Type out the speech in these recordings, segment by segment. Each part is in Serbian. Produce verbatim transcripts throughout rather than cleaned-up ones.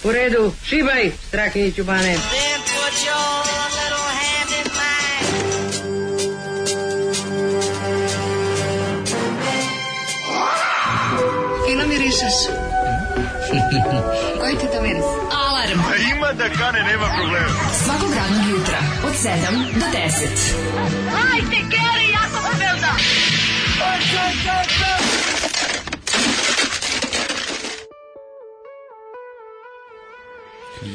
U redu, šibaj, Strahinjiću Bane. Fino mirišeš. Koji ti to miris? Alarm. A ima da kane, nema problema. Svakog radnog jutra, od sedam do deset. Hajde, Geri, jako se velda.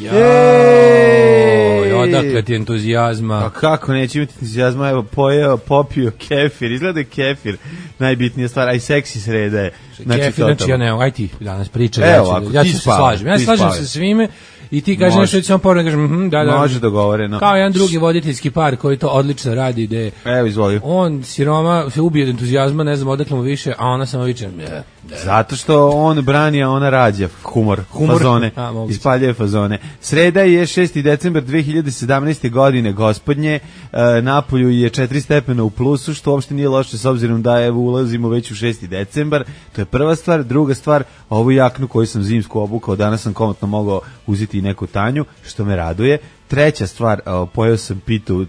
Joj, odakle ti entuzijazma? A kako neće imati entuzijazma? Evo, pojeo, popio kefir, izgleda je kefir najbitnija stvar, a i seksi sreda je. Znači, kefir, znači ja ne, aj ti danas pričaj, ja, ću, ja ću se slažem. Ja se slažem sa svime i ti kažeš nešto, ću vam povrlo, kažem, mm, da, da. Može dogovoreno. Kao jedan drugi voditeljski par koji to odlično radi, gde evo, izvoli. On, siroma, se ubije od entuzijazma, ne znam odakle mu više, a ona samo viče, ne. Zato što on brani, a ona rađa humor, humor. Fazone, ispaljuje fazone. Sreda je šesti decembar dve hiljade sedamnaeste. godine, gospodnje, e, napolju je četiri stepena u plusu, što uopšte nije loše s obzirom da evo ulazimo već u šesti decembar, to je prva stvar. Druga stvar, ovu jaknu koju sam zimsku obukao, danas sam komotno mogao uzeti i neku tanju, što me raduje. Treća stvar, pojeo sam pitu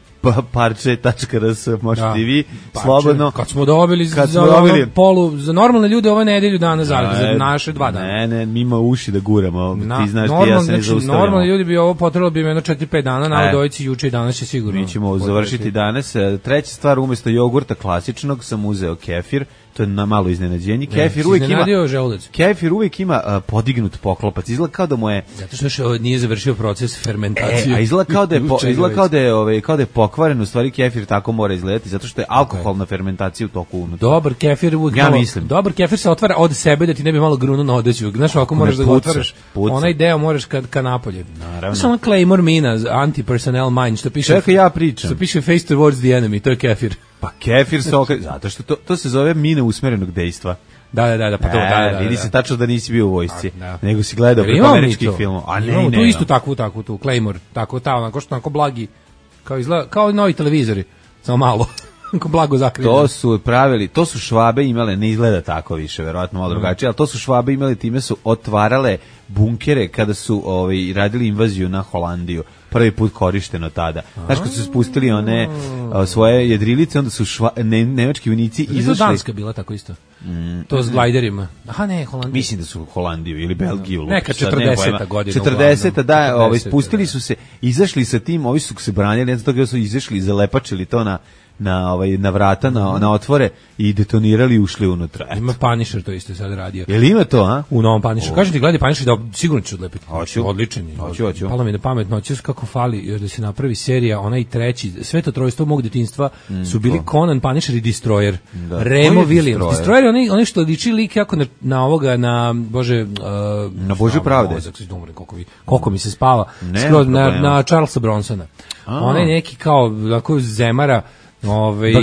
parče tačka r s, možete i vi parče, slobodno. Kad smo dobili, kad za, smo dobili polu, za normalne ljude ove nedelju dana zaredno, za naše dva dana. Ne, ne, mi ima uši da guramo, na, ti znaš normal, ti ja se ne znači, zaustavljamo. Normalni ljudi bi ovo potrebalo bi jedno četiri pet dana, na udojici juče i danas će sigurno. Mi ćemo završiti danas. Treća stvar, umjesto jogurta klasičnog sam uzeo kefir. To je na malo iznenađenje. Kefir uvijek ima Kefir uvijek ima uh, podignut poklopac. Izgleda kao da mu je zato što što nije završio proces fermentacije. E, a izgleda kao da je po, izgleda kao da je ovaj kao da je pokvaren, u stvari kefir tako mora izgledati zato što je alkoholna fermentacija u toku unutra. Dobar kefir uvijek ja malo, mislim. Dobar kefir se otvara od sebe da ti ne bi malo grunuo na odeću. Znaš, ako moraš da ga otvaraš, onaj deo moraš kad ka napolje. Naravno. Samo Claymore mina, anti-personnel mind, što piše. Čekaj, ja pričam. Što piše face towards the enemy, to je kefir. Pa kefir se okre... zato što to, to se zove mina usmerenog dejstva. Da, da, da, da, pa to, e, da, da, vidi da. se tačno da nisi bio u vojsci, da. nego si gledao preko američkih filmova. A ne, imamo ne, tu ne, istu takvu, takvu, tu, Claymore, tako, ta, onako što onako blagi, kao izgleda, kao novi televizori, samo malo, kao blago zakriveno. To su pravili, to su Švabe imale, ne izgleda tako više, verovatno malo drugačije, ali to su Švabe imali, time su otvarale bunkere kada su ovaj, radili invaziju na Holandiju. Prvi put korišteno tada. Znaš, kad su spustili one o, svoje jedrilice, onda su šva, ne, nemački vojnici izašli. To Danska bila tako isto. Mm, to s glajderima. Aha, ne, Holandija. Mislim da su Holandiju ili Belgiju. Neka četrdeseta godina. četrdeseta da, ovaj, spustili su se, izašli sa tim, ovi su se branili, ne znam toga su izašli i zalepačili to na na ovaj na vrata, na na otvore i detonirali i ušli unutra. Eto. Ima Punisher to isto sad radio. Jel ima to, a? U novom Punisheru. Kažem ti, gledaj Punisher da sigurno ću odlepiti. Hoću. Odličan je. Hoću, hoću. Palo mi na pamet, noći kako fali još da se napravi serija, onaj treći, sve to trojstvo mog detinjstva mm, su bili to. Conan, Punisher i Destroyer. Da. Remo Williams. Destroyer, Destroyer je onaj, onaj što liči lik jako na, na ovoga, na, bože... Uh, na Božju pravde. Mozak, koliko, koliko mi se spava. Skroz, na, na Charlesa Bronsona. Onaj neki kao, tako zemara, Ove,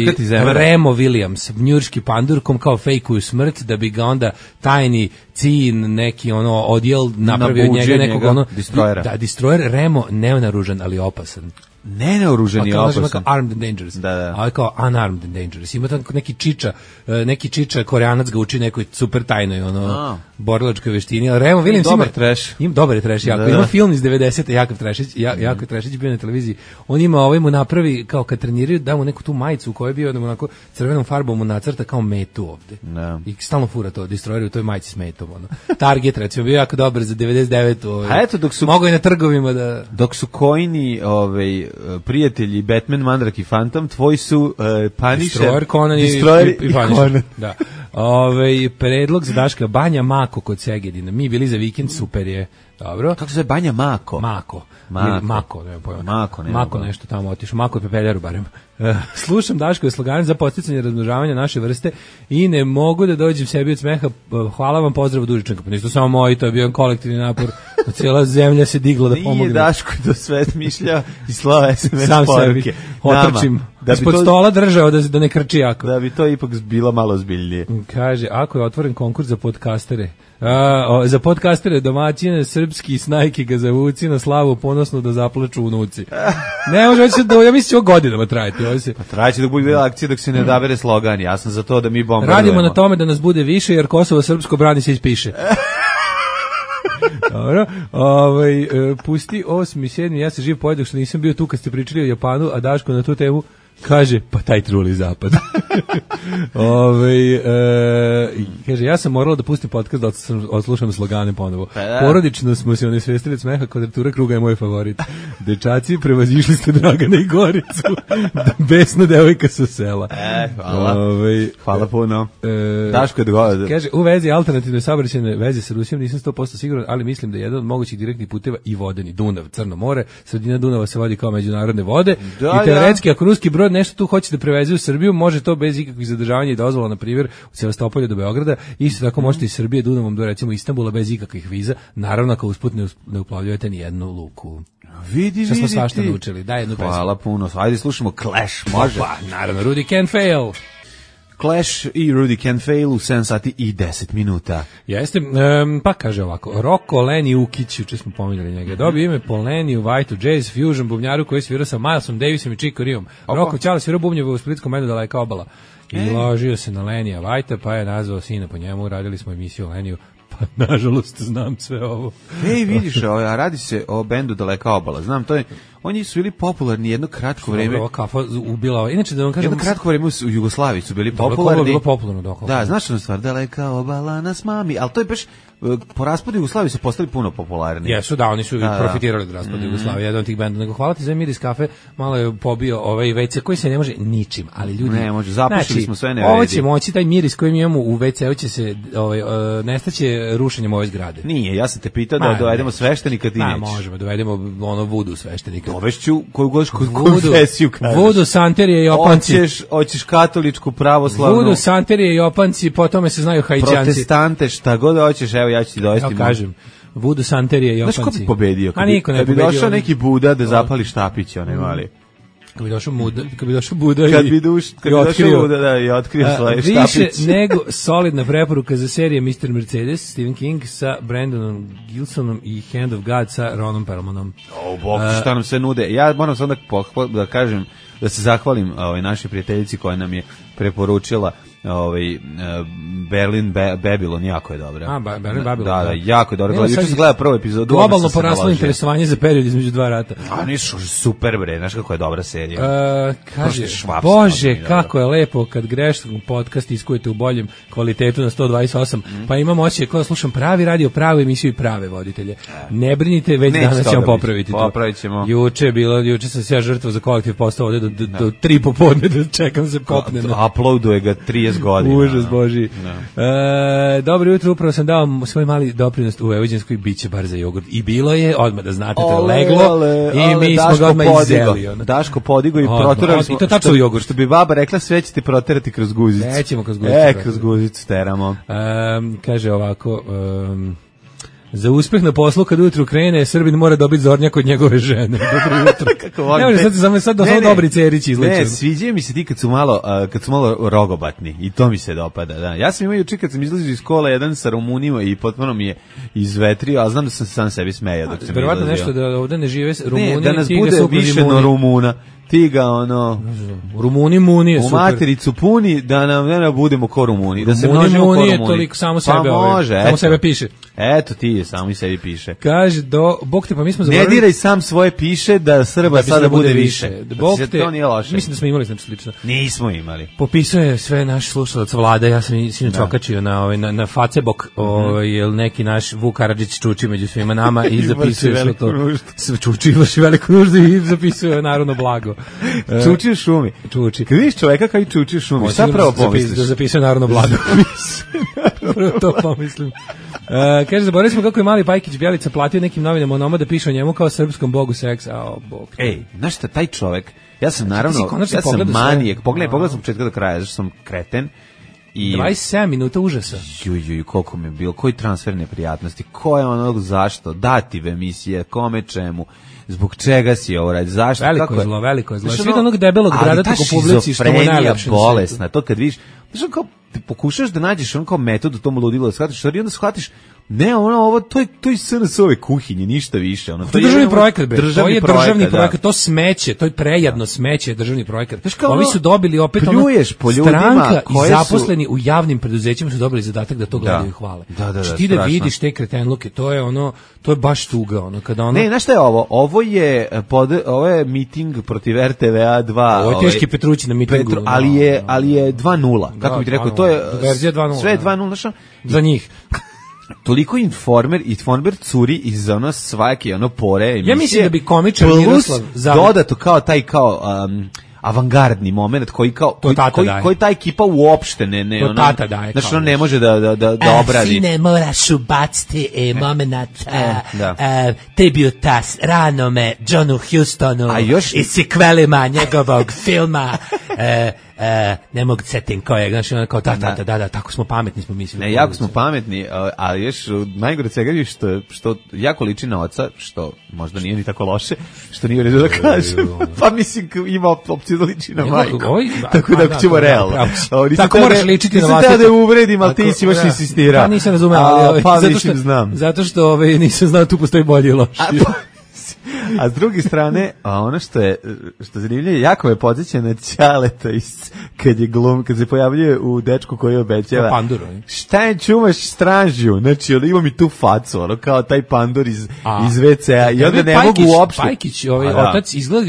Remo Williams, njurški pandurkom kao fejkuju smrt da bi ga onda tajni cin neki ono odjel napravio od njega nekog ono destroyera. Da, destroyer Remo nenaružan ali opasan. Nenaoružan i opasan. Kao armed and dangerous. Da, da. Ali kao unarmed and dangerous. Ima tamo neki čiča, neki čiča Koreanac ga uči nekoj super tajnoj ono A. borilačkoj veštini. Ali Remo Williams dobar ima trash. Ima dobar je trash, jako. Da, da. Ima film iz devedesete Jakov Trešić, ja, Jakov Trešić bio na televiziji. On ima ovaj mu napravi kao kad treniraju da mu neku tu majicu u kojoj je bio da mu onako crvenom farbom mu nacrta kao metu ovde. Da. I stalno fura to, Destroyer u toj majici s metom ono. Target recimo bio jako dobar za devedeset devetu ovaj. A eto dok su mogu i na trgovima da dok su Coini ovaj prijatelji Batman, Mandrak i Phantom, tvoji su uh, Punisher, Destroyer, Conan Destroyer i, i, i Punisher. Da. Ove, predlog za Daška, Banja Mako kod Segedina. Mi bili za vikend, super je. Dobro. Kako se zove Banja Mako? Mako. Mako. Ili Mako, ne pojma. Mako, ne Mako nešto tamo otišao. Mako je pepeljaru barem. Uh, slušam Daškove slogane za podsticanje razmnožavanja naše vrste i ne mogu da dođem sebi od smeha. Hvala vam, pozdrav od Užičanka. Pa nisu samo moji, to je bio kolektivni napor. Cijela zemlja se digla da pomogne. Nije Daško to sve smišljao i slava es em es sam poruke. Otrčim. Da ispod to, stola držao da, da ne krči jako. Da bi to ipak bilo malo zbiljnije. Kaže, ako je otvoren konkurs za podcastere, a, o, za podcastere domaćine, srpski snajki ga zavuci na slavu ponosno da zaplaču unuci. Ne može se da, ja mislim, ovo godinama trajati. Ovo se... Pa trajaće dok bude akcija dok se ne odabere slogan. Ja sam za to da mi bombardujemo. Radimo na tome da nas bude više jer Kosovo srpsko brani se ispiše. Dobro, ovaj, e, pusti osmi, sedmi, ja se živ pojedak što nisam bio tu kad ste pričali o Japanu, a Daško na tu temu kaže, pa taj truli zapad. Ove, e, kaže, ja sam morala da pustim podcast da odslušam slogane ponovo. Porodično smo se onesvestili od smeha, kvadratura kruga je moj favorit. Dečaci, prevazišli ste Dragana i Goricu. Besna devojka sa sela. E, hvala. Ove, hvala puno. E, Daško je dogodio. Kaže, u vezi alternativne saobraćajne veze sa Rusijom nisam sto posto siguran, ali mislim da je jedan od mogućih direktnih puteva i vodeni. Dunav, Crno more, sredina Dunava se vodi kao međunarodne vode. Da, i teoretski, ako ruski brod nešto tu hoće da preveze u Srbiju, može to bez ikakvih zadržavanja i dozvola, na primjer, u Sevastopolju do Beograda. Isto tako možete iz Srbije Dunavom do recimo Istanbula bez ikakvih viza. Naravno, ako usput ne, ne uplavljujete ni jednu luku. Vidi, vidi. Što smo svašta naučili. Daj jednu pesmu. Hvala puno. Ajde slušamo Clash, može? Opa, naravno, Rudy Can Fail. Clash i Rudy Can Fail u sedam sati i deset minuta. Jeste, um, pa kaže ovako, Roko Leni Ukić, juče smo pominjali njega, dobio ime po Leniju, Whiteu, Jazz, Fusion, bubnjaru koji svirao sa Milesom Davisom i Chico Riom. Roko Ćala svirao bubnjeve u splitskom bendu Daleka obala. I e. ložio se na Lenija Whitea, pa je nazvao sina po njemu, radili smo emisiju o Leniju, pa nažalost znam sve ovo. Ej, vidiš, a radi se o bendu Daleka obala, znam, to je, oni su bili popularni jedno kratko vreme. Ova kafa ubila. Inače da vam kažem, jedno kratko vreme u Jugoslaviji su bili popularni. Bilo popularno dok. Da, znaš što stvar, Daleka obala nas mami, al to je baš po raspadu Jugoslavije su postali puno popularni. Jesu, da, oni su da, profitirali od raspada mm. Jugoslavije, jedan od tih benda. Nego hvala ti za Miris kafe, malo je pobio ovaj ve ce koji se ne može ničim, ali ljudi ne može, zapušili znači, smo sve ne vredi. Ovo će moći, taj miris koji mi imamo u ve ceu će se ovaj uh, nestaće rušenjem ove zgrade. Nije, ja sam te pitao da dovedemo sveštenika, ti nećeš. Da, možemo, dovedemo ono vudu sveštenika. Dovešću koju god konfesiju kažeš. Vudu, santerije i opanci. Hoćeš, hoćeš katoličku, pravoslavnu. Vudu, santerije i opanci, po tome se znaju Haitijanci. Protestante, šta god hoćeš, evo ja ću ti dovesti. Ja kažem, vudu, santerije i opanci. Znaš ko bi pobedio? A niko ne bi pobedio. došao neki Buda da zapali štapić, onaj mali. Kad bi došao Buda, kad bi došao Buda kad bi duš, kad bi došao Buda, da, i otkrio svoje štapić. Više nego solidna preporuka za serije mister Mercedes, Stephen King sa Brandonom Gilsonom i Hand of God sa Ronom Perlmanom. O, bog, šta nam se nude. Ja moram sad da, pohval, da kažem, da se zahvalim ovaj, našoj prijateljici koja nam je preporučila ovaj Berlin Be, Babylon, jako je dobra. A, ba, Berlin Babylon. Da, da, jako je dobro. Juče sam gledao prvu epizodu. Globalno poraslo interesovanje za period između dva rata. A nisu super bre, znaš kako je dobra serija. E, kaže, Bože, dobro. Kako je lepo kad greškom podcast iskujete u boljem kvalitetu na sto dvadeset osam, mm. pa imam osjećaj kao slušam pravi radio, pravu emisiju i prave voditelje. Ne brinite, već Neće danas ćemo popraviti to. Popravit ćemo. Juče je bilo, juče sam se ja žrtvovao za kolektiv postao ovde do, do, do tri popodne da čekam se popne. Uploaduje ga trideset godina. Užas Boži. No. E, dobro jutro, upravo sam dao svoj mali doprinos u Vojvođanskoj, biće bar za jogurt. I bilo je, odmah da znate, to je leglo ale, i ale, mi smo ga odmah izeli. Ono. Daško podigo i proterali smo. I to tačno u jogurt. Što bi baba rekla, sve ćete proterati kroz guzicu. Nećemo kroz guzicu. E, kroz guzicu teramo. E, kaže ovako... Um, za uspeh na poslu kad ujutru krene, Srbin mora dobiti zornjak od njegove žene. Dobro jutro. Kako volim. Ne, sad sam sad do dobri cerić izlečen. Ne, sviđaju mi se ti kad su malo uh, kad su malo rogobatni i to mi se dopada, da. Ja sam imao juče kad sam izlazio iz škole jedan sa Rumunima i potpuno mi je izvetrio, a znam da sam sam sebi smejao dok sam izlazio. Verovatno nešto da ovde ne žive Rumuni, ne, da nas bude više no Rumuna. Ti ga ono Rumuni muni je super. U matericu puni da nam ne budemo ko Rumuni, da se množimo ko Rumuni. Toliko samo sebe, pa može, ovaj, samo sebe piše. Eto ti je samo i sebi piše. Kaže do bog te pa mi smo zaboravili. Ne diraj sam svoje piše da Srba da sada bude više. više. Bog te, to nije loše. Mislim da smo imali nešto slično. Nismo imali. Popisuje sve naš slušalac Vlada, ja sam sinoć okačio na ovaj na, na Facebook, ovaj jel neki naš Vuk Karadžić čuči među svima nama i zapisuje sve to. Sve čuči vrši veliku nuždu i zapisuje narodno blago. Čuči u šumi. Čuči. Kad vidiš čoveka koji čuči u šumi, šta pravo pomisliš? Da zapisuje narodno blago. Prvo to pomislim. Uh, kaže, zaboravili smo kako je mali Pajkić Bjelica platio nekim novinama onoma da piše o njemu kao srpskom bogu seksa. Oh, bog. Ej, znaš šta, taj čovek, ja sam naravno, ja sam manijek, pogledaj, pogledaj sam početka do kraja, zašto sam kreten. I dvadeset sedam minuta užasa. Ju, ju, koliko mi je bilo, koji transfer neprijatnosti, ko je onog zašto, dative emisije, kome čemu, zbog čega si ovo radi, zašto, veliko kako je zlo, veliko je zlo. Svi do onog debelog bradata ko publici što mu najlepše. bolesna, to kad vidiš, Znaš, kao, ti pokušaš da nađeš on kao metod u tom ludilu, da shvatiš, i onda shvatiš, ne, ono, ovo, to je, to je S N S-ove kuhinje, ništa više. Ono, to je državni projekat, bre. Državni to je projekat, državni projekat, to smeće, to je prejedno da. Smeće, državni projekat. Kao, ovi su dobili opet pljuješ po ljudima, stranka i zaposleni su... u javnim preduzećima su dobili zadatak da to gledaju da. I hvale. Da, da, da, da, ti da vidiš te kretenluke, to je ono, to je baš tuga, ono, kada ono... Ne, znaš šta je ovo? Ovo je, pod, ovo je miting protiv R T V A dva. Ovo je teški Petrući na mitingu. Petru, ali je, ali je dva nula, kako da, bih ti rekao, to je... Verzija dva nula. Sve je dva nula, znaš? Za njih. Toliko informer i informer curi iz ono svake ono pore emisije. Ja mislim da bi komičar Miroslav dodato kao taj kao um, avangardni moment koji kao koji, koji, koji ta ekipa uopšte ne ne ono, znači on ne može da da da, da obradi. Sine moraš ubaciti e, moment e, da. e, tributas ranome Johnu Houstonu još... i sikvelima njegovog filma e, e, ne mogu setim kojeg, znači ono kao da, da, da, da, da, tako smo pametni smo mislili. Ne, jako smo pametni, ali još najgore svega je što, što jako liči na oca, što možda nije ni tako loše, što nije u redu da kažem, pa mislim ima opciju da liči na majku, tako da ćemo realno. Tako moraš ličiti na vlastito. Nisam da uvredim, ali ti si baš insistirao. Pa nisam razumeo, ali pa mislim znam. Zato što ovaj, nisam znao tu postoji bolji i loši. A s druge strane, a ono što je što zanimljivo, jako me podsjeća na Ćaleta iz kad je glum, kad se pojavljuje u Dečku koji obećava. Pandur, šta je čuvaš stražnju? Znači, on ima mi tu facu, ono kao taj pandur iz a, iz ve ce a i onda ne Pajkić, mogu uopšte. Pajkić, ovaj a, otac izgleda,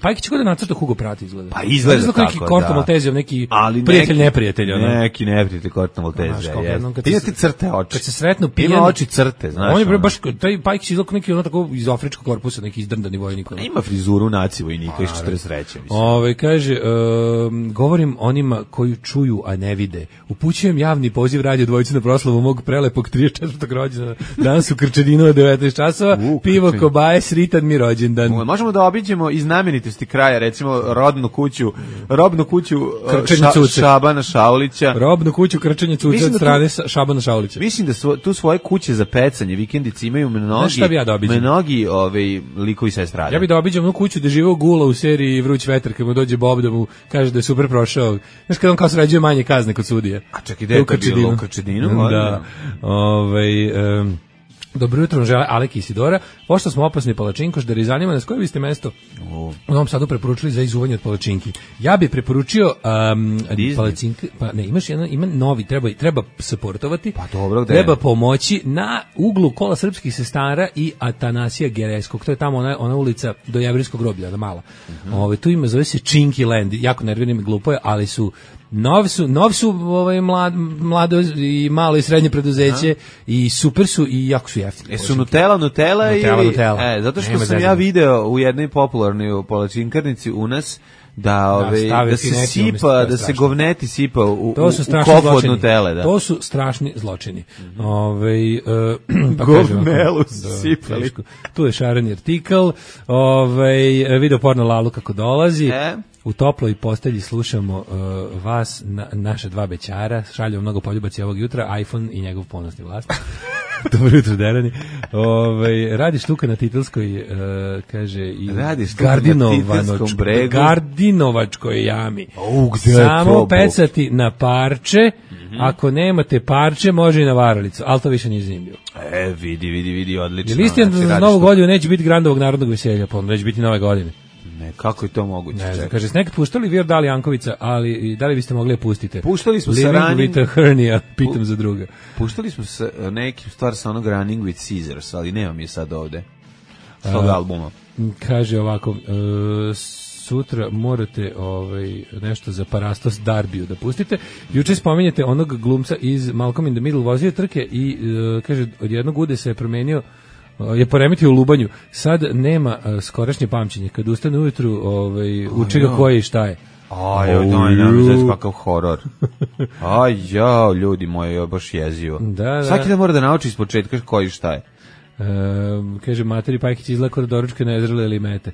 Pajkić kako da nacrta Hugo Pratt izgleda. Pa izgleda, izgleda tako, neki Korto Maltezijov, neki ali prijatelj neki, neprijatelj, ono. Neki neprijatelj Korto Maltezijov. Ti ti crte oči. Kad se sretnu pijani, ima oči crte, znaš. On je baš taj Pajkić izgleda neki ono tako iz afričkog korpusa, neki izdrndani vojnik. Ima frizuru naci vojnika iz četrdeset treće mislim. Ovaj kaže, um, govorim onima koji čuju, a ne vide. Upućujem javni poziv radio dvojice na proslavu mog prelepog trideset četvrtog rođendana. Danas u Krčedinu od devetnaest časova. U, pivo, krčin. Kobaje, sritan mi rođendan. Možemo da obiđemo i znamenitosti kraja, recimo rodnu kuću, robnu kuću ša, Šabana Šaulića. Robnu kuću Krčenje Cuce od strane tu, Šabana Šaulića. Mislim da su, tu svoje kuće za pecanje, vikendice imaju mnogi, ja da mnogi ovaj, likovi sa estrade. Ja bih da obiđem onu kuću gde žive Gula u seriji Vruć vetar, kad mu dođe Bob da mu kaže da je super prošao. Znaš kad on kao sređuje manje kazne kod sudije. A čak i da je bilo u Krčedinu. Da. Ovaj... Um, dobro jutro, žele Alek i Isidora. Pošto smo opasni palačinkoš, da zanima nas koje biste mesto u Novom Sadu preporučili za izuvanje od palačinki. Ja bih preporučio um, palačinke, pa ne, imaš jedan, ima novi, treba, treba supportovati, pa dobro, treba pomoći na uglu Kola srpskih sestara i Atanasija Gereskog. To je tamo ona, ona ulica do Jevrijskog groblja, da mala. Mm-hmm. Ove, tu ima, zove se Chinky Land, jako nervirnim i glupo je, ali su Novi su, novi su ovaj, mlad, mlado i malo i srednje preduzeće aha. I super su i jako su jeftini. E su Nutella, Nutella, Nutella, ili, Nutella. E, zato što Nema sam ja video u jednoj popularnoj palačinkarnici u nas da ove da, da se sipa, da se govneti sipa u, u, u kofu od Nutelle, da. To su strašni zločini. Mm-hmm. Ovaj uh, pa govnelu sipali. Tu je šareni artikl, ovaj video porno Lalu kako dolazi. E? U toploj postelji slušamo uh, vas, na, naša dva bećara, šalju mnogo poljubaci ovog jutra, iPhone i njegov ponosni vlasnik. Dobro jutro, Derani. Ove, radi štuka na Titelskoj, uh, kaže, i Gardinovačkoj Gardinovačkoj jami. O, gde samo pecati na parče, mm-hmm. Ako nemate parče, može i na varalicu, ali to više nije zanimljivo. E, vidi, vidi, vidi, odlično. Jer isti za novu godinu neće biti Grandovog narodnog veselja, pa onda će biti nove godine. Ne, kako je to moguće? Ne znam, kaže, nekad puštali Weird Al Jankovića, ali da li biste mogli pustiti? Puštali smo Living sa Running... with a Hernia, pitam pu... za druga. Puštali smo sa nekim stvar sa onog Running with Scissors, ali nemam je sad ovde. S tog albuma. Kaže ovako, uh, sutra morate ovaj, nešto za Parastos Darbiju da pustite. Juče spominjete onog glumca iz Malcolm in the Middle, vozio trke i uh, kaže, od jednog ude se je promenio, je poremetio u lubanju. Sad nema uh, skorašnje pamćenje. Kad ustane ujutru, ovaj, uče ga koje i šta je. Aj, oh, daj, nema zez kakav horor. Aj, jao, ljudi moji, je baš jezivo. Da, da. Svaki da mora da nauči iz početka koji šta je. Uh, kaže, materi Pajkić izlako da doručke nezrele ili mete.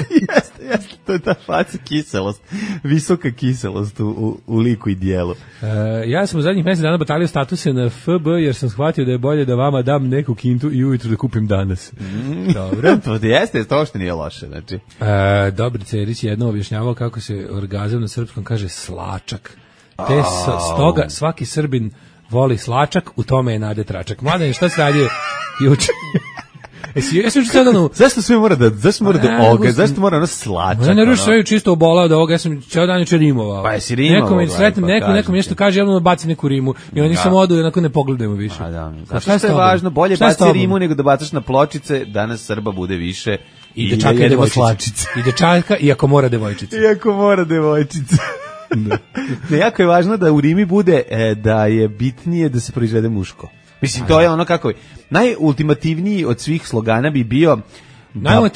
jeste, jeste, to je ta faca kiselost, visoka kiselost u, u, u liku i dijelu. Uh, ja sam u zadnjih mesec dana batalio statuse na F B jer sam shvatio da je bolje da vama dam neku kintu i ujutru da kupim danas. Mm. Dobro. To jeste, to što nije loše. Znači. Uh, Dobri Cerić je jedno objašnjavao kako se orgazam na srpskom kaže slačak. Te s, stoga svaki Srbin voli slačak, u tome je Nade Tračak. Mladen, šta se radio juče? Jesi, jesi učin sada no... Zašto sve mora da, zašto mora da oga, zašto mora ono slačak? Ja ne ruši sve čisto obolao da ovoga, ja sam cijel dan juče rimovao. Pa jesi rimovao? Nekom, sretnim, pa nekom, nekom nešto kaže, ja bacim neku rimu i oni samo odu i onako ne pogledajmo više. A da, zato što je važno, bolje baci rimu nego da bacaš na pločice, danas Srba bude više. I dečaka i devojčice. I dečaka, iako mora devojčice. Iako mora devojčice. Da. Ne, jako je važno da u rimi bude e, da je bitnije da se proizvede muško. Mislim, to je ono kako je. Najultimativniji od svih slogana bi bio da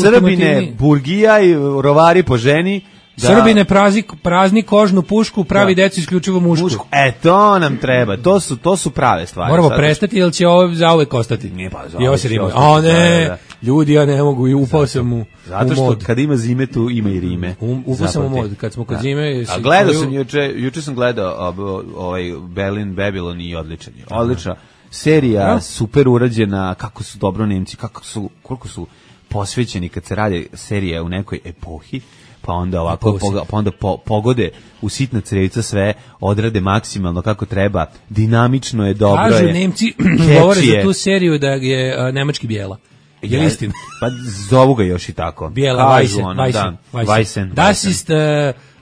Srbine, burgija i rovari po ženi. Da. Srbine prazni, prazni kožnu pušku, pravi da. Decu isključivo mušku. mušku. E, to nam treba. To su, to su prave stvari. Moramo sad prestati, jer će ovo zauvek ostati. Nije pa zauvek. A ne, da, da. Ljudi, ja ne mogu, i upao sam u Zato što kad ima zime, tu ima i rime. Um, upao sam u mod, kad smo kod da. Zime... A gledao sam juče, juče sam gledao ovaj Berlin Babylon i odličan je. Odlična serija, super urađena, kako su dobro Nemci, kako su, koliko su posvećeni kad se radi serija u nekoj epohi. Pa onda ovako poga, pa onda po, pogode u sitna crevca sve odrade maksimalno kako treba, dinamično je, dobro Kažu, je. Kažu Nemci govore za tu seriju da je uh, nemački bijela. Je li istina? Pa zovu ga još i tako. Bijela, Weisse, Weisse, Weisse. Das ist uh,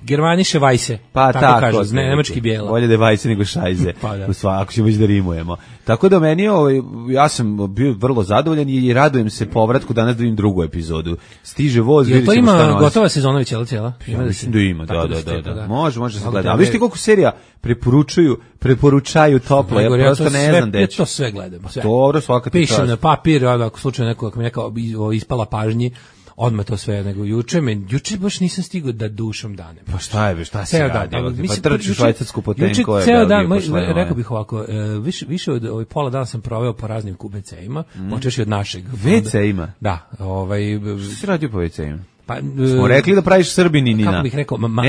Germanische Weisse. Pa tako, tako kažu, ne, nemački bijela. Bolje da je Weisse nego Šajze. Pa da. Ako ćemo već da rimujemo. Tako da meni ovaj, ja sam bio vrlo zadovoljan i radujem se povratku danas da vidim drugu epizodu. Stiže voz, vidjet ćemo šta nosi. To ima gotova sezona već, cijela cijela? Ja mislim da ima, da, da, da, da. Može, može se gleda. A viš ti koliko serija preporučuju, preporučaju toplo, ja prosto ne znam deći. Ja to sve gledam. Dobro, svaka ti čast. Pišem na papir, ako slučajno neko, ako mi neka ispala pažnji, odmah to sve, nego juče, men, juče baš nisam stigao da dušom danem. Pa šta je, šta se radi? Pa trči švajcarsku potenkove. Ceo dan, rekao bih ovako, više, više od ovaj, pola dana sam proveo po raznim ve ce-ima, mm. počeši od našeg. ve ce-ima? Da. Ovaj, što si radio po ve ce-ima? Pa, smo rekli da praviš Srbininina. Kako bih rekao, ma, ma,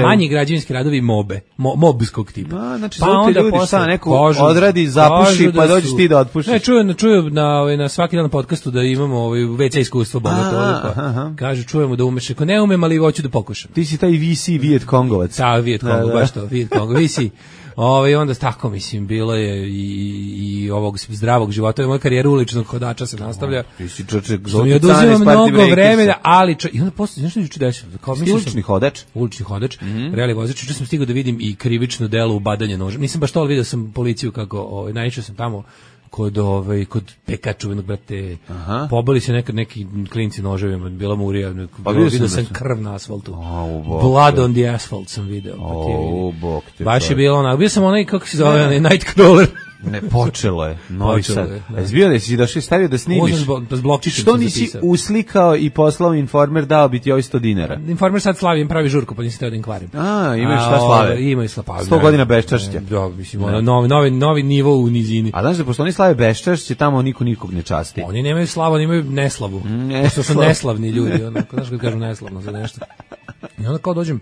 manji građevinski radovi mobe, mo, mobskog tipa. A, znači, pa onda ljudi šta, neko kožu, odradi, zapuši, pa dođeš ti da otpušiš. Ne, čujem, čujem na, na svaki dan podcastu da imamo ovaj, ve ce iskustvo bogato. Pa, kažu, čujemo da umeš, ako ne umem, ali hoću da pokušam. Ti si taj ve ce Viet Kongovac. Da, Viet Kongo, baš to, Viet Kongo, ve ce. Ove, onda tako, mislim, bilo je i, i ovog zdravog života. Moja karijera uličnog hodača se nastavlja. Ti si čoček mi oduzima mnogo vremena, ali čo, i onda posle, nešto juče desilo. Ulični hodač? Ulični hodač, mm -hmm. reali vozač. Juče sam stigao da vidim i krivično delo u badanje nožem. Nisam baš to, ali vidio sam policiju kako, ovaj, naišao sam tamo kod ovaj kod pekačuvenog brate. Aha. Pobili se nekad neki klinci noževima, bila murija, pa vidio sam krv na asfaltu. Oh, Blood on the asphalt sam video. Oh, bok te. Baš je bilo onako, bio sam onaj kako se zove, onaj Nightcrawler. Ne, počelo je. Novi Sad. A izbio da si došao i stavio da snimiš. Što nisi uslikao i poslao Informer, dao bi ti ovaj sto dinara? Informer sad slavim, pravi žurku, pa nisi teo da im kvarim. A, imaš šta slave? Imaju slave. sto godina beščašća. Da, mislim, ono, novi, novi, novi nivo u nizini. A znaš da pošto oni slave beščašće, tamo niko nikog ne časti. Oni nemaju slavu, oni imaju neslavu. Pošto su neslavni ljudi, onako, znaš kad kažu neslavno za nešto. I onda kao dođem,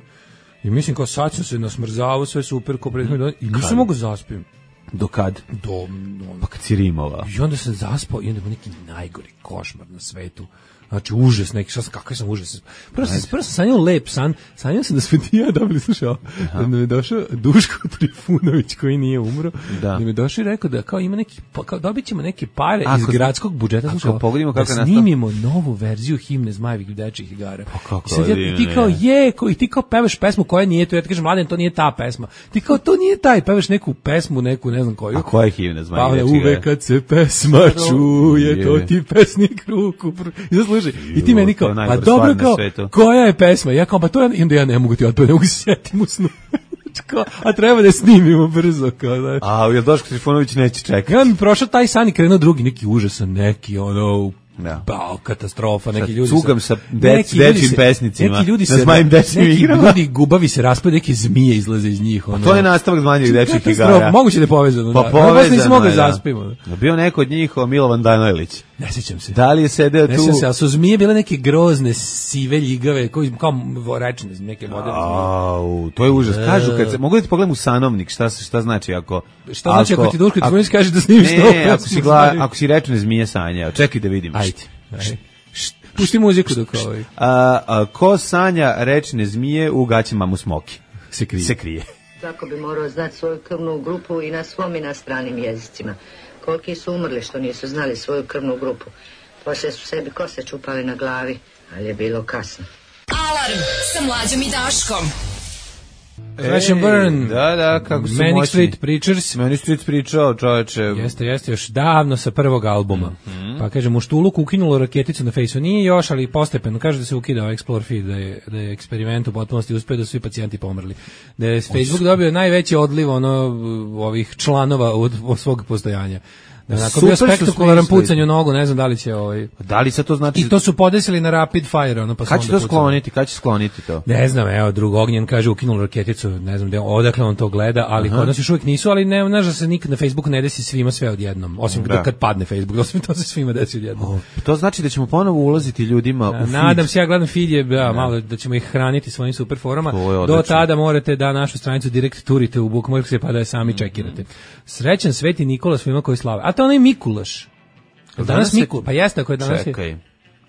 i mislim kao sad sam se nasmrzavao, sve super, ko predmet, i nisam mogu zaspim. Do kad? Do, ono, pa kad si rimova. I onda sam zaspao i onda je neki najgori košmar na svetu. Znači, užas neki, šta sam, kakav sam užas. Prvo sam, prvo sam sanjao lep san, sanjao sam da smo ti ja dobili, slušao, da mi je došao Duško Trifunović koji nije umro, da, da mi je došao i rekao da kao ima neki, kao dobit ćemo neke pare ako, iz gradskog budžeta, slušao, da snimimo novu verziju himne Zmajevih dečjih igara. Pa kako sad, ja, i ti kao je, ko, i ti kao pevaš pesmu koja nije to, ja ti kažem, Mladen, to nije ta pesma. Ti kao, to nije taj, pevaš neku pesmu, neku, ne znam koju. A koja je himna Zmajevih dečjih igara? Uvek kad se pesma čuje, to ti pesnik ruku pr... Slušaj, i ti meni kao, a dobro kao, koja je pesma? Ja kao, pa to ja, i onda ja ne mogu ti otpati, ne mogu se sjetiti u snu. A treba da snimimo brzo. Kao, da. A, jel Doško Trifunović neće čekati? Ja mi prošao taj san i krenuo drugi, neki užasan, neki, ono, Da. Bao, katastrofa, neki ljudi cugam sa dec, dečim pesnicima. Neki ljudi se zmajim dečim igrama. Neki ljudi gubavi se raspada, neke zmije izlaze iz njih. Ono. To je nastavak zmanjih dečih igara. Moguće da je povezano. Pa da. povezano. Nisam mogao zaspimo. Bio neko od njih, Milovan Danojlić. Ne sjećam se. Da li je sedeo tu? Ne sjećam se, ali su zmije bile neke grozne, sive ljigave, koji kao rečne, neke moderne zmije. Au, to je užas. Kažu, kad se, mogu da ti pogledam u Sanovnik, šta, šta znači ako... Šta znači ako ti Duško Tvrnić kaže da snimiš ne, novu Ne, ako si, gla, ako si rečne zmije sanjao, čekaj da vidim. Ajde, ajde. Pusti muziku dok ovaj. A, a, ko sanja rečne zmije u gaćima mu smoki? Se krije. Se krije. Svako bi morao znati svoju krvnu grupu i na svom i na stranim jezicima. Koliki su umrli što nisu znali svoju krvnu grupu. Poslije su sebi kose čupali na glavi, ali je bilo kasno. Alarm sa Mlađom i Daškom. Crash and Burn, da, da, kako su Manic moćni. Street Preachers. Manic Street pričao, čoveče. Jeste, jeste, još davno sa prvog albuma. Mm-hmm. Pa kaže, Muštuluk ukinulo raketicu na Fejsu. Nije još, ali postepeno. Kaže da se ukidao Explore Feed, da je, da je eksperiment u potpunosti uspeo da su svi pacijenti pomrli. Da je Facebook dobio najveći odliv ono, ovih članova od, od svog postojanja. Da, nakon bio spektakularan pucanj u nogu, ne znam da li će ovaj. Da li sad to znači? I to su podesili na rapid fire, ono pa. Kad će to skloniti? Kad će skloniti to? Ne znam, evo drug Ognjen kaže ukinulo raketicu, ne znam da odakle on to gleda, ali kod nas još uvijek nisu, ali ne znaš da se nikad na Facebooku ne desi svima sve odjednom, osim da. Kad padne Facebook, osim to se svima desi odjednom. Oh, to znači da ćemo ponovo ulaziti ljudima da, u feed. Nadam se, ja gledam feed je, da, malo da ćemo ih hraniti svojim super forama. Do tada morate da našu stranicu direkt turite u Bookmarks pa da je sami čekirate. Srećan Sveti Nikola svima koji slave. A to onaj Mikulaš. Danas, danas Mikul, pa jeste ako je danas. Čekaj. Je,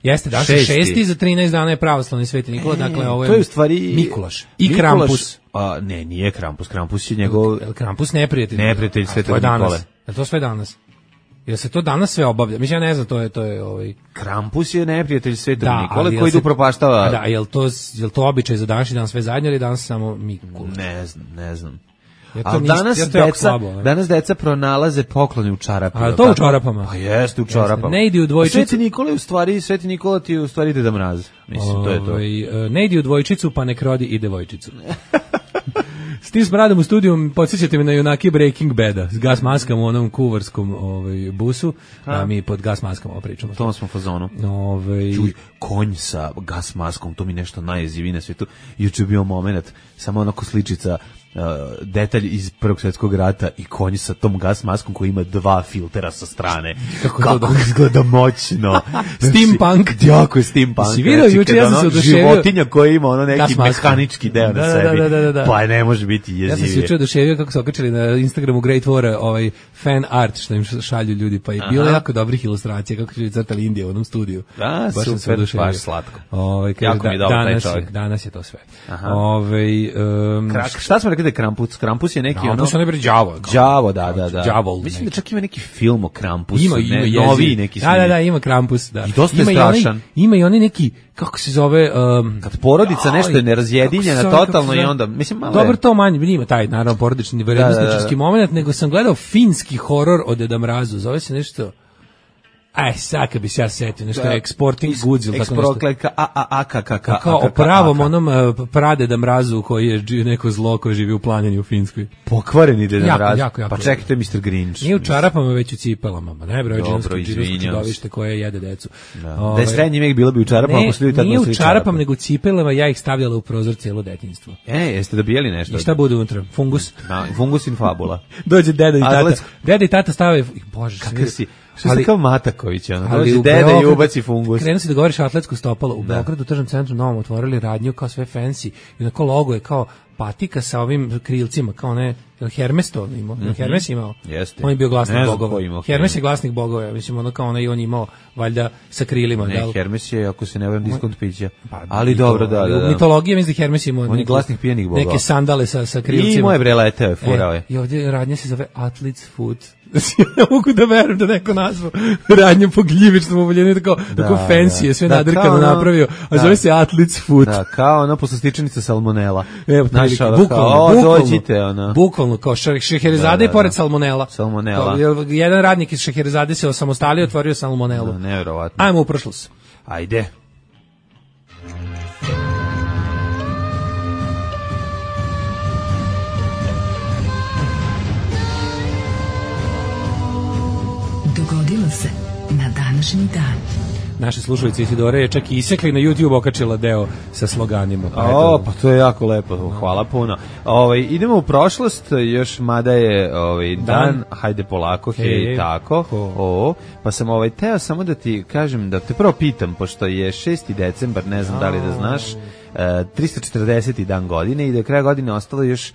jeste, danas je šesti, za trinaest dana je pravoslavni Sveti Nikola, e, dakle ovo je, to je u stvari Mikulaš i Mikulaš, Krampus. A ne, nije Krampus, Krampus je njegov El Krampus neprijatelj. Neprijatelj Svetog Nikole. Je to sve danas? Jel se to danas sve obavlja? Mislim, ja ne znam, to je, to je ovaj... Krampus je neprijatelj Svetog da, Nikole koji se... upropaštava... Da, jel to, jel to običaj za današnji dan sve zajedno ili danas samo Mikula? Ne znam, ne znam. Ja ali danas, ja deca, slabo, danas deca pronalaze poklone u čarapama. A to u čarapama? Pa jeste u čarapama. Ne idi u dvojčicu. Sveti Nikola u stvari, Sveti Nikola ti u stvari Deda Mraz. Mislim, to je to. Ove, ne idi u dvojčicu, pa nek rodi i devojčicu. S tim smradom u studiju podsjećate me na junaki Breaking Bada s gas maskama u onom kuvarskom ovaj, busu, a mi pod gas maskama pričamo. To smo fazonu. Ovaj... Čuj, konj sa gas maskom, to mi nešto najjezivije na svijetu. Juče bio moment, samo onako sličica, uh, detalj iz Prvog svjetskog rata i konj sa tom gas maskom koji ima dva filtera sa strane. Kako, Kako to izgleda moćno. Steampunk. Jako je steampunk. Si vidio juče, ja sam se oduševio. Životinja koja ima ono neki mehanički deo da, na sebi. Da, da, da, da. Pa ne može biti jezivije. Ja sam se juče oduševio kako su okačili na Instagramu Great War ovaj fan art što im šalju ljudi, pa je Aha. bilo jako dobrih ilustracija kako su ljudi crtali Indiju u onom studiju. Da, baš super, baš slatko. Ovaj jako da, mi je dobro danas, taj čovjek. Danas je to sve. Ovaj um, Krak, šta smo rekli da je Krampus? Krampus je neki Krampus ono... Krampus je ne bre đavo. Đavo, da, da, da. Đavol. Mislim da čak ima neki film o Krampusu. Ima, ima ne, novi neki snimljen. Da, da, da, ima Krampus, da. I dosta ima je strašan. I ima i oni neki, kako se zove... Um, kad porodica nešto je nerazjedinjena totalno i onda... Mislim, malo dobro, to manje, nima taj, naravno, porodični, vrednosničarski moment, nego sam gledao finski horor od Deda Mrazu. Zove se nešto... Aj, sad kad bi se ja setio, nešto je Exporting Goods ili tako nešto. Eksprokleka, a, a, a, ka, ka, ka, kao o pravom onom pradeda Mrazu koji je neko zlo koji živi u planini u Finskoj. Pokvareni Deda Mraz. Jako, jako, pa čekaj, to je mister Grinch. Nije u čarapama, već u cipelama. Ma ne, bre, džinsko čudovište koje jede decu. Da, Ove, da je srednji vek bilo bi u čarapama, ne, posle ljudi tad nije u čarapama, nego u cipelama, ja ih stavljala u prozor cijelo detinjstvo. E, jeste dobijali nešto? I šta bude unutra? Fungus? Da, fungus in fabula. Dođe deda i tata. Deda i tata stave, bože, kakav si... Što se kao Mataković, ono, dođe deda i ubaci fungus. Krenu si da govoriš atletsko stopalo. U Beogradu, u tržnom centru novom, otvorili radnju kao sve fancy. I onako logo je kao patika sa ovim krilcima, kao ne, Hermes to imao. Mm-hmm. Hermes imao. Jeste. On je bio glasnik bogova. Hermes je glasnik bogova, ja mislim, ono kao ono i on imao, valjda, sa krilima. Ne, da li... Hermes je, ako se ne varam, diskont pića. Pa, ali dobro, da, da, da. U mitologiji, mislim da Hermes imao. On je glasnik pijenih bogova. Neke sandale sa, sa krilcima. I moje bre leteo je, furao je. E, I ovdje radnja se zove Athlete's Foot. Ja mogu da verujem da neko nazvao radnju po gljivičnom uvoljenju, tako, da, tako fancy je, sve da, nadrkano ono, napravio, a da, zove se Athlete's Foot. Da, kao ono poslastičnica salmonela. Evo, naša, bukvalno, kao, bukvalno, dođite, ono. Bukvalno, kao Šeherizade i pored salmonela. Salmonela. Kao, jedan radnik iz Šeherizade se osamostalio i otvorio salmonelu. Da, nevjerovatno. Ajmo u prošlost. Ajde. Dogodilo se na današnji dan. naše slušalice Isidore je čak i isekli na YouTube okačila deo sa sloganima. Pa, o, pa to je jako lepo, hvala puno. Ovaj, idemo u prošlost, još mada je ovaj, dan, dan, hajde polako, hej, hej tako, o, pa sam ovaj, teo samo da ti kažem, da te prvo pitam, pošto je šesti decembar, ne znam da li da znaš, tristo četrdeseti dan godine i do kraja godine ostalo još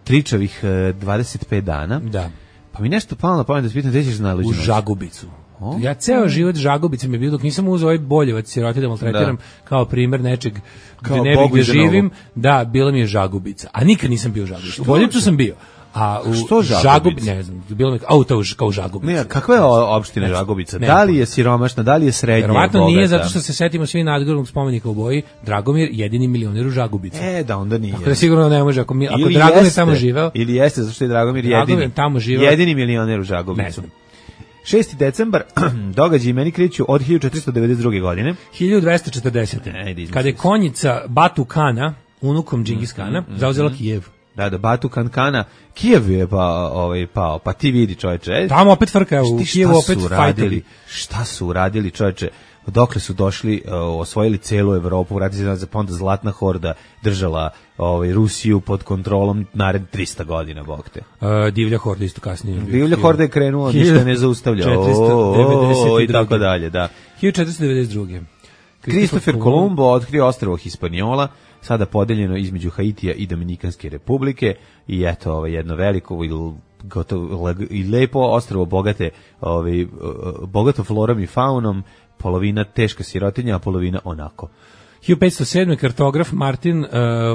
tričavih dvadeset pet dana. Da. Pa mi nešto palo na pamet da se pitam, gde ćeš najluđu noć? U Žagubicu. O? Ja ceo život Žagubica mi je bio, dok nisam uzeo ovaj boljevac siroti da maltretiram da. Kao primer nečeg gde ne bih gde živim, da, bila mi je Žagubica. A nikad nisam bio u Žagubicu. U Boljevcu sam bio. A u što Žagubica? Ne znam, bilo mi auto kao Žagubica. Ne, kakva je opština Žagubica? Da li je siromašna, da li je srednja? Verovatno nije, zato što se setimo svi nadgrobnog spomenika u Boji, Dragomir jedini milioner u Žagubici. E, da onda nije. Ako sigurno ne može, ako mi ako Dragomir jeste, tamo živeo. Ili jeste, zato što je Dragomir jedini. Dragomir tamo živeo. Jedini milioner u Žagubicu. šesti decembar, događaji meni kreću od hiljadu četiristo devedeset druge godine. hiljadu dvesta četrdesete. Kada je konjica Batu Kana, unukom Džingis Kana, mm, mm, zauzela Kijev. Da, da, Batu Kankana, Kijev je pa, ovaj, pao, pa ti vidi čoveče. Tamo opet frka, u Kijevu opet fajteri. Šta su uradili čoveče? Dokle su došli, uh, osvojili celu Evropu, vratili se pa onda Zlatna horda držala ovaj, Rusiju pod kontrolom nared trista godina, bog te. Uh, divlja horda isto kasnije. Divlja horda je krenula, ništa ne zaustavlja. O, i tako dalje, da. hiljadu četiristo devedeset druge. Kristofer Kolumbo otkrio ostrvo Hispaniola, sada podeljeno između Haitija i Dominikanske republike i eto ovaj, jedno veliko i gotovo i lepo ostrvo bogate, ovaj, bogato florom i faunom, polovina teška sirotinja, a polovina onako. hiljadu petsto sedme. kartograf Martin uh,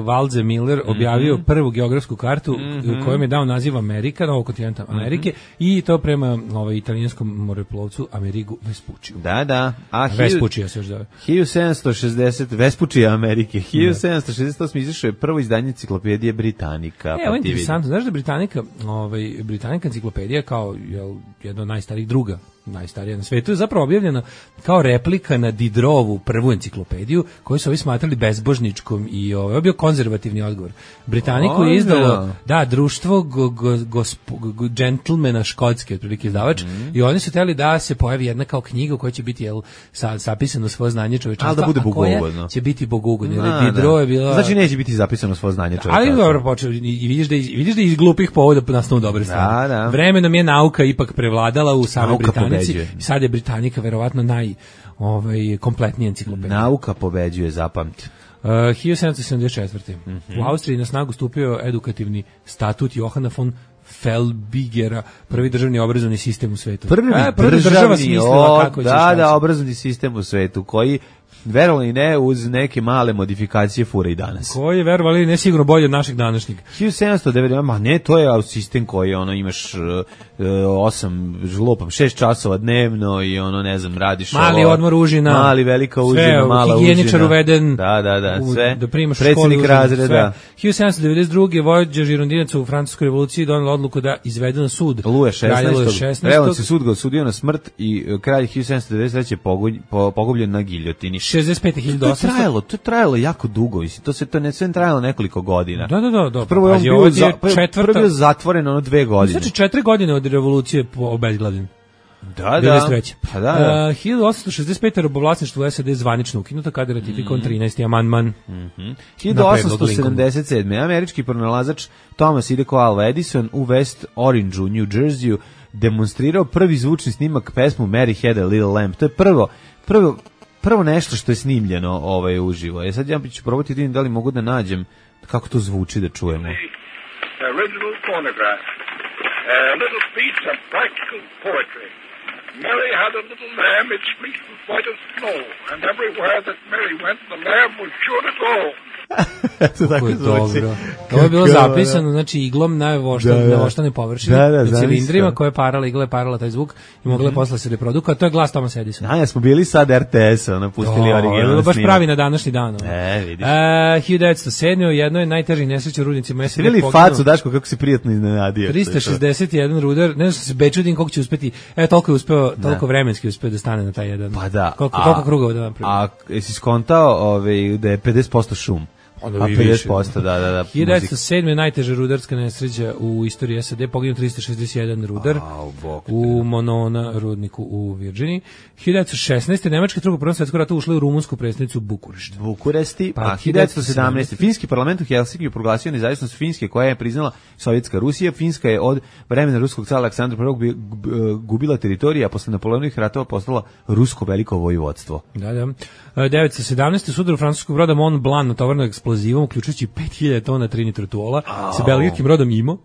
Walze Miller objavio mm-hmm. prvu geografsku kartu mm-hmm. kojom je dao naziv Amerika, novog kontinenta Amerike mm-hmm. i to prema ovaj, italijanskom moreplovcu Amerigu Vespuciju. Da, da. A Vespucija se još zove. hiljadu sedamsto šezdeset. Vespucija Amerike. hiljadu sedamsto šezdeset osme. izašao je prvo izdanje enciklopedije Britanika. E, ovo je interesantno. Znaš da Britanika, ovaj, Britanika enciklopedija kao jel, jedna od najstarijih druga najstarija na svetu, je zapravo objavljena kao replika na Diderovu prvu enciklopediju, koju su ovi smatrali bezbožničkom i ovo je bio konzervativni odgovor. Britaniku je izdalo da, društvo go, go, go, go, džentlmena škotske, otprilike izdavač, mm. i oni su hteli da se pojavi jedna kao knjiga u kojoj će biti jel, sa, zapisano svoje znanje čovečanstva, da bude a koja će biti bogugodno. Jer Diderot je bila... Znači neće biti zapisano svoje znanje čovečanstva. Ali dobro počeo, i vidiš da iz, vidiš da iz glupih povoda nastanu dobre stvari. Da, da. Vremenom je nauka ipak prevladala u samoj Britaniji. I sad je Britanika verovatno naj ovaj, kompletnija enciklopedija. Nauka pobeđuje, zapamti. Uh, hiljadu sedamsto sedamdeset četvrte. Mm-hmm. U Austriji na snagu stupio edukativni statut Johana von Felbigera, prvi državni obrazovni sistem u svetu. Prvi, e, prvi država smislila kako će da, da, obrazovni sistem u svetu, koji verovali i ne, uz neke male modifikacije fura i danas. Koji je verovali ne sigurno bolje od našeg današnjeg. hiljadu sedamsto devedeset. Ma ne, to je sistem koji ono imaš uh, osam žlopam šest časova dnevno i ono ne znam radiš mali ovo, odmor užina, mali velika užina, mala užina. Higijeničar uveden. Da, da, da, sve. Da primaš predsjednik školu, razreda. hiljadu sedamsto devedeset druge. vođa žirondinaca u francuskoj revoluciji donela odluku da izvede na sud. Luje šesnaestog. Evo se sud ga osudio na smrt i kralj hiljadu sedamsto devedeset treće pogubljen na giljotini. šezdeset pete hiljade osamsto. To je trajalo, to je trajalo jako dugo, mislim, to se to ne sve trajalo nekoliko godina. Da, da, da, da. Prvo je on bio, za, četvrta... prvo zatvoren ono dve godine. Znači četiri godine od revolucije obezglavljen. Da, da. Pa da, da. Uh, hiljadu osamsto šezdeset pete robovlasništvo u S A D zvanično ukinuto kada je ratifikovan mm. trinaesti amandman. Mm-hmm. hiljadu osamsto sedamdeset sedme. američki pronalazač Thomas Ideko Alva Edison u West Orangeu, New Jerseyu, demonstrirao prvi zvučni snimak pesmu Mary Had a Little Lamb. To je prvo, prvo prvo nešto što je snimljeno ovaj uživo. E sad ja ću probati da vidim da li mogu da nađem kako to zvuči da čujemo. Original phonograph. A little piece of practical poetry. Mary had a little lamb, its fleece was white as snow, and everywhere that Mary went, the lamb was sure to go. To tako zvuči. Ovo je bilo zapisano, znači iglom na voštane površine, da, da, na cilindrima koje je parala, igla je parala taj zvuk i mogla je mm-hmm. posle se reproduka, a to je glas Thomas Edisona. Da, ja smo bili sad R T S-a, napustili originalno snimak. Baš pravi na današnji dan. E, vidiš. Uh, hiljadu devetsto sedme. u jednoj od najtežih nesreća u rudnicima S A D poginuo. facu, Daško, kako si prijatno iznenadio. trista šezdeset jedan rudar, ne znam što se bečudim koliko će uspeti, e, toliko je uspeo, toliko vremenski uspeo da stane na taj jedan. Pa da. Koliko, koliko krugova da napravi. A jesi skontao ovaj, da je pedeset posto šum? Onda a pedeset posto, da, da, da. hiljadu devetsto sedme najteža rudarska nesreća u istoriji S A D, poginuo trista šezdeset jedan rudar a, u Monona rudniku u Virginiji. hiljadu devetsto šesnaeste nemačke drugo prvo svjetsko ratu ušle u rumunsku prestonicu Bukurešt. Bukurešti, pa, pa hiljadu devetsto sedamnaeste finski parlament u Helsinkiju proglasio nezavisnost Finske koja je priznala Sovjetska Rusija. Finska je od vremena ruskog cara Aleksandra prvog gubila teritoriju, a posle Napoleonovih ratova postala rusko veliko vojvodstvo. Da, da. devetsto sedamnaeste sudar u francuskog broda Mont Blanc natovarnog eksplozivom, uključujući pet hiljada tona trinitrotuola, oh. sa belgijskim brodom Imo.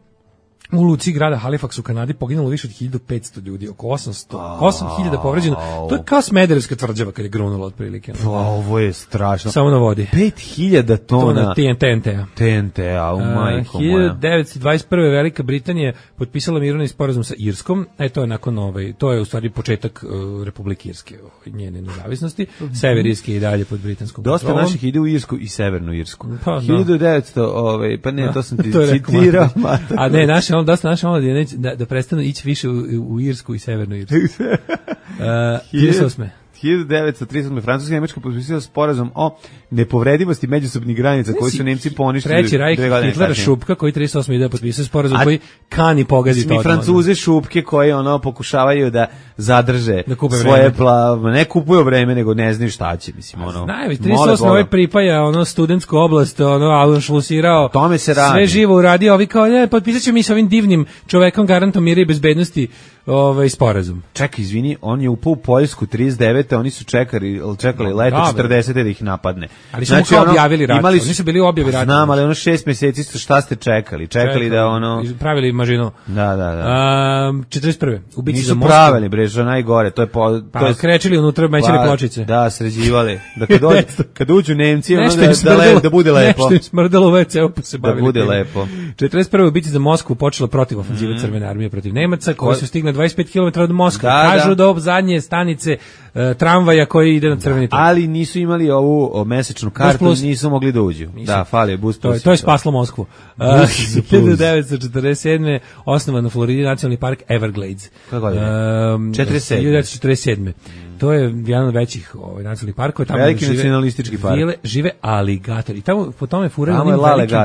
U luci grada Halifax u Kanadi poginulo više od hiljadu petsto ljudi, oko osamsto, osam hiljada povređeno. To je kao Smederevska tvrđava kad je grunula otprilike. Pa, ovo je strašno. Samo na vodi. pet hiljada tona T N T-a. T N T-a, u majko moja. hiljadu devetsto dvadeset prve Velika Britanija potpisala mirovni sporazum sa Irskom. E, to je nakon ovaj, to je u stvari početak uh, Republike Irske, njene nezavisnosti. Sever Irske i dalje pod britanskom Dosta kontrolom. naših ide u Irsku i Severnu Irsku. Pa, hiljadu devetsto, ovaj, pa ne, da, to sam ti to citirao. A ne, naše on dosta naše on da, da prestanu ići više u, u Irsku i Severnu Irsku. uh, trideset osme hiljadu devetsto trideset osme Francuska i Nemačka potpisala sporazum o nepovredivosti međusobnih granica koji su Nemci poništili. Treći Rajk Hitlera Šupka koji trideset osme ide potpisao sporazum a, koji kani pogaditi to. Francuze Šupke koji ono pokušavaju da zadrže da svoje plav, ne kupuju vreme nego ne znaju šta će, mislim ono. Znaju, trideset osme ovaj pripaja ono studentsku oblast, ono Auschwitzirao. Tome se radi. Sve živo uradio, ovi kao ne, potpisaćemo mi sa ovim divnim čovekom garantom mira i bezbednosti ovaj sporazum. Čekaj, izvini, on je upao u Poljsku trideset devete oni su čekali, čekali leto četrdesete da ih napadne. Ali su znači, ono, objavili rat, imali su, oni su bili objavi rata. Znam, ali ono šest meseci šta ste čekali? Čekali, čekali da ono... Pravili mažinu. Da, da, da. Um, četrdeset prve Ubici nisu pravili, bre, što najgore. To je po, pa, to je, krečili unutra, mećali pločice. Da, sređivali. Da kad, dođu, kad uđu Nemci, ono da, da, le, da bude lepo. Nešto im smrdalo već, evo pa se bavili. Da bude lepo. četrdeset prve Ubici za Moskvu počela protiv ofenzive mm. Crvene armije protiv Nemaca, koji su stigli dvadeset pet kilometara od Moskve. Da, kažu da do zadnje stanice uh, tramvaja koji ide na Crveni trg. Ali nisu imali ovu o, mesečnu kartu, nisu mogli da uđu. Nisu. Da, fali bus plus. To, to je spaslo Moskvu. Uh, hiljadu devetsto četrdeset sedme osnovan u Floridi nacionalni park Everglades. Kako godine? Um, četrdeset sedme hiljadu devetsto četrdeset sedme To je jedan od većih ovaj, nacionalnih parkova. Tamo veliki žive, nacionalistički park. Žive, žive aligatori. I tamo, po tome furaju onim velikim...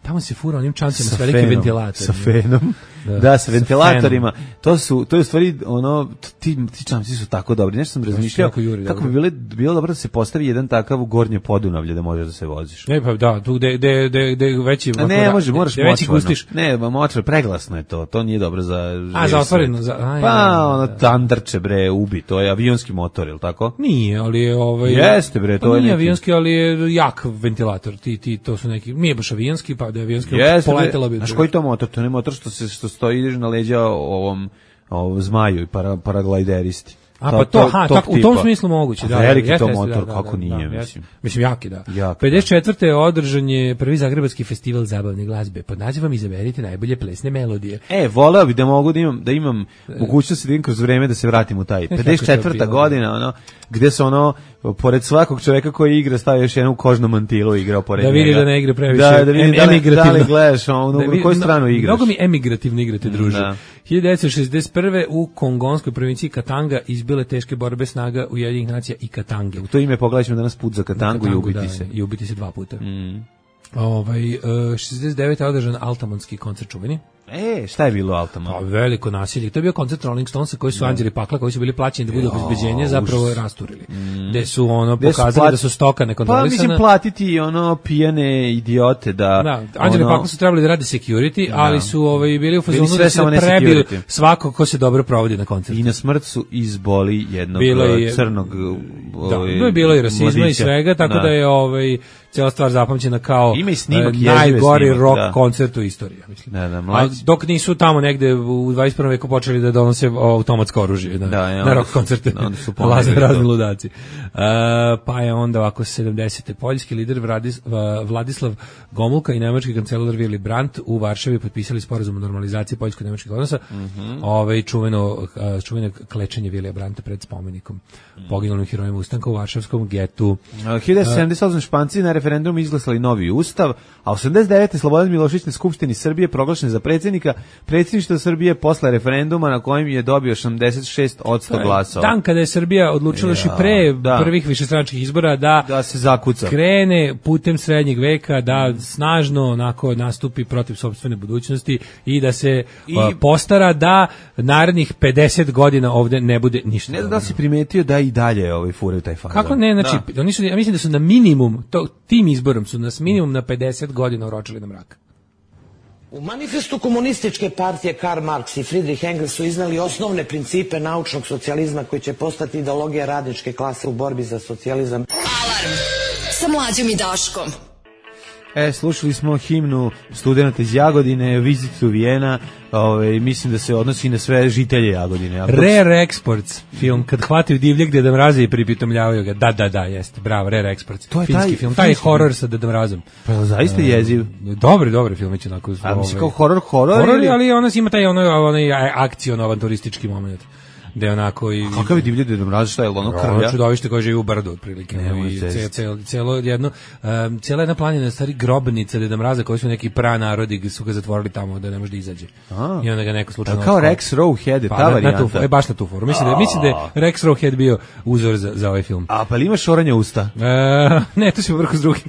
Tamo se fura onim čancima sa, sa velikim ventilatorima. Sa fenom. Da, da sa ventilatorima. To su, to je u stvari, ono, ti, ti čamci su tako dobri. Nešto sam razmišljao kako bi bilo, bilo dobro da se postavi jedan takav u Gornje Podunavlje da možeš da se voziš. Ne, pa da, tu gde, gde, gde, gde veći... A ne, može, moraš močvarno. Gustiš. Ne, močvar, preglasno je to. To nije dobro za... A, za otvoreno. Za, a, pa, ja, ono, tandrče, bre, ubi. To je avionski motor, je li tako? Nije, ali je... Ovaj, Jeste, bre, to pa je nije neki... avionski, ali je jak ventilator. Ti, ti, to su neki... Nije baš avionski, pa da je avionski... Znaš koji to motor? To ne motor što se što stoji na leđa ovom, ovom zmaju i para, paraglideristi. A pa to, aha, tako, u tom smislu moguće, da. Veliki da, to jeste, motor, da, kako da, nije, da, mislim. Mislim, jaki, da. Jak, pedeset četvrte održan je prvi zagrebački festival zabavne glazbe. Pod nazivom izaberite najbolje plesne melodije. E, voleo bi da mogu da imam, da imam mogućnost da idem kroz vreme da se vratim u taj. pedeset četvrta godina, ono, gde se ono, pored svakog čoveka koji igra stavio još jednu kožnu mantilu i igrao pored njega. Da vidi njega. da ne igra previše. Da, da vidi da li, da li gledaš, ono, da na koju stranu igraš. Mnogo mi emigrativno igrate, druže. Da. hiljadu devetsto šezdeset prve u kongonskoj provinciji Katanga izbile teške borbe snaga Ujedinjenih nacija i Katange. U to ime pogledaćemo danas put za Katangu, Katangu i ubiti da, se. I ubiti se dva puta. Mm. Ovaj, šezdeset devete održan Altamonski koncert čuveni. E, šta je bilo Altamont? Pa, veliko nasilje. To je bio koncert Rolling Stonesa koji su Anđeli Pakla, koji su bili plaćeni da budu obezbeđenje, zapravo rasturili. Mm. Gde su ono Gde pokazali su plat... da su stoka nekontrolisana. Pa mislim platiti ono pijane idiote da... Da, Anđeli ono... Pakla su trebali da radi security, da. Ali su ovaj, bili u fazonu da se prebiju svako ko se dobro provodi na koncertu. I na smrt su izboli jednog je, crnog... Ovaj, da, bilo je rasizma mladića. I svega, tako da, da je ovaj, cijela stvar zapamćena kao snimak, uh, najgori snimak, rock da. koncert u istoriji. Mislim. Da, da, A dok nisu tamo negde u dvadeset prvom veku počeli da donose automatsko oružje na, da, na rock koncerte, laze razni ludaci. Uh, pa je onda ovako sedamdesete poljski lider Vladis, Vladislav Gomulka i nemački kancelar Willy Brandt u Varšavi potpisali sporazum o normalizaciji poljsko-nemačkih odnosa. Mm-hmm. Ove čuveno, čuveno klečenje Vilija Brandta pred spomenikom mm. poginulim herojima ustanka u Varšavskom getu. hiljadu devetsto sedamdeset osam Španci na referendumu izglasali novi ustav, a osamdeset devete Slobodan Milošević na Skupštini Srbije proglašen za predsjednika predsjedništva Srbije posle referenduma na kojem je dobio osamdeset šest posto glasova. Dan kada je Srbija odlučila još i pre da. prvih višestranačkih izbora da, da se zakuca. Krene putem srednjeg veka, da snažno onako nastupi protiv sopstvene budućnosti i da se I, uh, postara da narednih pedeset godina ovde ne bude ništa. Ne znam da si primetio da i dalje ovaj furaju taj fazon. Kako ne, znači da. Oni su, ja mislim da su na minimum to, tim izborom su nas minimum na pedeset godina oročili na mrak. U manifestu komunističke partije Karl Marx i Friedrich Engels su iznali osnovne principe naučnog socijalizma koji će postati ideologija radničke klase u borbi za socijalizam. Alarm sa Mlađom i Daškom. E, slušali smo himnu studenta iz Jagodine, Visit to Vienna, ovaj, mislim da se odnosi na sve žitelje Jagodine. Rare Exports, film, kad hvataju divljeg Deda Mraza i pripitomljavaju ga. Da, da, da, jeste, bravo, Rare Exports. To je finski taj, film, taj horor sa Deda Mrazom. Pa zaista jeziv. Dobri, dobri film, će onako. A misli kao horor, horor? Horor, ali ona ima taj ono, onaj akciono-avanturistički moment. Da je onako i... Kakav je divlje Deda Mraz, šta je ono krvlja? Ono čudovište koje živi u brdu, otprilike. I celo, celo jedno, um, cijela jedna planina, stari grobnica Deda Mraza, koji su neki pranarodi, su ga zatvorili tamo da ne može da izađe. A, i onda ga neko slučajno... Kao Rex Rowhead, je pa, ta na, varijanta. Na tu, e, baš na tu foru. Mislim da, mislim da je Rex Rowhead bio uzor za, za ovaj film. A pa li imaš oranje usta? E, ne, to se vrhu s drugim.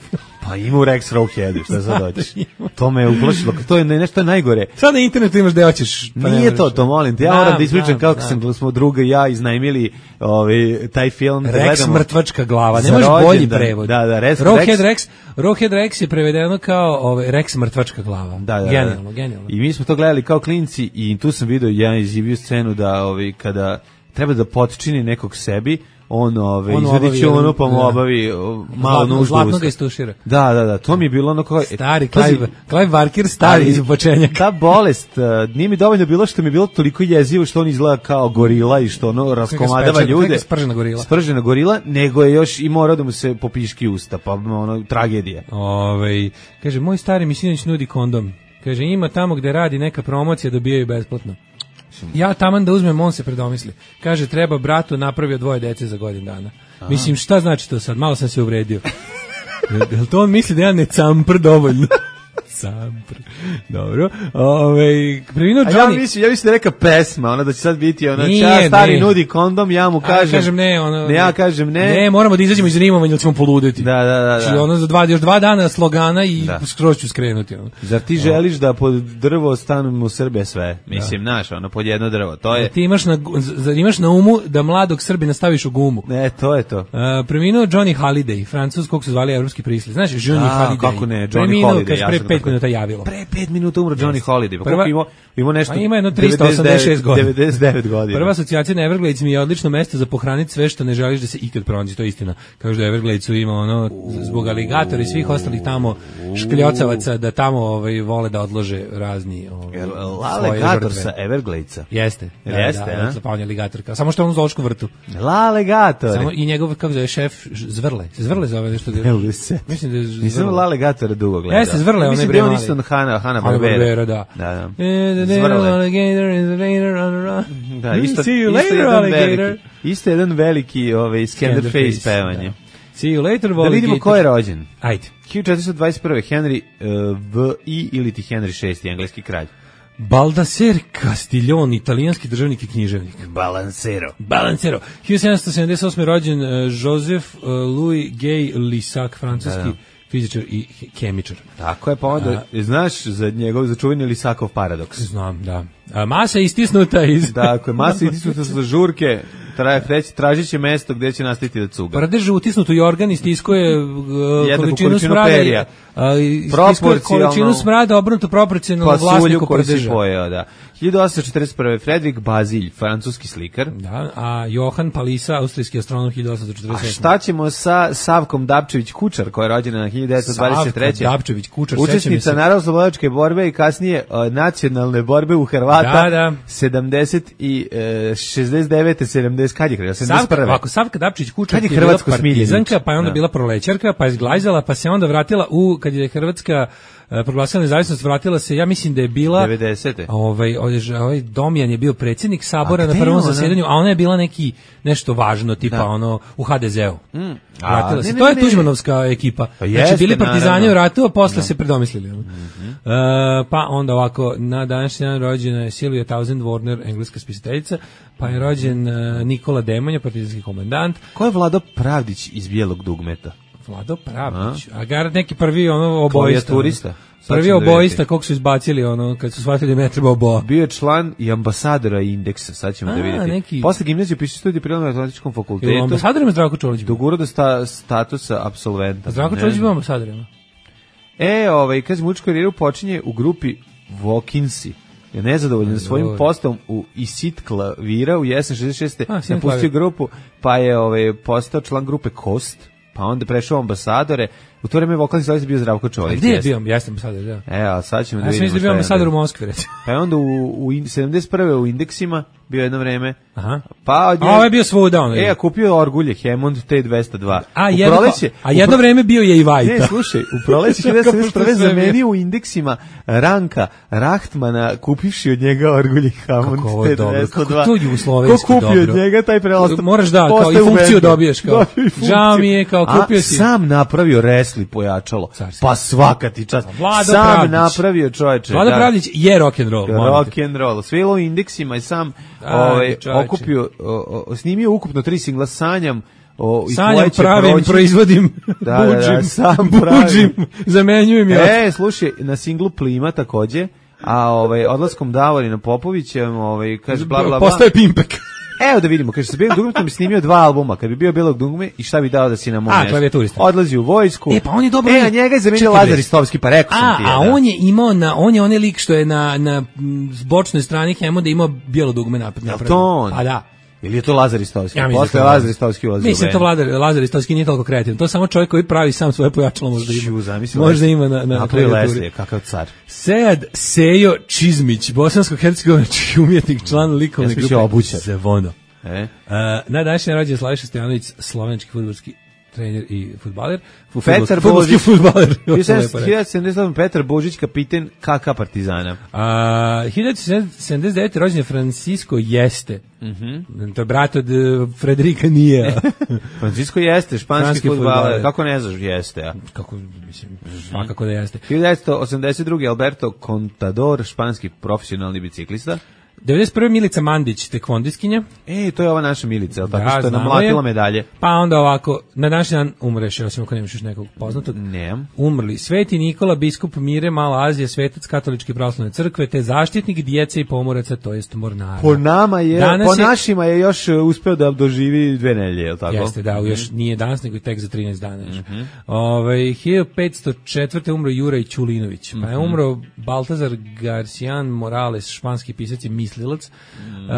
Pa ima u Rex Rowheadu, šta sad hoćeš? To me je uplašilo, to je nešto najgore. Sad na internetu imaš gde hoćeš. Pa nije to, to molim te. Ja moram da ispričam kako sam, smo druga i ja iznajmili ovaj, taj film. Rex gledamo. Mrtvačka glava, nemaš bolji prevod. Da, da, Rex, Rowhead Rex, Rowhead Rex je prevedeno kao ovaj, Rex Mrtvačka glava. Da, da, genijalno, genijalno. I mi smo to gledali kao klinci i tu sam vidio jedan izjavio scenu da ovaj, kada treba da potčini nekog sebi, on ove on izvedi će ono pa mu obavi malo nuždu. Zlatno ga istušira. Da, da, da, to mi je bilo ono kao stari Clive, Clive Barker stari iz početnjaka. Ta bolest, uh, nije mi dovoljno bilo što mi je bilo toliko jezivo što on izgleda kao gorila i što ono raskomadava ljude. Spržena gorila. Spržena gorila, nego je još i morao da mu se popiški usta, pa ono tragedija. Ovaj kaže moj stari mi sinoć nudi kondom. Kaže ima tamo gde radi neka promocija dobijaju besplatno. Ja taman da uzmem, on se predomisli. Kaže, treba bratu napravio dvoje dece za godinu dana. Aha. Mislim, šta znači to sad? Malo sam se uvredio. Jel to on misli da ja ne campr dovoljno? Campr. Dobro. Ove, preminuo Johnny... Ja mislim, ja mislim da je neka pesma, ona da će sad biti ona, ča stari ne. Nudi kondom, ja mu kažem... Ja kažem ne, ono... Ne, ja kažem ne. Ne, moramo da izađemo iz rimovanja, ili ćemo poluditi. Da, da, da. Znači, da. ono za dva, još dva dana slogana i da. Skroz ću skrenuti. Ono. Zar ti želiš da pod drvo stanu u Srbe sve? Mislim, da. Naš, ono, pod jedno drvo, to je... Da ti imaš na, zar imaš na umu da mladog Srbina staviš u gumu? Ne, to je to. Uh, preminuo Johnny Halliday, Francuz, kog su zvali evropski prisli. Znaš, Johnny A, Halliday. Kako ne, Johnny preminuo, Holiday. Preminuo, pre pet minuta javilo. Pre pet minuta umro Johnny Holiday. Pa koliko ima, ima nešto... Pa ima jedno trista osamdeset šest godina. devedeset devet godina. Prva asocijacija na Everglades mi je odlično mesto za pohraniti sve što ne želiš da se ikad pronađe, to je istina. Kažu da Evergladesu ima ono, zbog aligatora i svih ostalih tamo škljocavaca, da tamo ovaj, vole da odlože razni ovaj, Alligator sa Evergladesa. Jeste. Da, Jeste, da, da, pa on je aligator. Samo što je on u zoološkom vrtu. Alligator. Samo i njegov, kako zove, šef, Zvrle. Zvrle zove nešto. Ne mogu se. Mislim da je Zvrle. Nisam Alligator dugo gledao. Jeste, Zvrle, on je bre mali. Mislim da on isto Hanna, Hanna Barbera. Da. Da, da. Zvrle. Da, isto, see you later, isto alligator. Isto jedan veliki ovaj, Scanderface pevanje. Da. See you later, da vidimo ko je rođen. Ajde. hiljadu četiristo dvadeset prve. Henry uh, V I ili ti Henry šesti, engleski kralj. Baldaser Castiglione, italijanski državnik i književnik. Balancero. Balancero. hiljadu sedamsto sedamdeset osme. rođen uh, Joseph uh, Louis Gay Lussac, francuski da, da. fizičar i kemičar. Tako je, pa onda, A, znaš za njegov začuveni Lusakov paradoks? Znam, da. A, masa istisnuta iz... Dakle, masa istisnuta sa žurke, tra, tražit će mesto gde će nastaviti da cuga. Prdež ustisnuto i organ istiskuje uh, količinu smrada. Perija. A, istiskuje količinu smrada obrnuto proporcionalno vlasniku prdeža. Pojeo, da. hiljadu osamsto četrdeset prve. Fredrik Bazilj, francuski slikar. Da, a Johan Palisa, austrijski astronom, hiljadu osamsto četrdeset sedme. A šta ćemo sa Savkom Dapčević-Kučar, koja je rođena na hiljadu devetsto dvadeset treće. Savka Dapčević-Kučar, učesnica narodnooslobodilačke borbe i kasnije uh, nacionalne borbe u Hrvata. Da, da. sedamdeset i uh, šezdeset devete sedamdeset kad je krenuo? sedamdeset prve. Savka, ovako, Savka Dapčević-Kučar je bila partizanka, pa je onda da. bila prolećarka, pa je izglajzala, pa se onda vratila u, kad je Hrvatska proglasila nezavisnost, vratila se, ja mislim da je bila devedesete Ovaj ovaj Domjan je bio predsjednik sabora na prvom zasedanju, a ona je bila neki nešto važno tipa da. ono u ha de zeu. Mm. Vratila se. Ne, ne, to je Tuđmanovska ekipa. Pa znači jeste, bili partizani u ratu, a posle da. se predomislili. Mm-hmm. Uh, pa onda ovako, na današnji dan rođena je Sylvia Townsend Warner, engleska spisateljica, pa je rođen uh, Nikola Demonja, partizanski komandant. Ko je Vlado Pravdić iz Bijelog dugmeta? Vlado Pravdić. A, a gar neki prvi ono obojista. Turista. Prvi obojista kog su izbacili ono kad su shvatili da ne treba oboa. Bio je član i ambasadora Indeksa, sad ćemo a, da vidjeti. Neki... Posle gimnazije piše studij pri Matematičkom fakultetu. I ambasadorima Zdravko Čolić. Dogurao do sta, statusa apsolventa. Zdravko Čolić bio ambasadorima. E, ovaj, kaže, muzičku karijeru počinje u grupi Walkinsi. Je nezadovoljan svojim postom u Isit klavira u jesen šezdeset šeste napustio grupu, pa je ovaj, postao član grupe Kost, pa onda prešao ambasadore. U to vreme vokalni solist bio Zdravko Čolić. Gdje je bio? Jeste ambasador, da. E, a sad ćemo da vidimo. Ja sam da bio ambasador u Moskvi, recimo. Pa je onda u, u sedamdeset prve u Indeksima bio jedno vreme. Aha. Pa od njega, a ovo je bio svuda ono. E, a kupio orgulje Hammond T dvesta dva. A, jedno, proleće, a jedno pro... vreme bio je i Vajta. Ne, slušaj, u proleće sedamdeset prve zamenio u Indeksima Ranka Rahtmana kupivši od njega orgulje Hammond T dvesta dva. Kako to jugoslovenski dobro. Ko kupio dobro. od njega taj preostav? Moraš da, kao i funkciju dobiješ. Kao. Žao mi je, kao kupio a, si. Sam napravio resli pojačalo. Carski. Pa svaka ti čast. Vlado sam Pravdić. napravio čoveče. Vlado da. Pravdić je rock and roll. Rock and roll. Svilo u Indeksima i sam ovaj, okupio, o, o, snimio ukupno tri singla Sanjam. O, Sanjam pravim, proći. Proizvodim, da, buđim, da, da, sam buđim, zamenjujem ja. E, slušaj, na singlu Plima takođe, a ovaj, odlaskom Davorina Popovića, ovaj, kaže bla, bla, bla. Postaje Pimpek. Evo da vidimo, kaže, sa Bijelog dugmetom bi snimio dva albuma, kad bi bio Bijelog dugme i šta bi dao da si na mom mjestu. Odlazi u vojsku. E, pa on je dobro. E, a njega je zamenio Lazar Istovski, pa rekao sam ti. A, a on je imao, na, on je onaj lik što je na, na bočnoj strani Hemmonda imao Bijelo dugme napred. Jel to on? Pa da. Ili je to Lazar Istovski? Ja Posle Lazar Istovski ulazi. Mislim, to Lazar, Lazar Istovski nije toliko kreativan. To je samo čovjek koji pravi sam svoje pojačalo, možda ima. Ču, zamisli, možda ima na, na klavijaturi. Kakav car. Sejad Sejo Čizmić, bosansko-hercegovački umjetnik, član likovne grupe Zevono. E? Uh, na današnji rođendan Slaviša Stojanović, slovenski fudbalski trener i fudbaler. Petar Božić, fudbaler. hiljadu sedamdeset osam Petar Božić, kapiten K K Partizana. Uh, hiljadu sedamdeset devete rođen je Francisco Jeste. Mm-hmm. To je brat od uh, Frederika nije. Francisco Jeste, španski fudbaler. Kako ne znaš Jeste? A? Kako, mislim, svakako da Jeste. hiljadu devetsto osamdeset druge Alberto Contador, španski profesionalni biciklista. devedeset prve Milica Mandić, tekvondiskinja. E, to je ova naša Milica, ali tako da, što je namlatila medalje. Pa onda ovako, na današnji dan umreš, osim ako nemaš još nekog poznatog. Ne. Umrli Sveti Nikola, biskup Mire, Mala Azija, svetac katoličke pravoslavne crkve, te zaštitnik djece i pomoraca, to jest mornara. Po nama je, danas po je, našima je još uspeo da doživi dve nedelje, je li tako? Jeste, da, još nije danas, nego tek za trinaest dana. Mm-hmm. Ove, hiljadu petsto četvrte umro Juraj Ćulinović, pa je umro Baltazar Garcijan Morales, španski pisac i mislilac. Mm. Uh,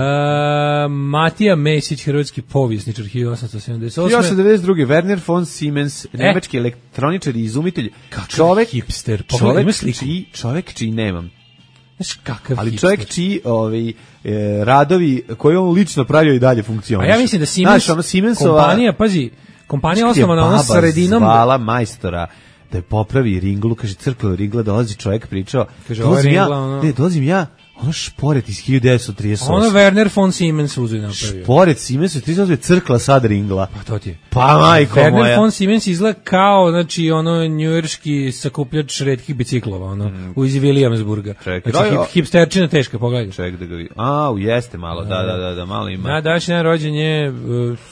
Matija Mesić, hrvatski povjesničar, hiljadu osamsto sedamdeset osme. hiljadu osamsto devedeset druge Werner von Siemens, e. nemački elektroničar i izumitelj. Čovek, hipster. Čovek čiji, čovek čiji nemam. Znaš kakav ali hipster. Čovjek čiji ovaj, e, radovi koje on lično pravio i dalje funkcionišu. A ja mislim da Siemens, znaš, ono Siemensova, kompanija, pazi, kompanija osnovana ona sredinom. Zvala majstora da je popravi ringlu, kaže crkla ringla, dolazi čovjek pričao, kaže, dolazim ringla, ja, ono... ne, dolazim ja, ono šporet iz hiljadu devetsto trideset osme. Ono Werner von Siemens uzeo i napravio. Šporet Siemens trideset osme crkla sad ringla. Pa to ti je. Pa majko Werner moja. Werner von Siemens izgleda kao, znači, ono njujorški sakupljač retkih biciklova, ono, mm. u iz Williamsburga. Čekaj, znači, hip, hipsterčina teška, pogledaj. Ček da ga vidim. A, jeste malo, da, da, da, da, malo ima. Na današnji rođen je uh,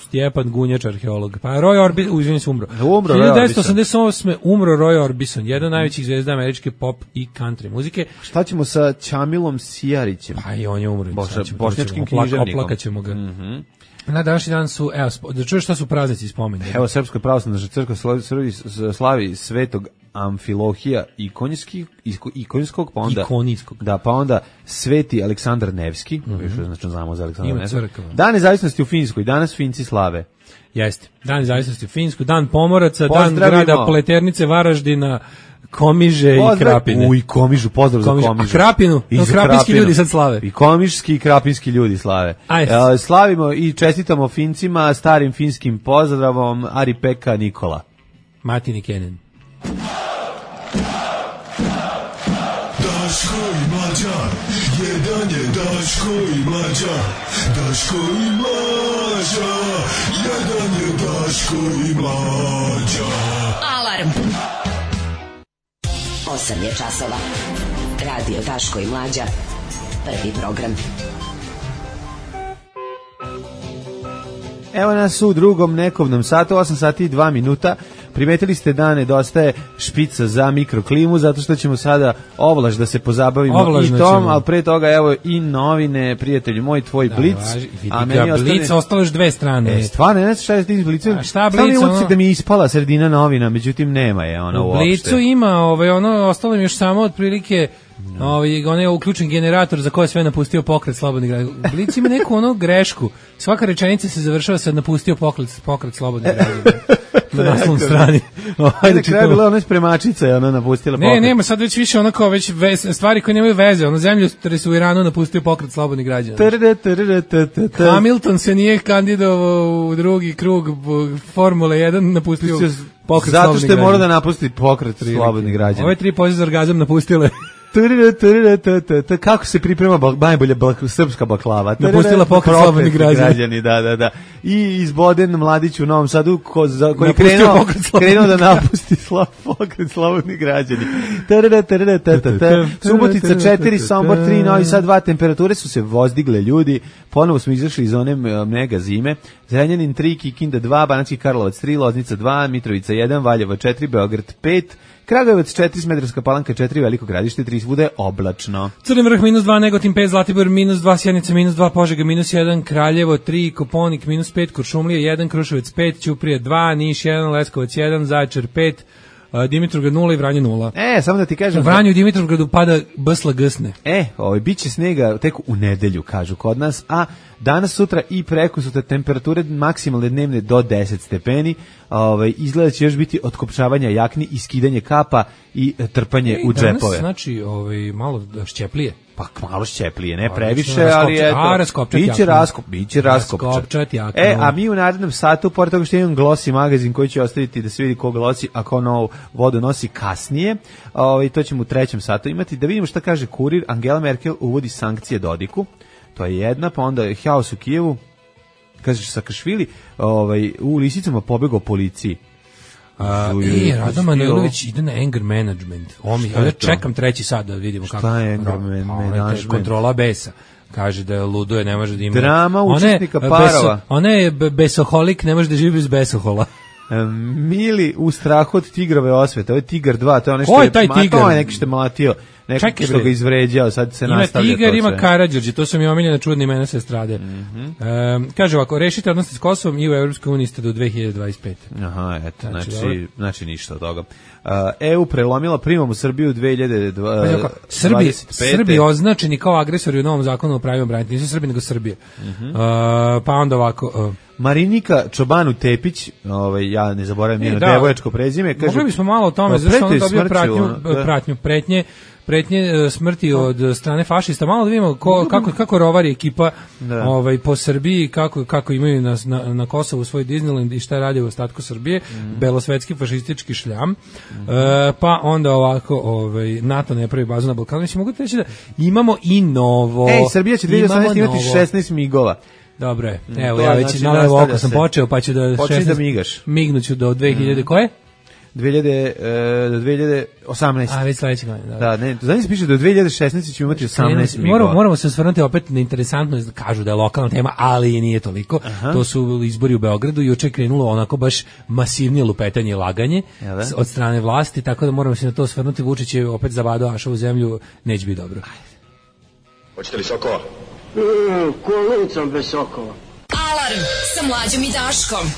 Stjepan Gunjač, arheolog. Pa Roy Orbison, izvinim se, umro. umro hiljadu devetsto osamdeset osme umro Roy Orbison, jedan od najvećih zvezda američke pop i country muzike. Šta ćemo sa Ćamilom Sijarićem? Pa i on je umro. Boša, bošnjačkim književnikom. Oplakaćemo ga. Mm-hmm. Na današnji dan su, evo, da čuješ šta su praznici spomenuli. Evo, Srpska pravoslavna crkva slavi, slavi Svetog Amfilohija ikonijskog, ikonijskog, pa onda ikonijskog. Da, pa onda Sveti Aleksandar Nevski, mm-hmm. još znači znamo za Aleksandra Nevskog. Crkva. Dan nezavisnosti u Finskoj, danas Finci slave. Jeste. Dan nezavisnosti u Finskoj, dan pomoraca, dan grada Pleternice, Varaždina, Komiže pozdrav, i Krapine. Uj, Komižu, pozdrav Komiž, za Komižu. A Krapinu, no, krapinski Krapinu. Ljudi sad slave. I komiški i krapinski ljudi slave. E, slavimo i čestitamo Fincima starim finskim pozdravom Ari Pekka Nikola. Matini Kenen. Daško i Mlađa, Daško i Mlađa, jedan je Daško i Mlađa. Alarm. Osam je časova. Radio Daško i Mlađa. Prvi program. Evo nas u drugom nekovnom satu, osam sati i dva minuta. Primetili ste da nedostaje špica za mikroklimu, zato što ćemo sada ovlaž da se pozabavimo Ovlažno i tom, ali pre toga evo i novine, prijatelji moj, tvoj da, Blic. Važi, a meni ostane... Blic, ostalo još dve strane. E, stvarno, ne znam šta je s tim Blicom. A šta Blic? Samo ono... da mi je ispala sredina novina, međutim nema je ona uopšte. U Blicu ima, ovaj, ono, ostalo mi još samo otprilike... No. Ovaj on je uključen generator za koje sve napustio pokret slobodni građani. Blic ima neku ono grešku. Svaka rečenica se završava sa napustio pokret pokret slobodni građani. Na naslovnoj strani. Ajde, na kraju bila ona spremačica, je ona napustila pokret. Ne, nema, sad već više onako već vez, stvari koje nemaju veze. Ono zemlju u Iranu napustio pokret slobodni građani. Hamilton se nije kandidovao u drugi krug Formule jedan, napustio pokret zato što je morao da napusti pokret slobodni građani. Ove tri pozive za orgazam napustile. Kako se priprema najbolja srpska baklava? Napustila pokret slobodni građani. Da, da, da. I izboden mladić u Novom Sadu ko, za, koji je krenuo, krenuo da napusti slo, pokret slobodni građani. Subotica četiri, Sombor tri, Novi Sad dva, temperature su se vozdigle ljudi, ponovo smo izašli iz one mega zime. Zrenjanin tri, Kikinda dva, Banatski Karlovac tri, Loznica dva, Mitrovica jedan, Valjevo četiri, Beograd pet, Kragujevac četiri, Smederevska Palanka četiri, Veliko Gradište tri, svuda je oblačno. Crni Vrh minus dva, Negotin pet, Zlatibor minus dva, Sjenica minus dva, Požega minus jedan, Kraljevo tri, Koponik minus pet, Kuršumlija jedan, Kruševac pet, Ćuprija dva, Niš jedan, Leskovac jedan, Zaječar pet, Dimitrovgrad nula i Vranje nula. E, samo da ti kažem... U Vranju i Dimitrovgradu pada bsla gsne. E, ovaj, bit će snega tek u nedelju, kažu kod nas, a danas, sutra i preko sutra temperature maksimalne dnevne do deset stepeni, ovaj, izgleda će još biti otkopčavanja jakni i skidanje kapa i trpanje e, u džepove. Danas, znači, ovaj, malo šćeplije. Pa malo šćeplije, ne previše, ali eto, a, raskopčat biće raskop, biće raskopčat. Jakno. E, a mi u narednom satu, pored toga što imam Glossy magazin koji će ostaviti da se vidi ko Glossy, a ko novu vodu nosi kasnije, ovaj, to ćemo u trećem satu imati, da vidimo šta kaže Kurir. Angela Merkel uvodi sankcije Dodiku, to je jedna, pa onda haos u Kijevu, kaže Sakašvili, ovaj, u lisicama pobegao policiji. Uh, e, Rado Manojlović ide na anger management. Omi, ja čekam treći sad da vidimo kako. Šta je anger management? Kontrola besa. Kaže da luduje, ne može da ima. Drama učesnika parova. Ona je besoholik, ne može da živi bez besohola. Mili u strahu od tigrove osvete. Ovo je Tigar dva, to je nešto. Ko je taj Tigar? To je neki što je mlatio. Neki što ga izvređao, sad se ima nastavlja. Ima Tigar, ima Karađorđe, to su mi omiljene čudne imena se strade. Mm-hmm. E, kaže ovako, rešite odnosi s Kosovom i u Evropskoj uniji ste do dve hiljade dvadeset pete. Aha, eto, znači, znači, znači ništa od toga. Uh, E U prelomila primom u Srbiju dve hiljade dvadeset pete. Srbi, Srbi označeni kao agresori u novom zakonu o pravima branitelja, nisu Srbi nego Srbije. Mm-hmm. Uh, pa onda ovako... Uh, Marinika Čobanu Tepić, ovaj, ja ne zaboravim njeno devojačko prezime. Kaže, mogli bismo malo o tome, zašto on dobio pratnju, da. pratnju, pretnje, pretnje smrti od strane fašista. Malo da vidimo ko, kako, kako rovari ekipa da. ovaj, po Srbiji, kako, kako imaju na, na, na Kosovu svoj Disneyland i šta radi u ostatku Srbije, mm. belosvetski fašistički šljam. Mm. E, pa onda ovako, ovaj, NATO ne pravi bazu na Balkanu. Mislim, mogu reći da imamo i novo. Ej, Srbija će dvije hiljade osamnaeste imati šesnaest migova. Dobro je. Evo, to, ja već znači, na levo oko sam počeo, pa ću da... Počeš da migaš. Mignuću do dve hiljade, mm. koje? dve hiljade, do dve hiljade osamnaeste. A, već sledeće godine. Da, ne, znači se piše do dve hiljade šesnaeste ćemo imati osamnaest migova. Moramo, moramo se osvrnuti opet na interesantno, kažu da je lokalna tema, ali i nije toliko. Aha. To su izbori u Beogradu i juče je krenulo onako baš masivnije lupetanje i laganje Jele? od strane vlasti, tako da moramo se na to osvrnuti. Vučić je opet zavadao Ašovu zemlju, neće biti dobro. Hoćete li sokova? Mm, kolicom bez sokova. Alarm sa Mlađom i Daškom.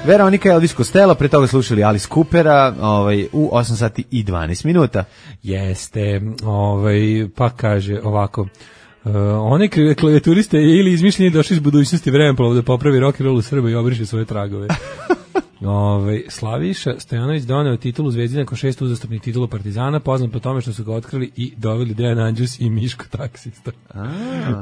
Veronika Elvis Costello, pre toga slušali Alice Coopera, ovaj, u osam sati i dvanaest minuta. Jeste, ovaj, pa kaže ovako, uh, one klavijaturiste ili izmišljeni došli iz budućnosti vremenplova da popravi rock and roll u Srbiji i obriše svoje tragove. Ove, Slaviša Stojanović doneo titulu Zvezdi nakon šest uzastopnih titula Partizana, poznat po tome što su ga otkrili i doveli Dejan Andžus i Miško taksista.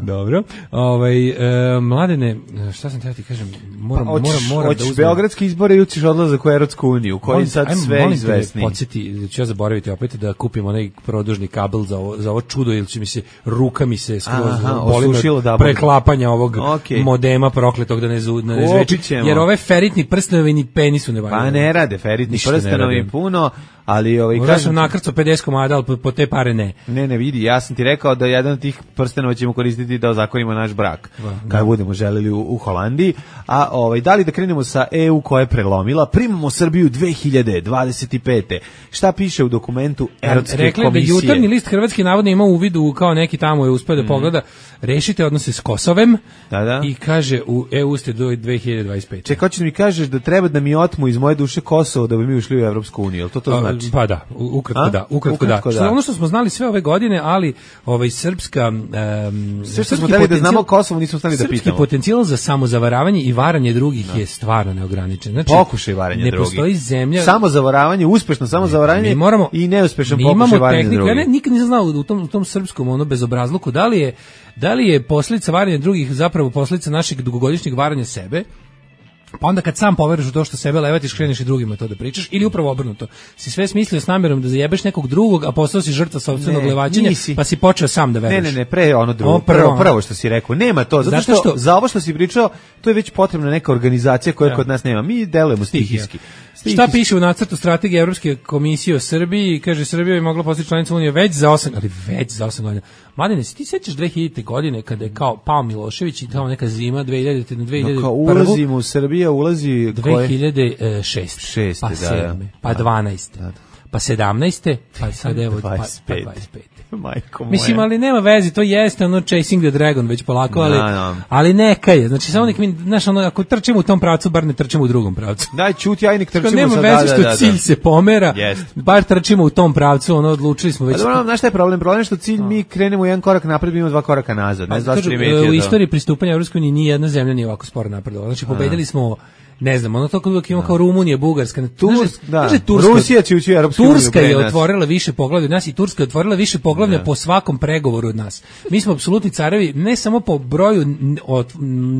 Dobro. Ove, e, Mladene, šta sam teo ti kažem, moram, pa, moram, moram hoćeš da uzmem. Beogradski izbore ili ćeš odlazak u Evropsku uniju, koji sad ajmo, sve izvesni. Podsjeti, ću ja zaboraviti opet da kupim onaj produžni kabel za ovo, za ovo čudo, ili će mi se, ruka mi se skroz boli da preklapanja ovog okay. modema prokletog da ne, zu, ne zveči, jer ove feritni prstenovi ni penisu ne valjaju. Pa ne rade, feritni prstenovi puno, ali ovaj kažem, ja sam nakrcao pedeset komada, al po, po te pare ne. Ne, ne vidi, ja sam ti rekao da jedan od tih prstenova ćemo koristiti da ozakonimo naš brak. Kad da. budemo želeli u, u Holandiji, a ovaj da li da krenemo sa E U koja je prelomila, primamo Srbiju dve hiljade dvadeset pete. Šta piše u dokumentu Evropske Rekli komisije? Rekli da jutarnji list Hrvatski navodno ima uvid u kao neki tamo je uspeo da mm. pogleda, rešite odnose s Kosovem da, da. i kaže u E U ste do dve hiljade dvadeset pete. Čekaj, hoćeš da mi kažeš da treba da mi otmu iz moje duše Kosovo da bi mi ušli u Evropsku uniju, jel to to znači? Pa da, ukratko da, ukratko, ukratko da. da. Što ono što smo znali sve ove godine, ali ovaj srpska um, sve što smo hteli da znamo Kosovo nismo stali da pitamo. Srpski potencijal za samozavaravanje i varanje drugih da. je stvarno neograničen. Znači, pokušaj varanja ne drugih. Ne postoji zemlja. Samozavaravanje, uspešno samozavaravanje moramo, i neuspešan pokušaj varanja drugih. Ja ne, nikad nisam znao u tom, u tom srpskom ono bezobrazluku da li je da li je posljedica varanja drugih zapravo posljedica našeg dugogodišnjeg varanja sebe. Pa onda kad sam poveruješ u to što sebe levatiš, kreneš i drugima to da pričaš, ili upravo obrnuto. Si sve smislio s namjerom da zajebeš nekog drugog, a postao si žrtva sopstvenog levaćenja, nisi. Pa si počeo sam da veruješ. Ne, ne, ne, pre ono drugo, prvo, prvo što si rekao, nema to, zato što, što za ovo što si pričao, to je već potrebna neka organizacija koja ja. kod nas nema. Mi delujemo stihijski. Šta piše u nacrtu strategije Evropske komisije o Srbiji? Kaže, Srbija bi mogla postati članica Unije već za osam, ali već za osam godina. Mladene, si ti sećaš dve hiljadite godine kada je kao pao Milošević i tamo neka zima dve hiljadite na dve hiljade prve. No, ulazimo u Srbiju, ulazi dve hiljade šeste. šeste, pa sedme, pa dvanaeste, da, da. Pa sedamnaeste, pa sad evo dvadeset pete. Majko moja. Mislim, ali nema veze, to jeste ono Chasing the Dragon već polako, ali, no, no. ali neka je. Znači, samo nek mi, znaš, ono, ako trčimo u tom pravcu, bar ne trčimo u drugom pravcu. Daj, čuti, aj nek trčimo nema sad, veze da, što da, da, cilj se pomera, yes. bar trčimo u tom pravcu, ono, odlučili smo već. A dobro, znaš šta je problem? Problem je što cilj, mi krenemo jedan korak napred, imamo dva koraka nazad. Ne znam, kažu, u istoriji pristupanja Evropskoj uniji ni jedna zemlja nije ovako sporo napredovala. Znači, pobedili smo ne znam, ono to kako ima kao Rumunija, Bugarska, Turska, da. Turska, Rusija će ući u Evropsku uniju. Turska je otvorila više poglavlja od nas i Turska je otvorila više poglavlja da. po svakom pregovoru od nas. Mi smo apsolutni carevi ne samo po broju od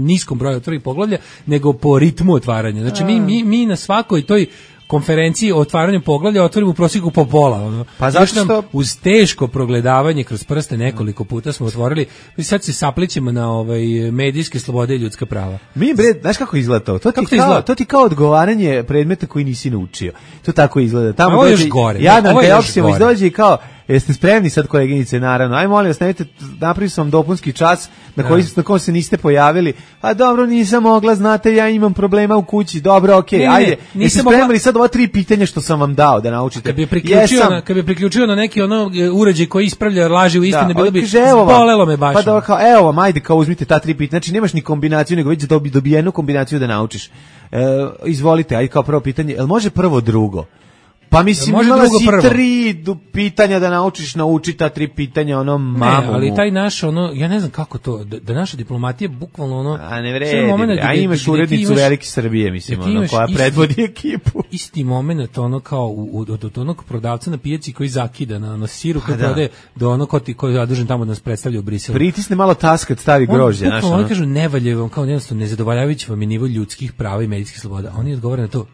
niskom broju otvorenih poglavlja, nego po ritmu otvaranja. Znači mi mi mi na svakoj toj konferenciji o otvaranju poglavlja otvorimo u prosjeku po pola. Ono. Pa zašto? Nam, uz teško progledavanje kroz prste nekoliko puta smo otvorili, mi sad se saplićemo na ovaj medijske slobode i ljudska prava. Mi bre, znaš kako izgleda to? To ti, kao, izgleda? To ti kao odgovaranje predmeta koji nisi naučio. To tako izgleda. Tamo ovo je još gore. Ja nam te opcijemo izdođe i kao, jeste spremni sad koleginice, naravno. Aj molim vas, nemojte, napravio sam dopunski čas na koji na kom se niste pojavili. A dobro, nisam mogla, znate, ja imam problema u kući. Dobro, okej, okay, ajde. Jeste spremili mogla... sad ova tri pitanja što sam vam dao da naučite. Kad bi priključio Jesam... na kad bi priključio na neki ono uređaj koji ispravlja laži u istine, da, bilo bi bolelo me baš. Pa da kao evo vam, ajde, kao uzmite ta tri pitanja. Znači nemaš ni kombinaciju, nego već dobi dobijenu kombinaciju da naučiš. E, izvolite, ajde kao prvo pitanje. Jel može prvo drugo? Pa mislim, može imala si prvo. tri pitanja da naučiš naučiti ta tri pitanja, ono, mamu. Ne, ali taj naš, ono, ja ne znam kako to, da, da naša diplomatija bukvalno, ono... A ne vredi, a imaš urednicu Velike Srbije, mislim, ono, koja predvodi ekipu. Isti moment, ono, kao u, od, od onog prodavca na pijaci koji zakida na ono, siru, koji prodaje, do ono ko ti, koji je zadužen tamo da nas predstavlja u Briselu. Pritisne malo taskat, stavi grožđe, znaš, ono. Oni kažu, nevalje vam, kao jednostavno, nezadovoljavajući vam je nivo ljudskih prava i medijskih sloboda. Oni odgovore na to,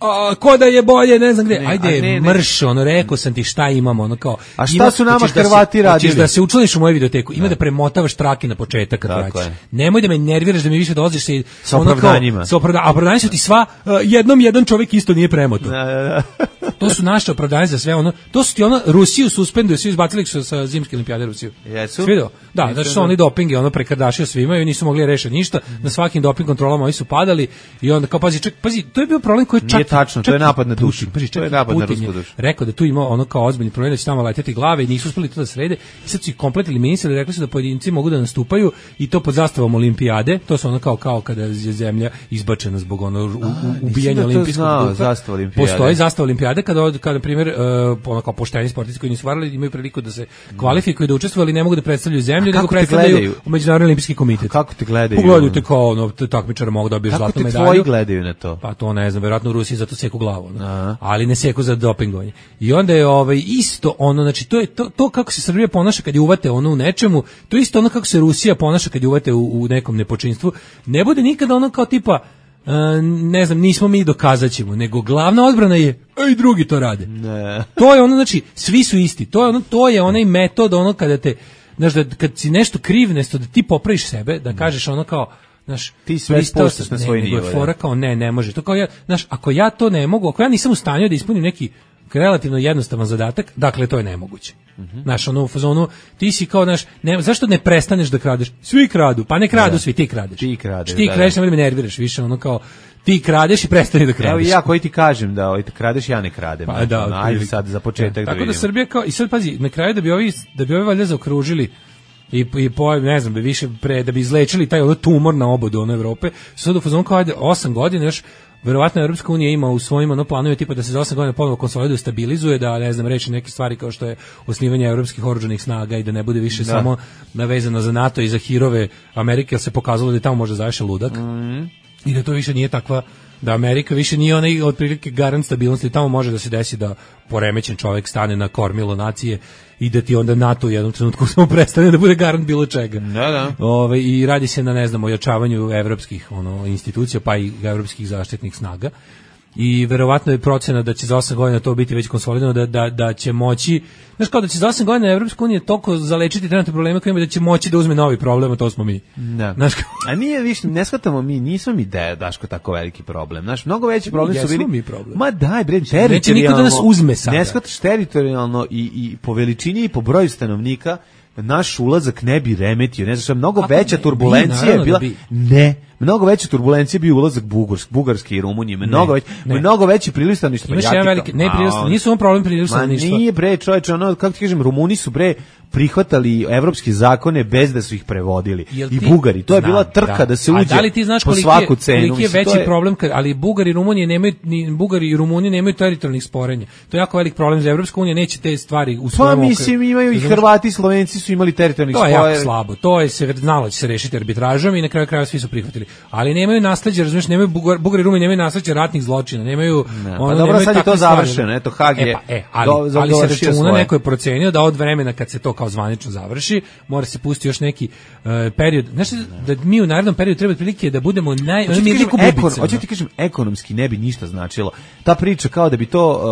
a ko da je bolje, ne znam gde. Ne, Ajde, ne, ne. mrš, ono, rekao sam ti šta imamo, ono kao. A šta ima, su nama Hrvati da radili? Hoćeš da se učlaniš u moju videoteku, ima da, da premotavaš trake na početak kad vraćaš. Nemoj da me nerviraš, da mi više dolaziš se sa opravdanjima. Sa opravdanjima, a opravdanje su ti sva, uh, jednom jedan čovjek isto nije premotao. Da, da, da. To su naše opravdanje za sve, ono, to su ti ono, Rusiju suspenduju, svi izbacili su sa zimske olimpijade Rusiju. Jesu? Svi do? Da, znači su oni dopinge, ono prekardašio svima i nisu mogli rešiti ništa, na svakim doping kontrolama oni su padali i onda kao, pazi, ček, pazi, to je bio problem koji čak tačno, to je napad na dušu. To je napad na rusku dušu. Rekao da tu ima ono kao ozbiljni problem da će tamo leteti glave i nisu uspeli to da srede. I sad su ih kompletno eliminisali, rekli su da pojedinci mogu da nastupaju i to pod zastavom olimpijade. To su ono kao kao kada je zemlja izbačena zbog ono ubijanja olimpijskog duha. Postoji zastava olimpijade kada kada na primjer ono kao pošteni sportisti koji nisu varali imaju priliku da se kvalifikuju da učestvuju, ali ne mogu da predstavljaju zemlju, nego predstavljaju u Međunarodni olimpijski komitet. Kako te gledaju? Pogledaju te kao ono takmičar mogu da dobije zlatnu medalju. Kako te tvoji gledaju na to? Pa to ne znam, verovatno u Rusiji zato seku glavu, no. Ali ne seku za dopingovanje. I onda je ovaj isto ono, znači to je to, to kako se Srbija ponaša kad je uvate ono u nečemu, to je isto ono kako se Rusija ponaša kad je uvate u, u nekom nepočinstvu. Ne bude nikada ono kao tipa Uh, ne znam, nismo mi dokazaćemo, nego glavna odbrana je ej drugi to rade. Ne. To je ono, znači svi su isti. To je ono, to je onaj metod ono kada te, znaš, da kad si nešto kriv, nešto da ti popraviš sebe, da kažeš ono kao, znaš, ti sve spuštaš na svoj nivo. Ne, fora kao ne, ne može. To kao ja, znaš, ako ja to ne mogu, ako ja nisam u stanju da ispunim neki relativno jednostavan zadatak, dakle to je nemoguće. Mm-hmm. Znaš, ono u fazonu, ti si kao, znaš, ne, zašto ne prestaneš da kradeš? Svi kradu, pa ne kradu, da. Svi, ti kradeš. Ti kradeš, ti da, kradeš, da. Ne me nerviraš više, ono kao, ti kradeš i prestani da kradeš. Evo i ja koji ti kažem da ovaj, kradeš, ja ne kradem. Pa, da, ono, ajde sad za početak ja, da tako da Srbija kao, i sad pazi, na kraju da bi ovi, da bi ovi valjda zaokružili i i po ne znam, bi više pre da bi izlečili taj ono tumor na obodu ono Evrope, sad u fazonu kao ajde osam godina još. Verovatno Evropska unija ima u svojim ono planove tipa da se za osam godina ponovo konsoliduje, stabilizuje, da ne znam reši neke stvari kao što je osnivanje evropskih oružanih snaga i da ne bude više da. Samo navezano za NATO i za hirove Amerike, jer se pokazalo da je tamo može završiti ludak. Mm. I da to više nije takva, da Amerika više nije onaj otprilike garant stabilnosti, tamo može da se desi da poremećen čovjek stane na kormilo nacije i da ti onda NATO u jednom trenutku samo prestane da bude garant bilo čega. Da, da. Ove, i radi se na, ne znam, ojačavanju evropskih ono, institucija, pa i evropskih zaštitnih snaga. I verovatno je procena da će za osam godina to biti već konsolidovano, da, da, da će moći, znaš kao da će za osam godina Evropska unija toliko zalečiti trenutne probleme koje ima da će moći da uzme novi problem, a to smo mi. Da. Znaš, a nije više, ne shvatamo mi, nismo mi da je Daško tako veliki problem. Znaš, mnogo veći problem mi su bili. Mi problem. Ma daj bre, teritorijalno. Neće niko da nas uzme sada. Ne shvataš teritorijalno i, i po veličini i po broju stanovnika naš ulazak ne bi remetio, ne znam, mnogo kako veća ne, turbulencija je bila, bi. ne, mnogo veća turbulencija bi ulazak Bugarske, Bugarske i Rumunije, mnogo već, mnogo veći priliv stanovništva. Imaš jedan veliki, ne priliv stanovništva, nisu on problem priliv stanovništva. Ma nije bre, čoveče, ono, kako ti kažem, Rumuni su bre prihvatali evropske zakone bez da su ih prevodili. I Bugari, to je bila trka da, da se uđe da li ti znaš po svaku cenu. Koliki je veći je... problem, kad, ali Bugari i Rumunije nemaju, ni Bugari i Rumunije nemaju teritorijalnih sporenja. To je jako velik problem za Evropska unija, neće te stvari u svojom okviru. Pa mislim, imaju i Hrvati i Slovenci su imali teritorijalnih sporenja. To je jako slabo, to je se znalo da će se rešiti arbitražom i na kraju krajeva svi su prihvatili. Ali nemaju nasleđe, razumiješ, nemaju Bugar, Bugari i Rumunije nemaju nasleđe ratnih zločina, nemaju ne, ono, pa dobro, sad je to završeno, eto Hag je. E, pa, e, ali, do, ali se računa, neko je procenio da od vremena kad se to kao zvanično završi mora se pustiti još neki uh, period. Znaš da mi u narednom periodu treba otprilike da budemo naj... Hoću ti kažem, ekonomski ne bi ništa značilo. Ta priča kao da bi to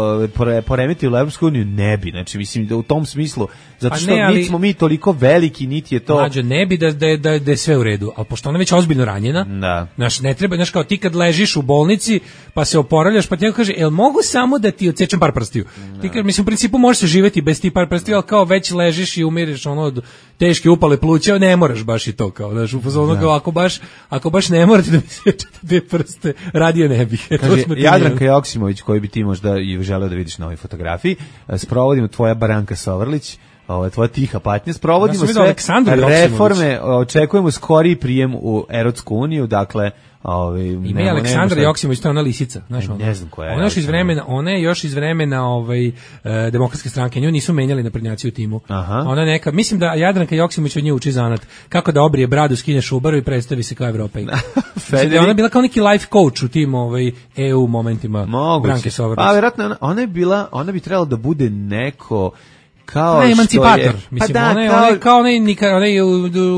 uh, poremetilo Evropsku uniju, ne bi. Znači, mislim, da u tom smislu, zato što ne, ali, niti smo mi toliko veliki, niti je to... Mlađo, ne bi da, da, da, da je sve u redu, ali pošto ona je već ozbiljno ranjena, da. Znaš, ne treba, znaš, kao ti kad ležiš u bolnici, pa se oporavljaš, pa ti neko kaže, jel mogu samo da ti odsečem par prstiju? Da. Ti kaže, mislim, u principu možeš se živjeti bez ti par prstiju, ali kao već ležiš i umireš ono od teške upale pluća, ne moraš baš i to kao, znaš, u fazonu kao ako baš, ako baš ne morate da mi sečete te prste, radije ne bih. Kaže, Jadranka Joksimović, koji bi ti možda i želeo da vidiš na ovoj fotografiji, sprovodimo tvoja Baranka Sovrlić, ovo je tvoja tiha patnja, sprovodimo ja sve reforme, očekujemo skoriji prijem u Evropsku uniju, dakle, ovaj ima je Aleksandra Joksimović, to je ona lisica, znaš, ne znam koja je. Ona još iz vremena, ona je još iz vremena ovaj e, demokratske stranke, nju nisu menjali naprednjaci u timu. Aha. Ona neka, mislim da Jadranka Joksimović od nje uči zanat, kako da obrije bradu, skine šubaru i predstavi se kao Evropejka. Federik... Ona je bila kao neki life coach u tim ovaj E U momentima. Branke Sovrlić. Pa verovatno ona, ona je bila, ona bi trebala da bude neko kao ne, emancipator, je, mislim, pa da, ona je kao, ona, kao onaj, nika, onaj u,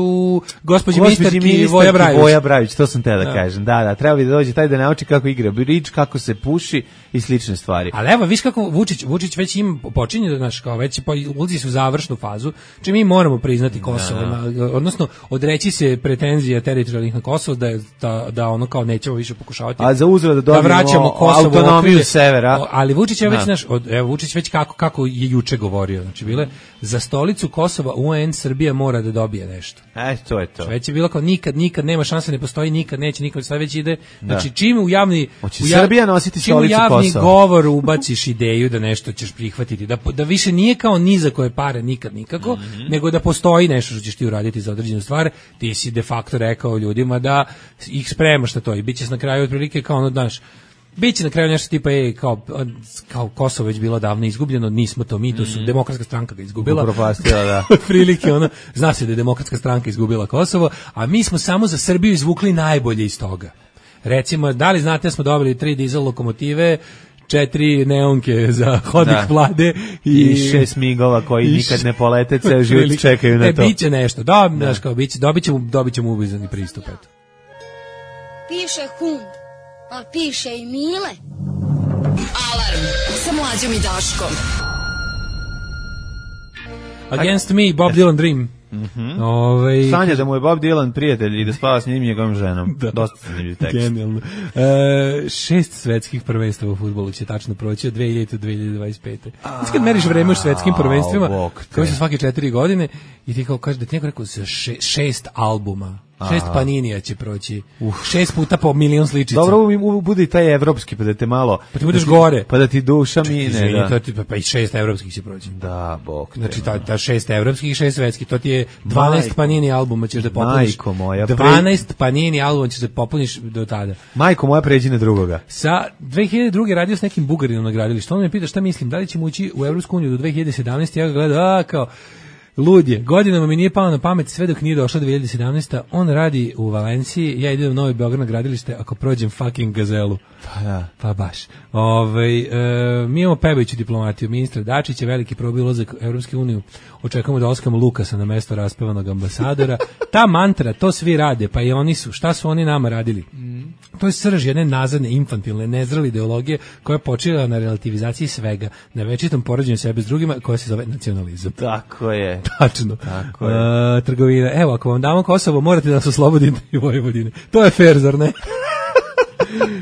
u gospođi ministarki Voja Brajović. Voja Brajović, to sam te da, da kažem, da, da, treba bi da dođe taj da nauči kako igra bridge, kako se puši i slične stvari. Ali evo, viš kako Vučić, Vučić već im počinje da, znaš, kao već ulazi su u završnu fazu, čim mi moramo priznati Kosovo, da. Odnosno, odreći se pretenzija teritorijalnih na Kosovo, da, da, da ono kao nećemo više pokušavati. A za uzvrat da dobijemo da vraćamo Kosovo autonomiju severa. Ali Vučić je već, znaš, evo, Vučić već kako, kako je juče govorio, znači, reči bile, za stolicu Kosova U N Srbija mora da dobije nešto. E, to je to. Već je bilo kao nikad, nikad, nema šanse, ne postoji, nikad, neće, nikad, sad već ide. Znači, čim u javni... Hoće Srbija nositi stolicu Kosova. Čim u javni govor ubaciš ideju da nešto ćeš prihvatiti, da, da više nije kao ni za koje pare, nikad, nikako, mm-hmm. nego da postoji nešto što ćeš ti uraditi za određenu stvar, ti si de facto rekao ljudima da ih spremaš na to i bit će na kraju otprilike kao ono, znaš, biće na kraju nešto tipa ej, kao, kao Kosovo već bilo davno izgubljeno, nismo to mi, to su mm. demokratska stranka ga izgubila. Upropastila, da. Otprilike ono, zna se da je demokratska stranka izgubila Kosovo, a mi smo samo za Srbiju izvukli najbolje iz toga. Recimo, da li znate da smo dobili tri dizel lokomotive, četiri neonke za hodnik da. Vlade i, i šest migova koji i nikad ne polete, ceo život čekaju na e, to. E, biće nešto, da, da. Znaš, kao, biće, dobit ćemo, dobit ćemo ubizani pristup, eto. Piše hum. Pa piše i Mile. Alarm sa Mlađom i Daškom. Against me, Bob Dylan Dream. Mm-hmm. Ove... Sanja da mu je Bob Dylan prijatelj i da spava s njim i njegovom ženom. Da. Dosta zanimljiv tekst. Genijalno. E, šest svetskih prvenstava u fudbalu će tačno proći od dve hiljade do dve hiljade dvadeset pete. Znači kad meriš vreme u svetskim prvenstvima, koji su svake četiri godine, i ti kao kažeš da ti neko rekao za še, šest albuma. Šest Paninija će proći. Uh. Šest puta po milion sličica. Dobro, bude i taj evropski, pa da te malo... Pa ti budeš da ti, gore. Pa da ti duša mine. Da. To, pa i šest evropskih će proći. Da, bog te. Znači, ta, ta šest evropskih i šest svetskih, to ti je dvanaest Majko. Panini albuma ćeš da popuniš. Majko moja. dvanaest Panini albuma ćeš da popuniš do tada. Majko moja, pređi na drugoga. Sa dve hiljade druge radio s nekim Bugarinom na gradilištu. On me pita šta mislim, da li ćemo ući u Evropsku uniju do dve hiljade sedamnaeste. Ja ga gledam, a kao... Lud je, godinama mi nije palo na pamet sve dok nije došla dve hiljade sedamnaeste. On radi u Valenciji, ja idem u Novi Beograd na gradilište ako prođem fucking Gazelu. Pa da. Pa baš. Ove, e, mi imamo pevajuću diplomatiju. Ministar Dačić je veliki probio ulazak u Evropsku uniju. Očekujemo da oskamo Lukasa na mesto raspevanog ambasadora. Ta mantra, to svi rade, pa i oni su. Šta su oni nama radili? Mm. To je srž jedne nazadne, infantilne, nezrele ideologije koja je počela na relativizaciji svega, na večitom poređenju sebe s drugima, koja se zove nacionalizam. Tako je. Tačno. Tako je. Uh, trgovina. Evo, ako vam damo Kosovo, morate da nas oslobodite i Vojvodine. To je fair, zar ne?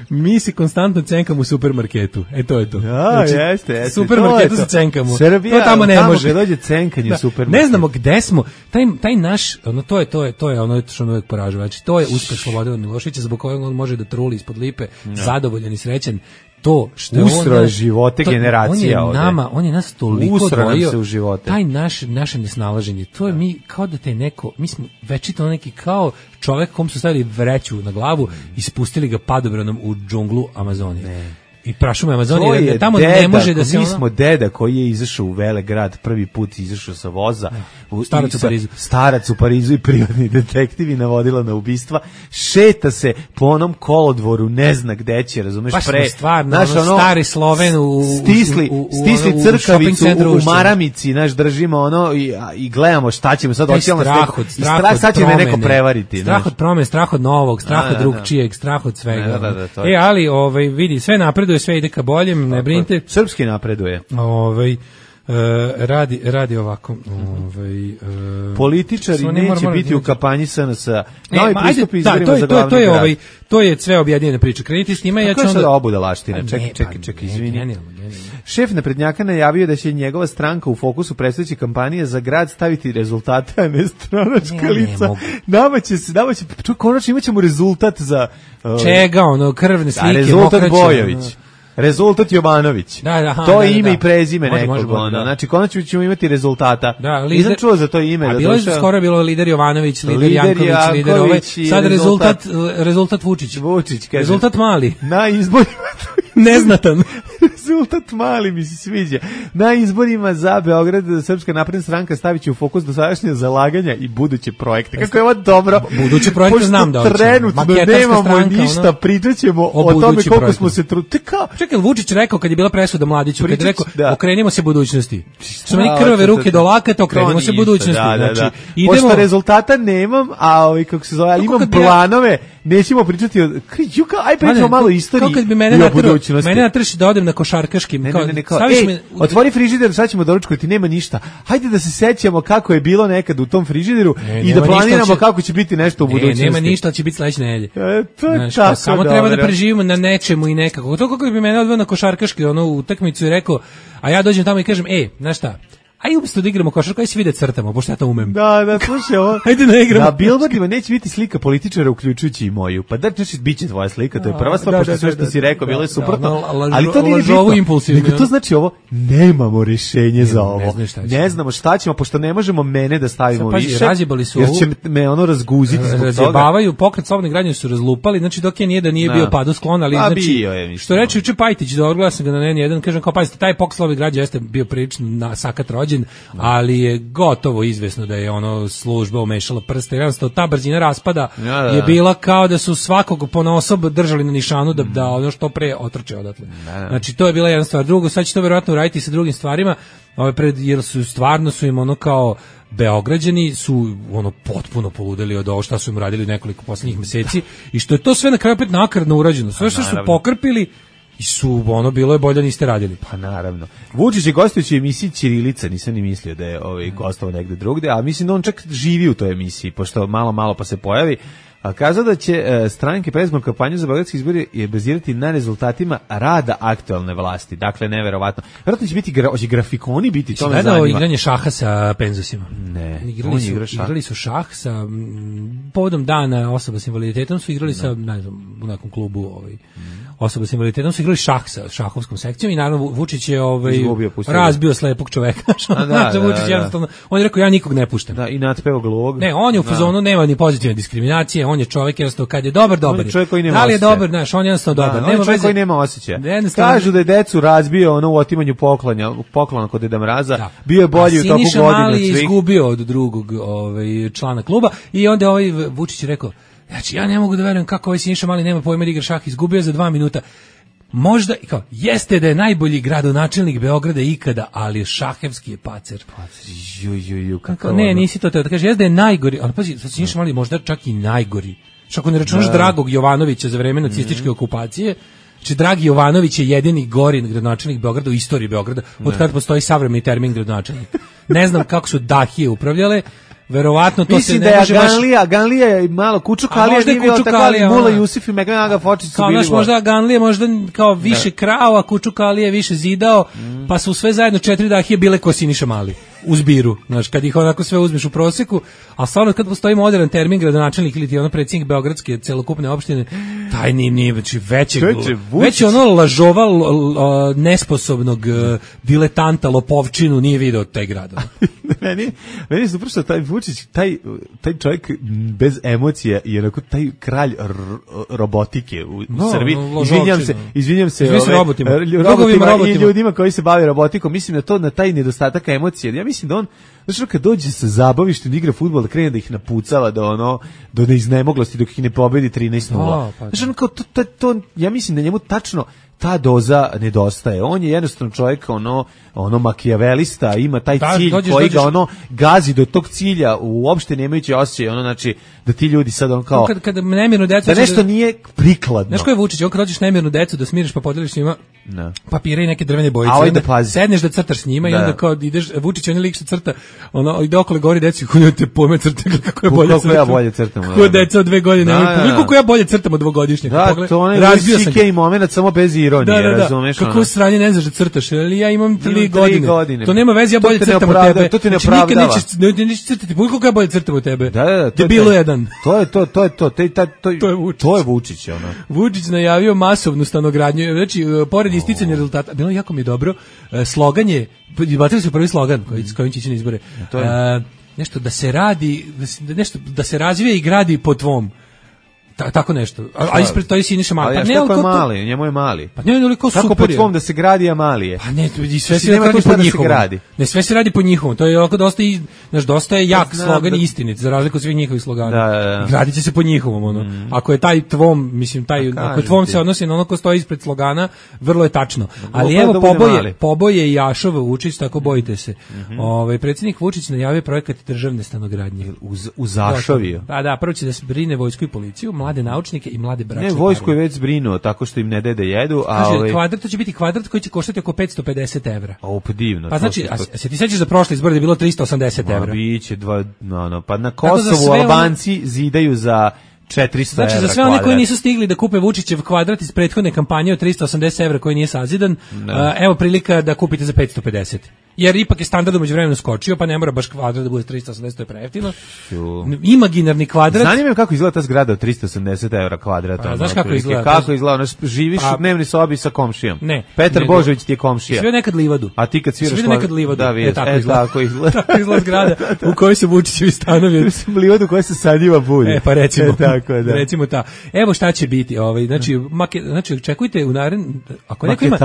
Mi se konstantno cenkamo u supermarketu. E to je to. Ja, znači, jeste, jeste. Supermarketu se cenkamo. Srbija, to tamo ne tamo može. Dođe cenkanje da, u supermarketu. Ne znamo gde smo. Taj taj naš, ono to je to je to je ono što me uvek poražava. Znači to je uspeh Slobodana Miloševića zbog kojeg on može da truli ispod lipe, ja. zadovoljan i srećan. To što usro živote to, generacija on je nama, ovde. On je nas toliko odvojio u živote. Taj naš naše nesnalaženje. To je mi kao da te neko, mi smo večito neki kao čovek kom su stavili vreću na glavu i spustili ga padobranom u džunglu Amazonije. Ne. I prašume Amazonije, da tamo deda, ne može da se mi ono... smo deda koji je izašao u Velegrad, prvi put izašao sa voza, u, starac u Parizu. Starac u Parizu i privatni detektivi navodila na ubistva, šeta se po onom kolodvoru, ne zna gde će, razumeš, baš pre... stvarno, naš, ono, stari Sloven u... Stisli, u, u, stisli u, crkavicu u, u Maramici, naš, držimo ono i, i gledamo šta ćemo sad, ocijelo strah od, strah strah, sad će me neko prevariti. Strah od promene, strah od novog, strah od drugčijeg, strah od svega. E, ali, ovaj, vidi, sve napreduje, sve ide ka boljem, ne brinite. Srpski napreduje. Ovaj Uh, radi radi ovako, ovaj uh, političari neće biti u kampanji S N S-a. Novi pristup izborima za glavni to je ovaj to je sve objedinjena priča. Krenite s njima, ja ću onda obudalaština. Čekaj, čekaj, čekaj, izvini. Šef naprednjaka najavio da će njegova stranka u fokusu predstojeće kampanje za grad staviti rezultate, a ne stranačka lica. Nama će se, nama će, konačno imaćemo rezultat za uh, čega, ono, krvne slike, rezultat Bojović. Rezultat Jovanović. Da, da, aha, to je da, ime da. i prezime može, nekog. može, može, ono. da. Znači, konačno ćemo imati rezultata. Da, lider, nisam čuo za to ime. A da bilo je došao... skoro bilo lider Jovanović, lider, lider Janković, Janković, lider ovaj. Sad rezultat, rezultat Vučić. Vučić, kaže. Rezultat mali. Na izborima... Neznatan. Rezultat mali mi se sviđa. Na izborima za Beograd Srpska napredna stranka stavit će u fokus dosadašnje zalaganja i buduće projekte. Kako je ovo dobro. Buduće projekte znam da hoće. Trenutno nemamo ništa, pričat ćemo o, o tome koliko projektu. Smo se trudili. Čekaj, Vučić rekao kad je bila presuda Mladiću, kad je rekao da. Okrenimo se budućnosti. Što meni krvave ruke do lakata, okrenimo se budućnosti. Da, da, da. Znači, idemo... Pošto rezultata nemam, a ovaj, kako se zove, imam planove, nećemo pričati o... Juka, aj pričamo malo istoriji i o budućnosti. Mene natrši da odem na košarkaški. Ne, ne, ne, ne, kao, ej, me... otvori frižider, sad ćemo doručkovati, nema ništa. Hajde da se sećamo kako je bilo nekad u tom frižideru ne, i da planiramo će... kako će biti nešto u ne, budućnosti. Nema ništa, će biti sledeće nedelje. E, to je Znaš, tako samo dobro. Treba da preživimo na nečemu i nekako. To kako bi mene odveo na košarkaški, ono, utakmicu i rekao, a ja dođem tamo i kažem, ej, znaš šta, Aj umjesto da igramo košarku, aj se vide crtamo, pošto ja to umem. Da, da, slušaj, ovo. Ajde da igramo. Na billboardima neće biti slika političara, uključujući i moju. Pa da, znači, bit će tvoja slika, to je prva stvar, pošto sve što si rekao, bilo je suprotno. Ali to nije bitno. Nego to znači ovo, nemamo rješenje za ovo. Ne znamo šta ćemo, pošto ne možemo mene da stavimo više, jer će me ono razguziti zbog toga. Razjebavaju, pokret slobodne gradnje su razlupali, znači dok je nije da nije bio padu sklon, ali znači, što reče juče Pajtić, da odgledao sam ga na N jedan, kažem kao, pazite, taj pokret slobodne gradnje jeste bio prilično na sakat rođen, ali je gotovo izvesno da je ono služba umešala prste, jednostavno ta brzina raspada ja, da, je bila kao da su svakog ponaosob držali na nišanu da, da ono što pre otrče odatle. Da, da. Znači to je bila jedna stvar. Drugo, sad će to verovatno uraditi sa drugim stvarima, ove pred, jer su stvarno su im ono kao Beograđani su ono potpuno poludeli od ovo šta su im radili nekoliko posljednjih meseci i što je to sve na kraju opet nakaradno urađeno. Sve što su pokrpili i su, ono, bilo je bolje niste radili. Pa naravno. Vučić je gostujući u emisiji Ćirilica, nisam ni mislio da je ovaj, gostovao negde drugde, a mislim da on čak živi u toj emisiji, pošto malo, malo pa se pojavi. A kazao da će e, stranke predizbornu kampanju za beogradske izbore je bazirati na rezultatima rada aktuelne vlasti. Dakle, neverovatno. Vjerojatno će biti gra, će grafikoni biti, to me zanima. Igranje šaha sa penzusima. Ne, igrali su, šah. igrali su šah sa m, povodom dana osoba s invaliditetom su igrali ne. sa, ne znam, u nekom klubu ovaj, mm. osoba s invaliditetom su igrali šah sa šahovskom sekcijom i naravno Vučić je ovaj, Izgubio, razbio slepog čoveka. A da, da, Vučić da, da. On je rekao, ja nikog ne puštam. Da, i natpeo gluvog. Ne, on je u fazonu, nema ni pozitivne diskriminacije, on je čovjek jednostavno kad je dobar, dobar je. Čovjek koji nema da li je dobar, znaš, on je jednostavno dobar. Da, nema čovjek koji nema osjećaja. Kažu da je decu razbio ono u otimanju poklanja, poklona kod Deda Mraza, da. Bio je bolji u toku godine. Siniša Mali je izgubio od drugog ovaj, člana kluba i onda ovaj Vučić je rekao, znači ja ne mogu da verujem kako ovaj Siniša Mali nema pojma da igra šah, izgubio za dva minuta. Možda, kao, jeste da je najbolji gradonačelnik Beograda ikada, ali šahevski je pacer. Pacer, ju, ju, ju, kako ne, nisi to teo da kaže, jeste da je najgori, ali pazi, sad Siniša Mali možda čak i najgori. Što ako ne računaš da. Dragog Jovanovića za vreme nacističke mm-hmm. okupacije, znači Dragi Jovanović je jedini gori gradonačelnik Beograda u istoriji Beograda, od kada postoji savremeni termin gradonačelnik. Ne znam kako su dahije upravljale, verovatno to mislim se ne može baš... Mislim da je Ganlija, Ganlija je malo Kučukalija, nije bio tako, ali Mula Jusif i Megan Aga Fočić su bili... Kao možda Ganlija možda kao više krao, a Kučukalija više zidao, mm. pa su sve zajedno četiri dahije bile ko Siniša Mali. U zbiru, znaš, kad ih onako sve uzmeš u proseku, a stvarno kad postoji modern termin gradonačelnik ili ti ono predsjednik beogradske celokupne opštine, taj nije, nije znači većeg, već ono lažova l, l, nesposobnog diletanta, lopovčinu nije video taj grad. meni, meni su prošlo taj Vučić, taj, taj čovjek bez emocija i onako taj kralj r, robotike u, no, u Srbiji. No, izvinjam se, izvinjam se, ove, robotima, robotima, robotima i ljudima koji se bave robotikom, mislim da to na taj nedostatak emocije. Ja mislim da on, znači kad dođe sa zabavištem, igra fudbal, da krene da ih napucava do ono, do neiznemoglosti dok ih ne pobedi trinaest nula. Pa, znači on kao to, to, to, ja mislim da njemu tačno ta doza nedostaje. On je jednostavno čovjek ono ono makijavelista, ima taj da, cilj dođeš, koji dođeš, ga ono gazi do tog cilja, uopšte nemajući osjećaj, ono znači da ti ljudi sad on kao kad kad nemirnu decu da nešto da, nije prikladno. Znaš ko je Vučić, on kad dođeš nemirnu decu da smiriš pa podeliš s njima no. papire i neke drvene bojice, a onda pazi. Sedneš da crtaš s njima da. I onda kao ideš, Vučić on je lik što crta, ono ide okolo gori deci, kako te pojme crta, kako je bolje crtam. Ja bolje crtam. Kako deca od dve godine, da, da, da. Koliko ja bolje crtam od dvogodišnjeg. Da, pogled, to je razbio momenat samo bez ironije, da, da, da. Razumeš? Kako sranje ne znaš da crtaš, ali ja imam tri godine. godine. To nema veze, ja bolje crtam od tebe. To ti ne opravdava. Znači, nikad nećeš, nećeš crtati, koliko ja bolje crtam od tebe. Da, da, da. To je bilo jedan. To je to, to je to. To je, to, to, to je Vučić. To je Vučić, ono. Vučić najavio masovnu stanogradnju. Znači, pored isticanja rezultata, bilo jako mi je dobro, slogan je, izbacili su prvi slogan koji, s kojim će ići na izbore. To je... nešto da se radi, da se, nešto, da se razvije i gradi po tvom. Ta, tako nešto. A, a ispred to je Siniša Mali. Pa ne, kako je mali, njemu je mali. Pa ne, toliko super. Kako po tvom da se gradi, a mali je? Pa ne, i sve se radi po njihovom. Ne, sve se radi po njihovom. To je ovako dosta i znaš, dosta je jak Znam, slogan da... i istinit, za razliku od svih njihovih slogana. Da, da, da. Gradit će se po njihovom, ono. Mm. Ako je taj tvom, mislim taj, ako tvom ti. Se odnosi na ono ko stoji ispred slogana, vrlo je tačno. Ali evo da poboje, poboje Jašov Vučić, tako bojite se. Mm-hmm. Ovaj predsjednik Vučić najavio projekat državne stanogradnje u u Zašoviju. Da, da, prvo će da se brine vojsku i policiju, mlade naučnike i mlade bračne. Ne, vojsku je već zbrinuo tako što im ne dede jedu, a kaže, ovaj kvadrat, to će biti kvadrat koji će koštati oko petsto pedeset evra. O, pa divno. Pa znači, a, a se ti sećaš za prošle izbore da je bilo trista osamdeset evra? Biće dva, no, no, pa na Kosovu Albanci ono... zidaju za četiristo znači, evra. Znači, za sve one koji nisu stigli da kupe Vučićev kvadrat iz prethodne kampanje od trista osamdeset evra koji nije sazidan, uh, evo prilika da kupite za petsto pedeset. jer ipak je standard umeđu vremenu skočio, pa ne mora baš kvadrat da bude tristo osamdeset, to je prejeftino. Imaginarni kvadrat. Zanima me kako izgleda ta zgrada od tristo osamdeset evra kvadrata. Pa, znaš kako izgleda? Kako izgleda? Ono, živiš pa, u dnevnoj sobi sa komšijom. Ne. Petar nego, Božović ti je komšija. Svio nekad livadu. A ti kad sviraš... Svio nekad livadu. Da, vidiš. E, tako, e, izgleda. tako izgleda. Tako izgleda zgrada u kojoj se Vučićevi stanovi. Livadu koja se sadnjiva bude. E, pa recimo. E, tako, da. Recimo ta. Evo šta će biti. Ovaj, znači, make, znači, očekujte u narednom... Ako neko ima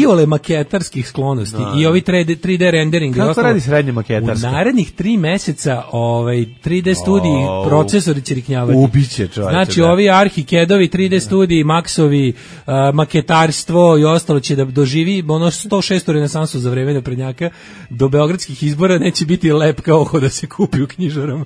iole maketarskih sklonosti no. i ovi tri D rendering. Kako ostalo, radi srednje maketarsko? U narednih tri meseca ovaj, tri D studiji, oh, procesori će riknjavati. Ubiće čovječe. Znači, da. ovi Arhikedovi, tri D studiji, Maxovi, uh, maketarstvo i ostalo će da doživi ono sto šestu renesansu za vreme naprednjaka. Do beogradskih izbora neće biti lep kao oko da se kupi u knjižarama.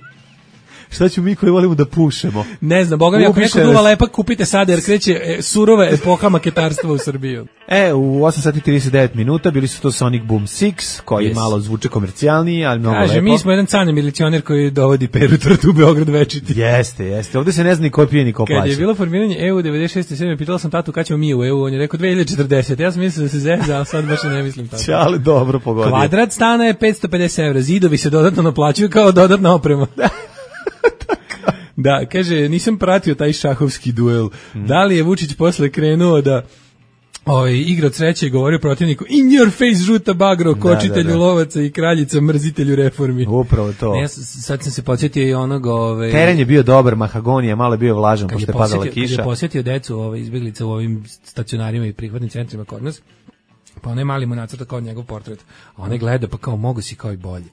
Šta ću mi koji volimo da pušemo? Ne znam, boga mi, ako neko duva lepak, kupite sada, jer kreće e, surova epoha maketarstva u Srbiju. E, u osam sati trideset devet minuta bili su to Sonic Boom šest, koji yes. malo zvuče komercijalniji, ali mnogo Kaže, lepo. mi smo jedan cane milicioner koji dovodi Peru Trtu u Beograd večiti. Jeste, jeste. Ovde se ne zna ni ko pije, ni ko plaća. Kad je bilo formiranje E U devedeset šeste sedme pitala sam tatu kad ćemo mi u E U, on je rekao dve hiljade četrdesete. Ja sam mislio da se zezda, ali sad baš ne mislim tako. Čale, dobro pogodio. Kvadrat stana je petsto pedeset evra, zidovi se dodatno naplaćuju kao dodatna oprema. Da, kaže, nisam pratio taj šahovski duel. Mm. Da li je Vučić posle krenuo da ovaj, igra od sreće i govorio protivniku in your face žuta bagro, kočitelju da, da, da. lovaca i kraljica, mrzitelju reformi. Upravo to. Ne, ja sad sam se podsjetio i onog... Ovaj, teren je bio dobar, mahagonija, malo je bio vlažan, pošto je padala kiša. Kad je posjetio decu ovaj, izbjeglica u ovim stacionarima i prihvatnim centrima kod nas, pa onaj mali mu nacrta kao njegov portret, a onaj gleda pa kao mogu si kao i bolje.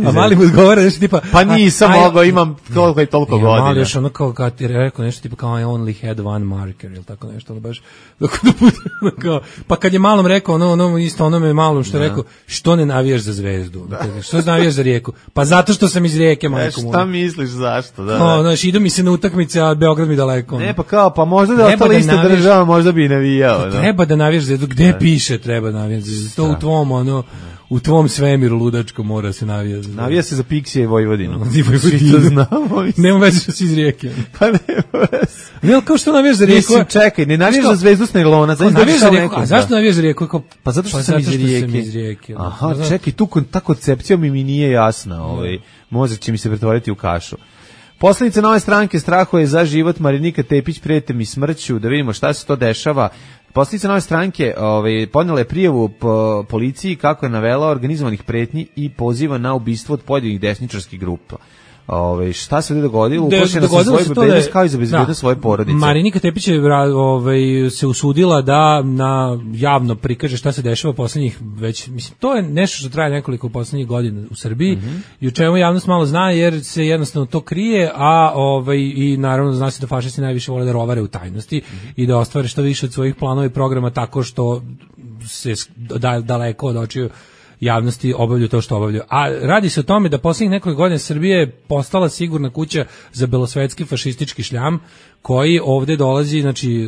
A mali mu odgovara nešto tipa pa nisam mogao, imam toliko i toliko godina. Mali još ono kao kad ti rekao nešto tipa kao I only had one marker ili tako nešto, ono baš dok da bude kao, pa kad je malom rekao ono, ono isto onome malom što je rekao što ne navijaš za Zvezdu, da. Što navijaš za Rijeku, pa zato što sam iz Rijeke majko mu. Šta misliš zašto? Da, no, znaš, idu mi se na utakmice, a Beograd mi daleko. Ne, pa kao, pa možda da ostala ista država, možda bi i navijao. Treba da navijaš za Zvezdu, gde piše treba navijaš za Zvezdu, to u tvom ono u tvom svemiru ludačko mora se navija. Navija se za Piksije i Vojvodinu. Svi to znamo. Nema veze što si iz Rijeke. Pa nema veze. Ne, kao što navijaš za Rijeku? Mislim, čekaj, ne navijaš za Zvezdu Snelona. Navijaš za Rijeku, a zašto navijaš za Rijeku? Kao, pa zato što, pa sam, zato iz što sam iz Rijeke. Aha, znači, čekaj, tu ta koncepcija mi mi nije jasna. Ovaj, mozak će mi se pretvoriti u kašu. Poslanica Nove stranke strahuje za život, Marinika Tepić prete mi smrću, da vidimo šta se to dešava. Poslanica Nove stranke ovaj, podnela je prijavu po policiji kako je navela organizovanih pretnji i poziva na ubistvo od pojedinih desničarskih grupa. Ove, šta se dogodilo? Uplašena sa svoje bezbednost kao i za bezbednost svoje porodice. Marinika Tepić je ovaj, se usudila da na javno prikaže šta se dešava poslednjih već, mislim, to je nešto što traje nekoliko poslednjih godina u Srbiji mm-hmm. i o čemu javnost malo zna jer se jednostavno to krije, a ovaj, i naravno zna se da fašisti najviše vole da rovare u tajnosti mm-hmm. i da ostvare što više od svojih planova i programa tako što se da, daleko od očiju javnosti obavljaju to što obavljaju. A radi se o tome da poslednjih nekoliko godina Srbije je postala sigurna kuća za belosvetski fašistički šljam koji ovde dolazi, znači e,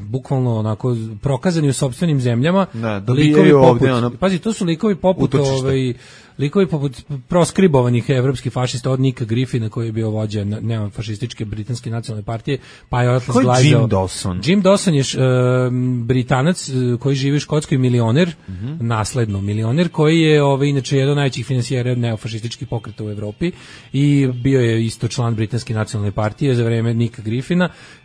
bukvalno onako prokazani u sopstvenim zemljama. Da, likovi poput, ovde, ono, pazi, to su likovi poput ovaj, likovi poput proskribovanih evropskih fašista od Nika Griffina koji je bio vođa neofašističke britanske nacionalne partije, pa je Atlas Glajzao. Jim Dawson? Jim Dawson je e, Britanac koji živi u Škotskoj, milioner, mm-hmm. nasledno milioner, koji je ovaj, inače jedan od najvećih finansijera neofašističkih pokreta u Evropi i bio je isto član britanske nacionalne partije za vreme Nika Griffina.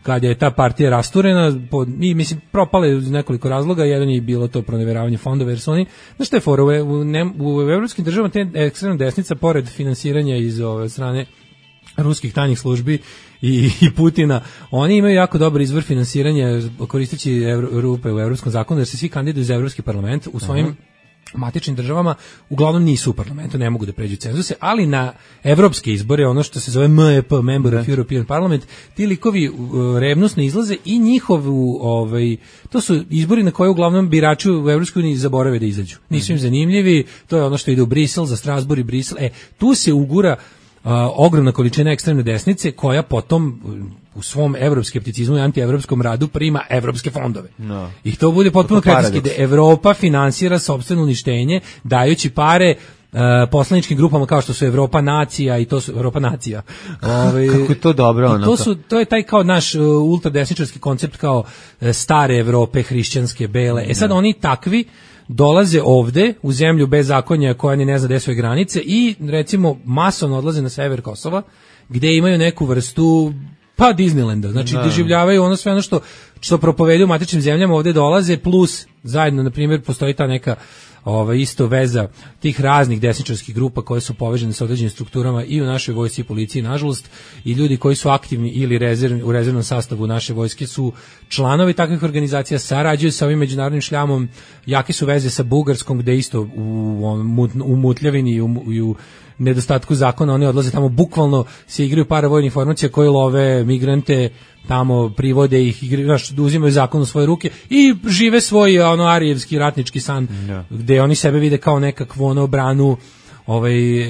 Kad je ta partija rasturena, pod, i mislim propale iz nekoliko razloga, jedan je bilo to proneveravanje fondova, jer su oni, znaš šta je fora, u, u, u evropskim državama te ekstremna desnica, pored finansiranja iz ove strane ruskih tajnih službi i, i Putina, oni imaju jako dobar izvor finansiranja koristeći evro, rupe u evropskom zakonu, jer se svi kandiduju za evropski parlament u svojim uh-huh. matičnim državama uglavnom nisu u parlamentu, ne mogu da pređu cenzuse, ali na evropske izbore, ono što se zove M E P, Member of European Parliament, ti likovi uh, revnosno izlaze i njihovu, ovaj, to su izbori na koje uglavnom birači u Evropskoj uniji zaborave da izađu. Nisu im zanimljivi, to je ono što ide u Brisel, za Strasbourg i Brisel. E, tu se ugura uh, ogromna količina ekstremne desnice koja potom u svom evroskepticizmu i antievropskom radu prima evropske fondove. No. I to bude potpuno kretinski, da Evropa finansira sopstveno uništenje dajući pare Uh, poslaničkim grupama kao što su Evropa nacija i to su Evropa nacija. Ove, kako je to dobro ono. To su to je taj kao naš uh, ultradesničarski koncept kao uh, stare Evrope, hrišćanske, bele. E sad oni takvi dolaze ovde u zemlju bez zakonja koja ni ne zna gde su granice i recimo masovno odlaze na sever Kosova gde imaju neku vrstu pa Disneylanda, znači da. Doživljavaju ono sve ono što što propovedu u matičnim zemljama, ovde dolaze plus zajedno na primjer postoji ta neka ova isto veza tih raznih desničarskih grupa koje su povezane sa određenim strukturama i u našoj vojsci i policiji, nažalost, i ljudi koji su aktivni ili rezervni, u rezervnom sastavu naše vojske su članovi takvih organizacija, sarađuju sa ovim međunarodnim šljamom, jake su veze sa Bugarskom gde isto u, u mutljavini i u, i u nedostatku zakona oni odlaze tamo, bukvalno se igraju paravojnih formacija koji love migrante, tamo privode ih, znaš, uzimaju zakon u svoje ruke i žive svoj ono arijevski ratnički san, yeah. Gde oni sebe vide kao nekakvu ono branu ovaj e,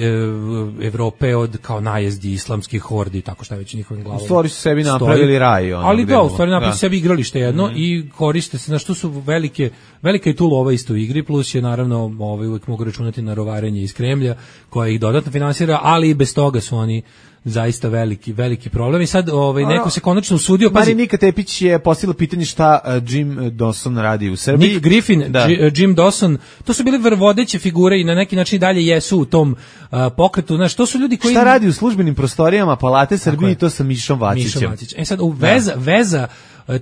Evrope od kao najezdi islamskih hordi, tako šta već njihovim glavama. U stvari su sebi napravili stoji, raj. Ono, ali da, u stvari napravili sebi igralište jedno mm-hmm. i koriste se, na što su velike, velika i tu lova isto u igri, plus je naravno ovaj, uvijek mogu računati na rovarenje iz Kremlja, koja ih dodatno finansira, ali i bez toga su oni zaista veliki, veliki problem i sad ovaj, neko se konačno usudio. Marinika Tepić je postavila pitanje šta uh, Jim Dawson radi u Srbiji. Nick Griffin, da. G, Jim Dawson, to su bile vodeće figure i na neki način dalje jesu u tom uh, pokretu. Znaš, to su ljudi koji... Šta radi u službenim prostorijama Palate Srbije i to sa Mišom Vacićem. Mišom Vacić. E sad, u veza, da. veza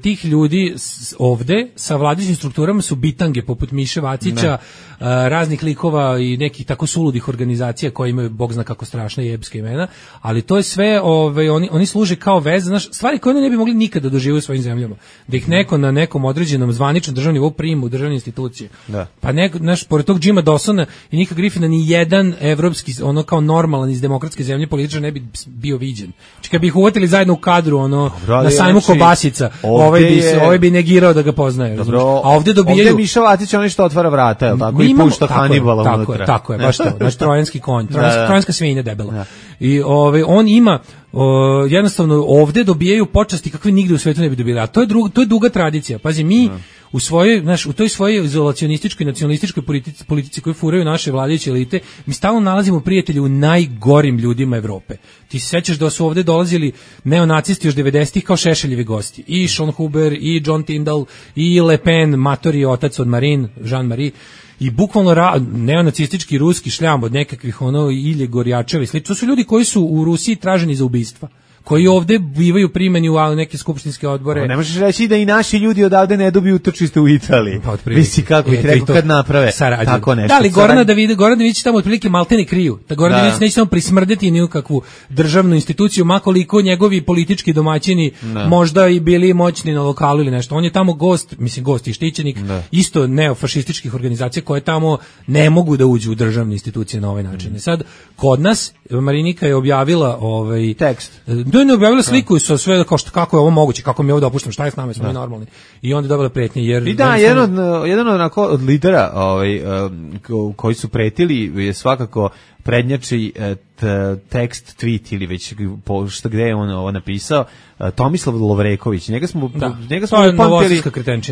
tih ljudi ovde sa vladajućim strukturama su bitange poput Miše Vacića, ne. raznih likova i nekih tako suludih organizacija koje imaju bog zna kako strašna jebska imena, ali to je sve, ovaj, oni, oni služe kao veza, znaš, stvari koje oni ne bi mogli nikada doživjeti u svojim zemljama. Da ih neko na nekom određenom zvaničnom državnom nivou prima u državne institucije. Da. Pa neko, znaš, pored tog Jima Dawsona i Nika Griffina ni jedan evropski, ono kao normalan iz demokratske zemlje političar ne bi bio viđen. Znači kad bi ih uvatili zajedno u kadru, ono, Dobro, na sajmu znači, Kobasica, ovaj bi, je... ovaj bi negirao da ga poznaje. Dobro, a ovde dobijaju... Ovde Miša Vatić onaj što otvara vrata, je li tako? I pušta Hanibala tako unutra. Je, tako je, baš to. Znači, trojanski konj, trojanska, da, da. trojanska svinja debela. Da. I ovaj, on ima, o, jednostavno, ovde dobijaju počasti kakve nigde u svetu ne bi dobili. A to je, drug, to je duga tradicija. Pazi, mi... Da. U svojoj, znaš, u toj svojoj izolacionističkoj nacionalističkoj politici, politici koju furaju naše vladajuće elite, mi stalno nalazimo prijatelje u najgorim ljudima Evrope. Ti se sećaš da su ovde dolazili neonacisti još devedesetih kao Šešeljevi gosti. I Sean Huber, i John Tyndall, i Le Pen, matori otac od Marine, Jean-Marie. I bukvalno ra, neonacistički ruski šljam od nekakvih ono Ilje Gorjačeva i slično. To su ljudi koji su u Rusiji traženi za ubistva, koji ovde bivaju primeni u neke skupštinske odbore. O, ne možeš reći da i naši ljudi odavde ne dobiju utočište u Italiji. Pa Visi kako ih rekao kad naprave sarađu. Tako nešto. Da li Gorana David, Goran Davidić tamo otprilike maltene kriju. Da Goran da. Davidić neće samo prismrdeti ni u kakvu državnu instituciju, makoliko njegovi politički domaćini da. Možda i bili moćni na lokalu ili nešto. On je tamo gost, mislim gost i štićenik, da. Isto neofašističkih organizacija koje tamo ne mogu da uđu u državne institucije na ovaj način. Mm. Sad, kod nas, Marinika je objavila ovaj tekst. Da ne objavila sliku sa sve kao što kako je ovo moguće, kako mi ovo dopuštam, šta je s nama, smo mi normalni. I onda je dobila pretnje jer I da, jedan od jedan od onako od lidera, ovaj koji su pretili je svakako prednjači tekst, tweet ili već šta gde je on ovo napisao, Tomislav Lovreković. Njega smo da. njega smo upamtili.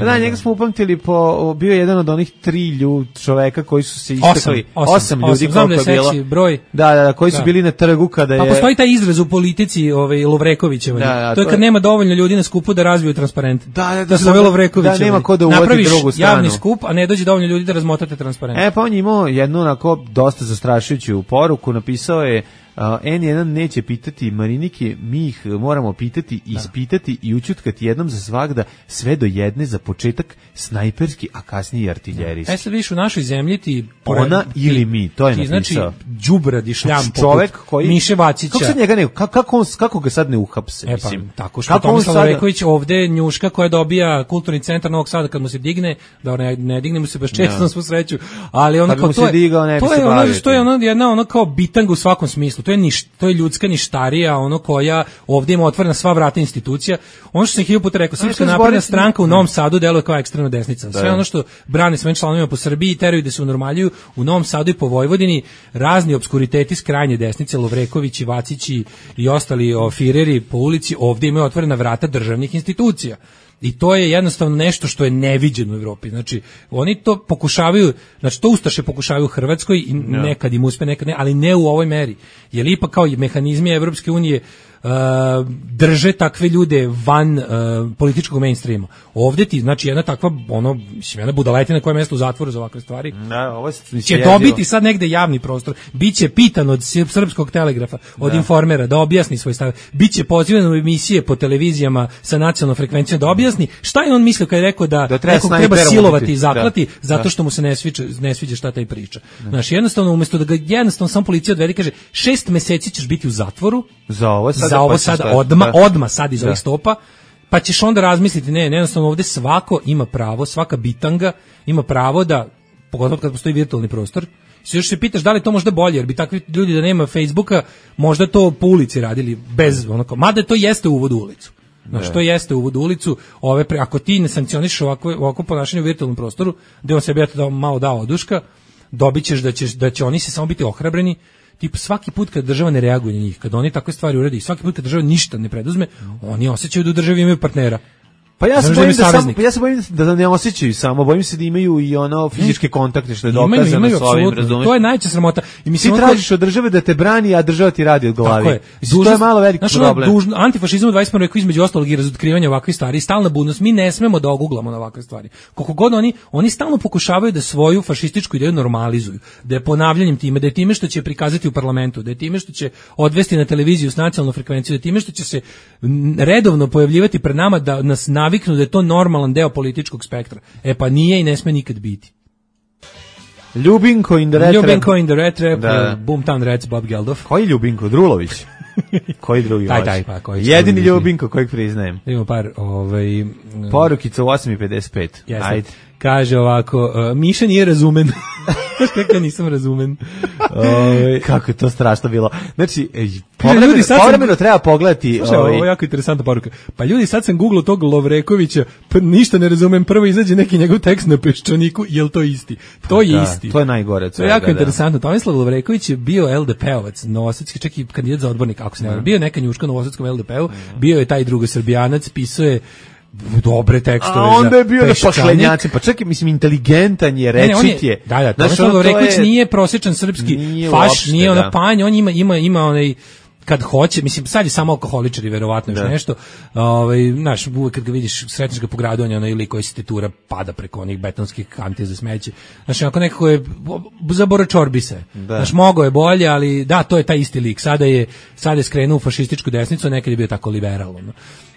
Da, njega smo upamtili po bio je jedan od onih tri ljudi čoveka koji su se istakli, osam, osam, osam ljudi koliko je bilo. Broj. Da, da, da, koji su da. Bili na trgu kada je. Pa postoji taj izraz u politici, ovaj Lovrekovićeva. Da, da, to je kad to... nema dovoljno ljudi na skupu da razviju transparent. Da, da, da, da, da, Lovreković. Da nema ko da uvodi drugu stranu. Javni skup, a ne dođe dovoljno ljudi da razmotate transparent. E pa on je imao jednu onako dosta zastrašujuću poruku, napisao je Uh, en jedan neće pitati Marinike, mi ih moramo pitati, ispitati da. I učutkati jednom za svagda, sve do jedne za početak snajperski, a kasnije artiljerijski. E sad viš u našoj zemlji ti... Ona ti, ili mi, to je ti, napisao. Znači, đubrad i šljam čovek koji... Miše Vacića. Kako, sad njega ne, kako, kako, on, kako ga sad ne uhapse? E pa, tako što Tomislav Lovreković sada... ovde njuška koja dobija kulturni centar Novog Sada kad mu se digne, da ne, ne digne mu se baš često na svu sreću, ali ono kao to je, digao, ne to je ono, to je ono jedna ono kao bitanga u svakom smislu. To je niš, to je ljudska ništarija, ono koja ovdje ima otvorena sva vrata institucija. Ono što sam hiljadu puta rekao, Srpska napredna stranka u Novom Sadu deluje kao ekstremna desnica. Sve ono što brane svojim članovima po Srbiji i teraju da se unormaljuju, u Novom Sadu i po Vojvodini razni obskuriteti s krajnje desnice, Lovrekovići, Vacići i ostali o, fireri po ulici ovdje imaju otvorena vrata državnih institucija. I to je jednostavno nešto što je neviđeno u Evropi. Znači, oni to pokušavaju, znači to ustaše pokušavaju u Hrvatskoj i nekad im uspe, nekad ne, ali ne u ovoj meri. Jer ipak kao mehanizmi Evropske unije Uh, drže takve ljude van uh, političkog mainstreama. Ovdje ti, znači jedna takva, ono, mislim, jedna budaletina koja je mjesto u zatvoru za ovakve stvari, da, ovo će dobiti sad negde javni prostor, biće pitan od Srpskog telegrafa, od da. Informera, da objasni svoj stav, biće pozivan u emisije po televizijama sa nacionalnom frekvencijom da objasni šta je on mislio kad je rekao da, da treba, nekog treba silovati i zaklati, da. zato da. što mu se ne sviđa, ne sviđa šta taj priča. Da. Znači, jednostavno, umjesto da ga jednostavno sam policija odvede, kaže, šest meseci ćeš biti u zatvoru, za ovo sad za ovo pa sad odma, odma sad iz ovih stopa, pa ćeš onda razmisliti, ne, jednostavno ovdje svako ima pravo, svaka bitanga ima pravo da, pogotovo kad postoji virtualni prostor, se još se pitaš da li to možda bolje, jer bi takvi ljudi da nema Facebooka, možda to po ulici radili, bez onako, mada to jeste uvod u ulicu. Znači, to jeste uvod u ulicu, ove pre, ako ti ne sankcioniš ovako, ovako ponašanje u virtualnom prostoru, gde on sebi eto da malo dao oduška, dobit ćeš da, ćeš, da će oni se samo biti ohrabreni. Tip svaki put kad država ne reaguje na njih, kad oni takve stvari uradi, svaki put kad država ništa ne preduzme, oni osjećaju da u državi imaju partnera. Pa ja se bojim da samo, pa ja se bojim da ne osjećaju samo, bojim se da imaju i ono fizičke kontakte što je dokazano imaju, imaju, s ovim, razumiješ? To je najčešća sramota. I mislim, ti tražiš od države da te brani, a država ti radi od glavi. Tako je. Dužnost, to je malo veliki znači, problem. Dužno, antifašizam u dvadeset prvom veku između ostalog i razotkrivanja ovakvih stvari, stalna budnost, mi ne smemo da oguglamo na ovakve stvari. Koliko god oni, oni stalno pokušavaju da svoju fašističku ideju normalizuju, da je ponavljanjem time, da je time što će prikazati u parlamentu, da je time što će odvesti na televiziju s nacionalnom frekvencijom, da je time što će se redovno pojavljivati pred nama da nas naviknu da je to normalan deo političkog spektra. E pa nije i ne sme nikad biti. Ljubinko in the Red Trap. Ljubinko in the Red Trap, da. Boomtown Rats, Bob Geldof. Koji Ljubinko? Drulović? Koji drugi? Taj, taj, pa, koji jedini Ljubinko kojeg priznajem. Imamo par, ovaj... Porukica u osam i pedeset pet. Jasne. Ajde. Kaže ovako, uh, Miša nije razumen. Kako ja nisam razumen. Ove, kako je to strašno bilo. Znači, povremeno, povremeno sam... treba pogledati. Slušaj, ovaj... ovo je jako interesantna poruka. Pa ljudi, sad sam googlao tog Lovrekovića, pa ništa ne razumem, prvo izađe neki njegov tekst na Peščaniku, je li to isti? To je da, isti. To je najgore. To je jako da, interesantno. Tomislav Lovreković je bio el de pe-ovac, novosadski, čak i kandidat za odbornik, ako se ne varam. Bio neka njuška novosadskom el de pe-u, bio je taj drugosrbijanac, pisao je dobre tekstove. A onda je bio na paklenjaci, pa čekaj, mislim, inteligentan je, rečit je. Da, da, Tomislav Lovreković nije prosječan srpski nije faš, uopšte, nije ona panj, on ima, ima, ima onaj, kad hoće, mislim, sad je samo alkoholičar i verovatno još nešto, ovaj, znaš, uvek kad ga vidiš, sretniš ga po gradu, on je onaj lik koji se tetura, pada preko onih betonskih kantija za smeće. Znaš, onako nekako je, zabora čorbi se. Znaš, mogo je bolje, ali da, to je taj isti lik. Sada je, sada je skrenuo u fašističku desnicu, nekad je bio tako liberal, ono.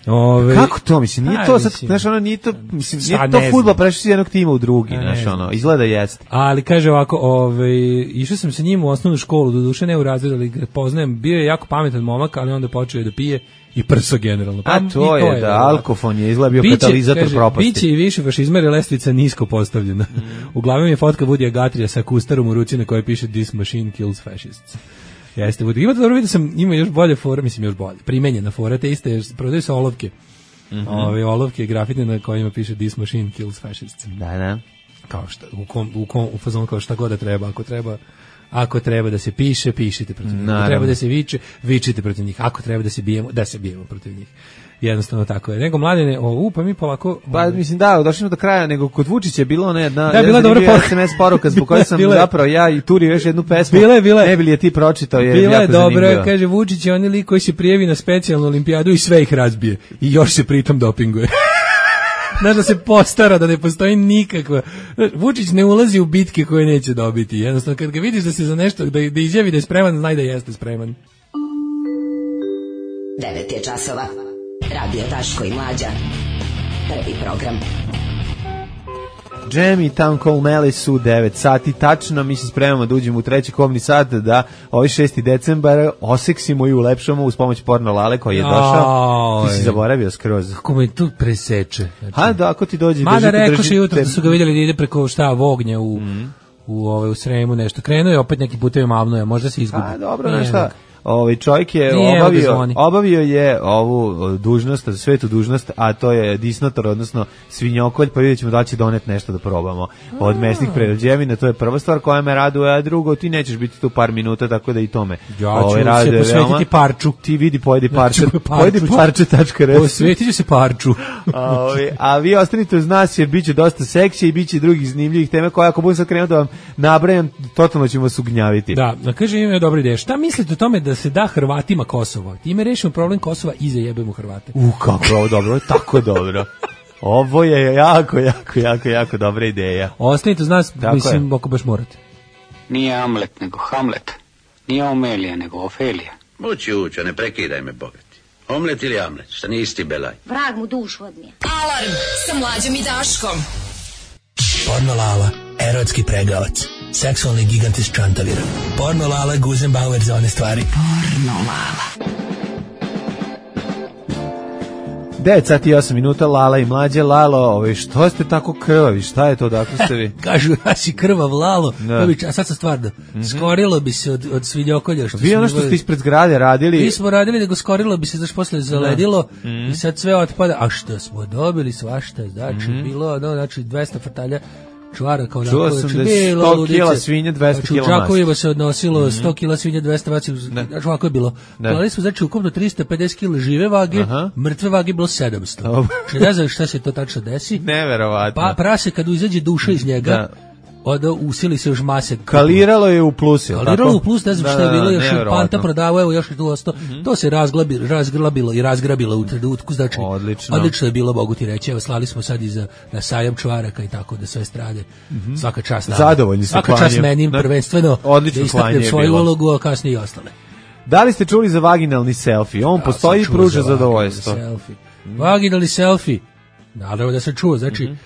Ove, kako to, mislim, nije to sad, znaš, ono, nije to, mislim, nije to fudbal, prešli si jednog tima u drugi, znaš, ono, izgleda jeste. Ali, kaže ovako, ove, išao sam sa njim u osnovnu školu, do duše ne u razred, ali ga poznajem, bio je jako pametan momak, ali onda počeo je da pije i prso generalno. Pa, a to, to je, je, da, alkofon je izgleda bio biće, katalizator kaže, propasti. Biće i više fašizma, jer lestvica nisko postavljena. Mm. Uglavnom je fotka Woodya Guthrieja sa kustarom u ruci na kojoj piše This machine kills fascists. Jeste, ima to dobro vidio sam, ima još bolje fora, mislim još bolje, primenjena fora, te iste, prodaju se olovke, mm-hmm. ove olovke grafitne na kojima piše This machine kills fascists. Da, da. Kao šta, u kom, u kom, u fazonu kao šta god da treba, ako treba, ako treba da se piše, pišite protiv njih, ako treba da se viče, vičite protiv njih, ako treba da se bijemo, da se bijemo protiv njih. Jednostavno tako je. Nego mladine, o, u, pa mi polako... Pa mislim da, došli smo do kraja, nego kod Vučića je bilo ona jedna... Da, bila dobra poruka. es em es poruka zbog koje sam zapravo ja i Turi još jednu pesmu. Bile, bile. Ne bi li je ti pročitao, jer bila jako je zanimljivo. dobra, kaže Vučić je onaj lik koji se prijavi na specijalnu olimpijadu i sve ih razbije. I još se pritom dopinguje. Znaš da se postara, da ne postoji nikakva... Vučić ne ulazi u bitke koje neće dobiti. Jednostavno, kad ga vidiš da se za nešto, da, da izjavi da je spreman, znaj da jeste spreman. devet je časova. Radio Daško i Mlađa. Prvi program. Jam i Town Call Malice u devet sati tačno, mi se spremamo da uđemo u treći komni sat, da ovaj šesti decembar oseksimo i ulepšamo uz pomoć Porno Lale koji je došao. Ti si zaboravio skroz. Kako me tu preseče. Znači, ha, da, ako ti dođe... Mada rekoš jutro da su ga vidjeli da ide preko šta Vognja u, mm. u, u, u Sremu nešto. Krenuo je opet neki putevi mavnoja, možda se izgubi. A, dobro, znaš šta... ovaj čovjek je Nije, obavio, obavio je ovu dužnost, svetu dužnost, a to je disnotor, odnosno svinjokolj, pa vidjet ćemo da će doneti nešto da probamo od mesnih prerađevina, to je prva stvar koja me raduje, a drugo, ti nećeš biti tu par minuta, tako da i tome. Ja ovaj, ću se posvetiti veoma. Parču. Ti vidi, pojedi parče, pojedi parče tačka res. Posvetit ću se parču. a, a vi ostanite uz nas, jer bit će dosta seksija i bit će drugih zanimljivih teme koje ako budem sad krenuo da vam nabrajam, totalno ćemo vas ugnjaviti. Da, da kaže ima dobra ideja. Šta mislite o tome da se da Hrvatima Kosovo? Time rešimo problem Kosova i zajebemo Hrvate. U, kako je ovo dobro, ovo je tako dobro. Ovo je jako, jako, jako, jako dobra ideja. Ostanite uz nas, tako mislim, ako baš morate. Nije Amlet, nego Hamlet. Nije Omelija, nego Ofelija. Ući, ući, ne prekidaj me, bogati. Omlet ili Amlet, šta nisi ti belaj? Vrag mu dušu odnije. Alarm sa Mlađom i Daškom. Porno Lala, erotski pregavac, seksualni gigant iz Čantavira. Porno Lala, Guzenbauer za one stvari. Porno Lala. devet sati i osam minuta, Lala i Mlađe. Lalo, ovaj, što ste tako krvavi, šta je to, dakle ste vi? Kažu, ja si krvav, Lalo, a sad sam stvarno, mm-hmm. skorilo bi se od, od svinjokolja. Što vi ono što ste ispred zgrade radili? Mi smo radili, nego skorilo bi se, znaš, posle zaledilo mm-hmm. i sad sve otpada, a što smo dobili svašta, znači, mm-hmm. bilo, no, znači, dvesta frtalja čvara kao da. Čuo sam da je sto kila svinja, dvesta kila masa. U Čakovima se odnosilo mm-hmm. sto kila svinja, dvesta vaci, znači ovako je bilo. Klali smo, znači, ukupno tristo pedeset kila žive vage, aha. Mrtve vage bilo sedamsto. Znači, ne znam šta se to tačno desi. Neverovatno. Pa prase, kad izađe duša iz njega, da. Onda usili se još mase. Kaliralo je u plus, je Kaliralo tako? U plus, ne znam šta je bilo, još Panta prodavao, evo još je tu ostao. Mm-hmm. To se razglabi, razgrabilo i razgrabilo u trenutku, znači odlično. Odlično je bilo, mogu ti reći. Evo, slali smo sad i za, na sajam čvaraka i tako da sve strade. Mm-hmm. Svaka čast nama. Zadovoljni se Svaka čast meni, prvenstveno, odlično da istaknem svoju ulogu, a kasnije i ostale. Da li ste čuli za vaginalni selfie? On ja, postoji i pruža zadovoljstvo. Mm-hmm. Vaginalni selfie. Naravno da sam čuo, znači, mm-hmm.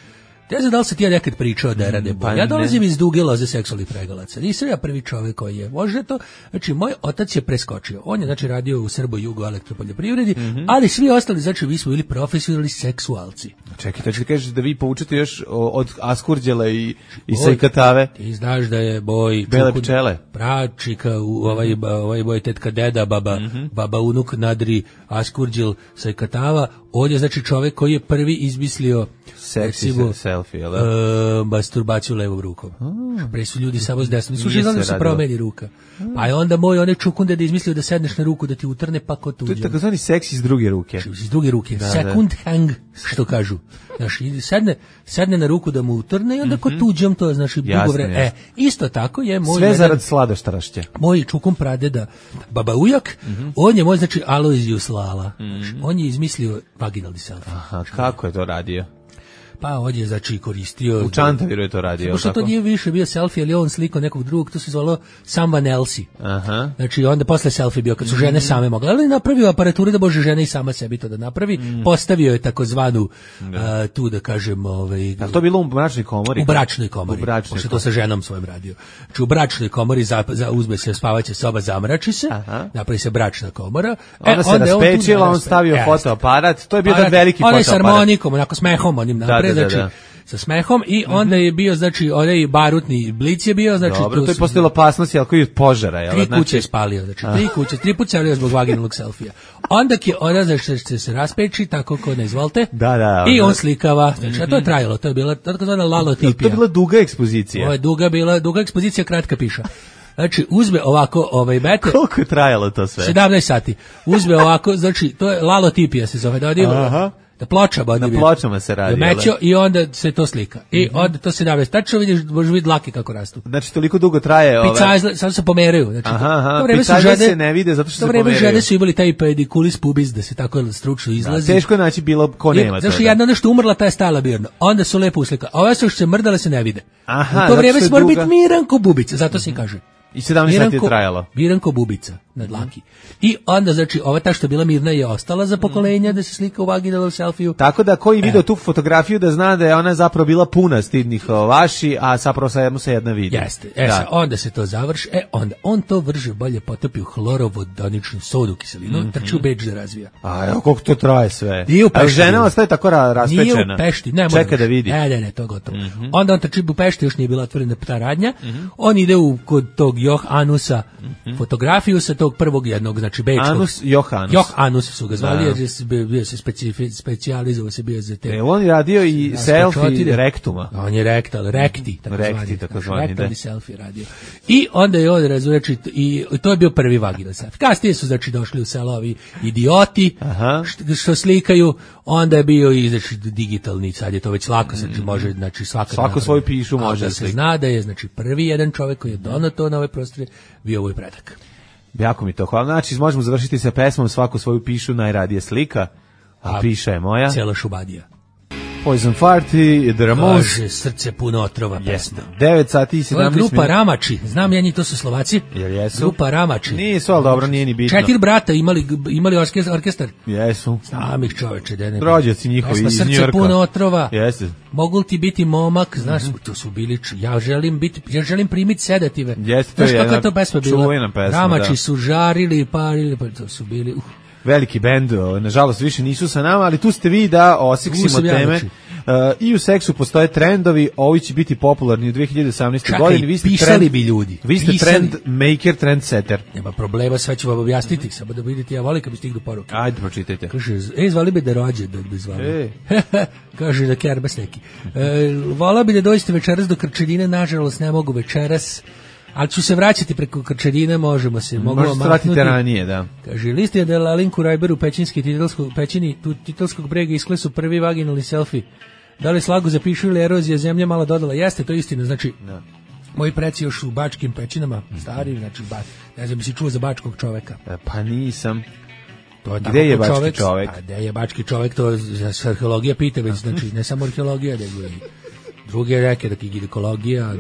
ne znam da li se ti ja nekad pričao da je rade bolje. Ja dolazim iz duge loze seksualnih pregalaca. Nisam ja prvi čovjek koji je. Može to, znači moj otac je preskočio. On je znači radio u Srbo-Jugo elektropoljoprivredi, mm-hmm. ali svi ostali, znači vi smo bili profesionalni seksualci. Čekaj, ti kažeš da vi poučete još od Askurđela i, i Sajkatave? Ti znaš da je boj Bele pčele. Pračika, ovaj, ovaj boj tetka deda, baba, mm-hmm. baba unuk Nadri, Askurđel, Sajkatava. On je znači čovjek koji je prvi izmislio seksi selfie, jel da? E, masturbaciju levom rukom. Oh. Pre su ljudi samo s desnom. Slušaj, znam da se promeni ruka. Pa je onda moj one čukunde da izmislio da sedneš na ruku, da ti utrne pa ko tuđe. To je takozvani seks iz druge ruke. Iz druge ruke. Da, second da. Hang, što kažu. Znaš, sedne, sedne na ruku da mu utrne i onda mm-hmm. ko tuđem, to je, znači, dugo vreme. E, isto tako je moj... Sve jedan, zarad sladoštarašće. Moj čukun pradeda, baba ujak, mm-hmm. on je moj, znači, Alojzijus Lala. Mm-hmm. Znači, on je izmislio vaginalni selfie. Aha, kako je to radio? Pa on je znači koristio... U Čantaviru je to radio. Pošto to nije više bio selfie, ali on sliko nekog drugog, to se zvalo someone else. Aha. Znači onda posle selfie bio, kad su žene same mogle. Ali napravio aparaturu da može žena i sama sebi to da napravi. Mm. Postavio je takozvanu, uh, tu da kažem... Ovaj, ali to bilo u bračnoj komori? U bračnoj komori. U bračnoj pošto to sa ženom svojim radio. Znači u bračnoj komori za, za, uzme se spavaća soba, zamrači se, aha. Napravi se bračna komora. Ona e, se onda raspečila, on, on stavio e, fotoaparat. To je bio jedan veliki fotoaparat. On je s harmonikom, onako smehom onim napred. Znači, da, da. Sa smehom i onda je bio, znači, onaj barutni blic je bio, znači... Dobro, to je postojala opasnost, jel, koji od požara, jel? Tri kuće je spalio, znači, tri kuće, tri puta se javljaju zbog vaginalnog selfija. Onda je ona, znači, se, se raspeči, tako ko ne izvolite, da, da, i on slikava, znači, a to je trajalo, to je bila, tako zvana lalotipija. To je bila duga ekspozicija. Ovo je duga bila, duga ekspozicija, kratka piša. Znači, uzme ovako, ovaj, bete... Koliko je trajalo to sve? sedamnaest sati. Uzme ovako, znači, to je lalotipija se zove, da odimo... Da pločama, na pločama se radi. Da mećo i onda se to slika. I mm-hmm. onda to se naveš. Tačno vidiš, možeš vidjeti dlake kako rastu. Znači toliko dugo traje ove. Pica, samo se pomeraju. Znači, aha, aha. Pica se ne vide zato što se pomeraju. Žene su imali taj pedikulis pubis da se tako stručno izlazi. Da, teško je naći bilo ko nema. Znači jedna nešto umrla, ta je stala birno. Onda su lepo uslika. A ove su što se mrdale se ne vide. Aha, u to vrijeme se mora biti miran ko bubica, zato se kaže. I sedamnaest sati je trajalo. Miranko bubica na dlaki. I onda, znači, ova ta što je bila mirna je ostala za pokolenja da se slika u vaginalnom selfiju. Tako da koji video e. tu fotografiju da zna da je ona zapravo bila puna stidnih vaši, a zapravo samo se jedna vidi. Jeste. E, da. Onda se to završi. E, onda on to vrže bolje potopi u hlorovodoničnu sodu kiselinu, mm-hmm. trči u Beč da razvija. A evo koliko to traje sve. Nije u Pešti. A žena ostaje tako raspečena. Nije u Pešti. Ne, čeka da vidi. Ne, ne, ne, to gotovo. Mm-hmm. Onda on trči u Pešti, još nije bila otvorena ta radnja. Mm-hmm. On ide u kod tog Joh Anusa mm-hmm. fotografiju sa tog prvog jednog, znači bečkog. Anus Johanus. Joh Anus su ga zvali, jer je bio se specijalizovao se bio za te. E, on je radio i selfie rektuma. On je rektal, rekti, tako rekti, zvani. Tako zvani, rektal i selfie radio. I onda je on razreći, i to je bio prvi vaginal selfie. Kasnije su, znači, došli u selo ovi idioti, što, što slikaju, onda je bio i, znači, digitalni, sad je to već lako, znači, može, znači, svaka svako svoju pišu može da se zna da je, znači, prvi jedan čovjek koji je donao to na ove prostore bio ovoj predak. Jako mi to hvala. Znači, možemo završiti sa pesmom Svako svoju pišu, najradije slika, a, a piša je moja. Cijela šubadija. Poison Party, The Ramones. Bože, srce puno otrova pesma. devet sati i sedamnaest minuta. Grupa Ramači, znam ja njih, to su Slovaci. Jel jesu? Grupa Ramači. Nisu, ali dobro, nije ni bitno. Četiri brata imali, imali orkestar. Jesu. Znam ih, čoveče, da ne. Rođaci njihovi iz Njujorka. Srce puno otrova. Jeste. Mogu ti biti momak, znaš, mm-hmm. to su bili, ja želim biti, ja želim primiti sedative. Jeste, to je jedna to pesma bila? čuvena pesma, Ramači da. su žarili i parili, pa to su bili, uh. Veliki bend, nažalost više nisu sa nama, ali tu ste vi da osiksimo teme. Uh, I u seksu postoje trendovi, ovi će biti popularni u dve hiljade osamnaestoj godini. Vi ste pisali trend, bi ljudi. Vi ste pisali. trend maker, trend setter. Nema problema, sve ću vam objasniti, mm-hmm. samo da vidite, ja volim kad bi stignu poruke. Ajde, pročitajte. Kaže, ej, zvali bi da rođe, da bi zvali. E. Kaže, da kerbas neki. E, vola bi da dođete večeras do Krčedine, nažalost ne mogu večeras. Ali ću se vraćati preko Krčedine, možemo se. Možete se vratiti ranije, da. Kaže, list je da la Linku Rajberu pećinski titelskog, pećini titelskog brega isklesu prvi vaginalni selfie. Da li slagu zapišu ili erozija zemlja malo dodala? Jeste, to je istina, znači, no. Moji preci još u bačkim pećinama, stari, znači, ba, ne znam, bi si čuo za bačkog čoveka. E, pa nisam. To je gde je bački čovek? čovek? A gde je bački čovek, to se arheologija pita, već, znači, ne samo arheologija, nego i druge reke, dakle, ginekologija,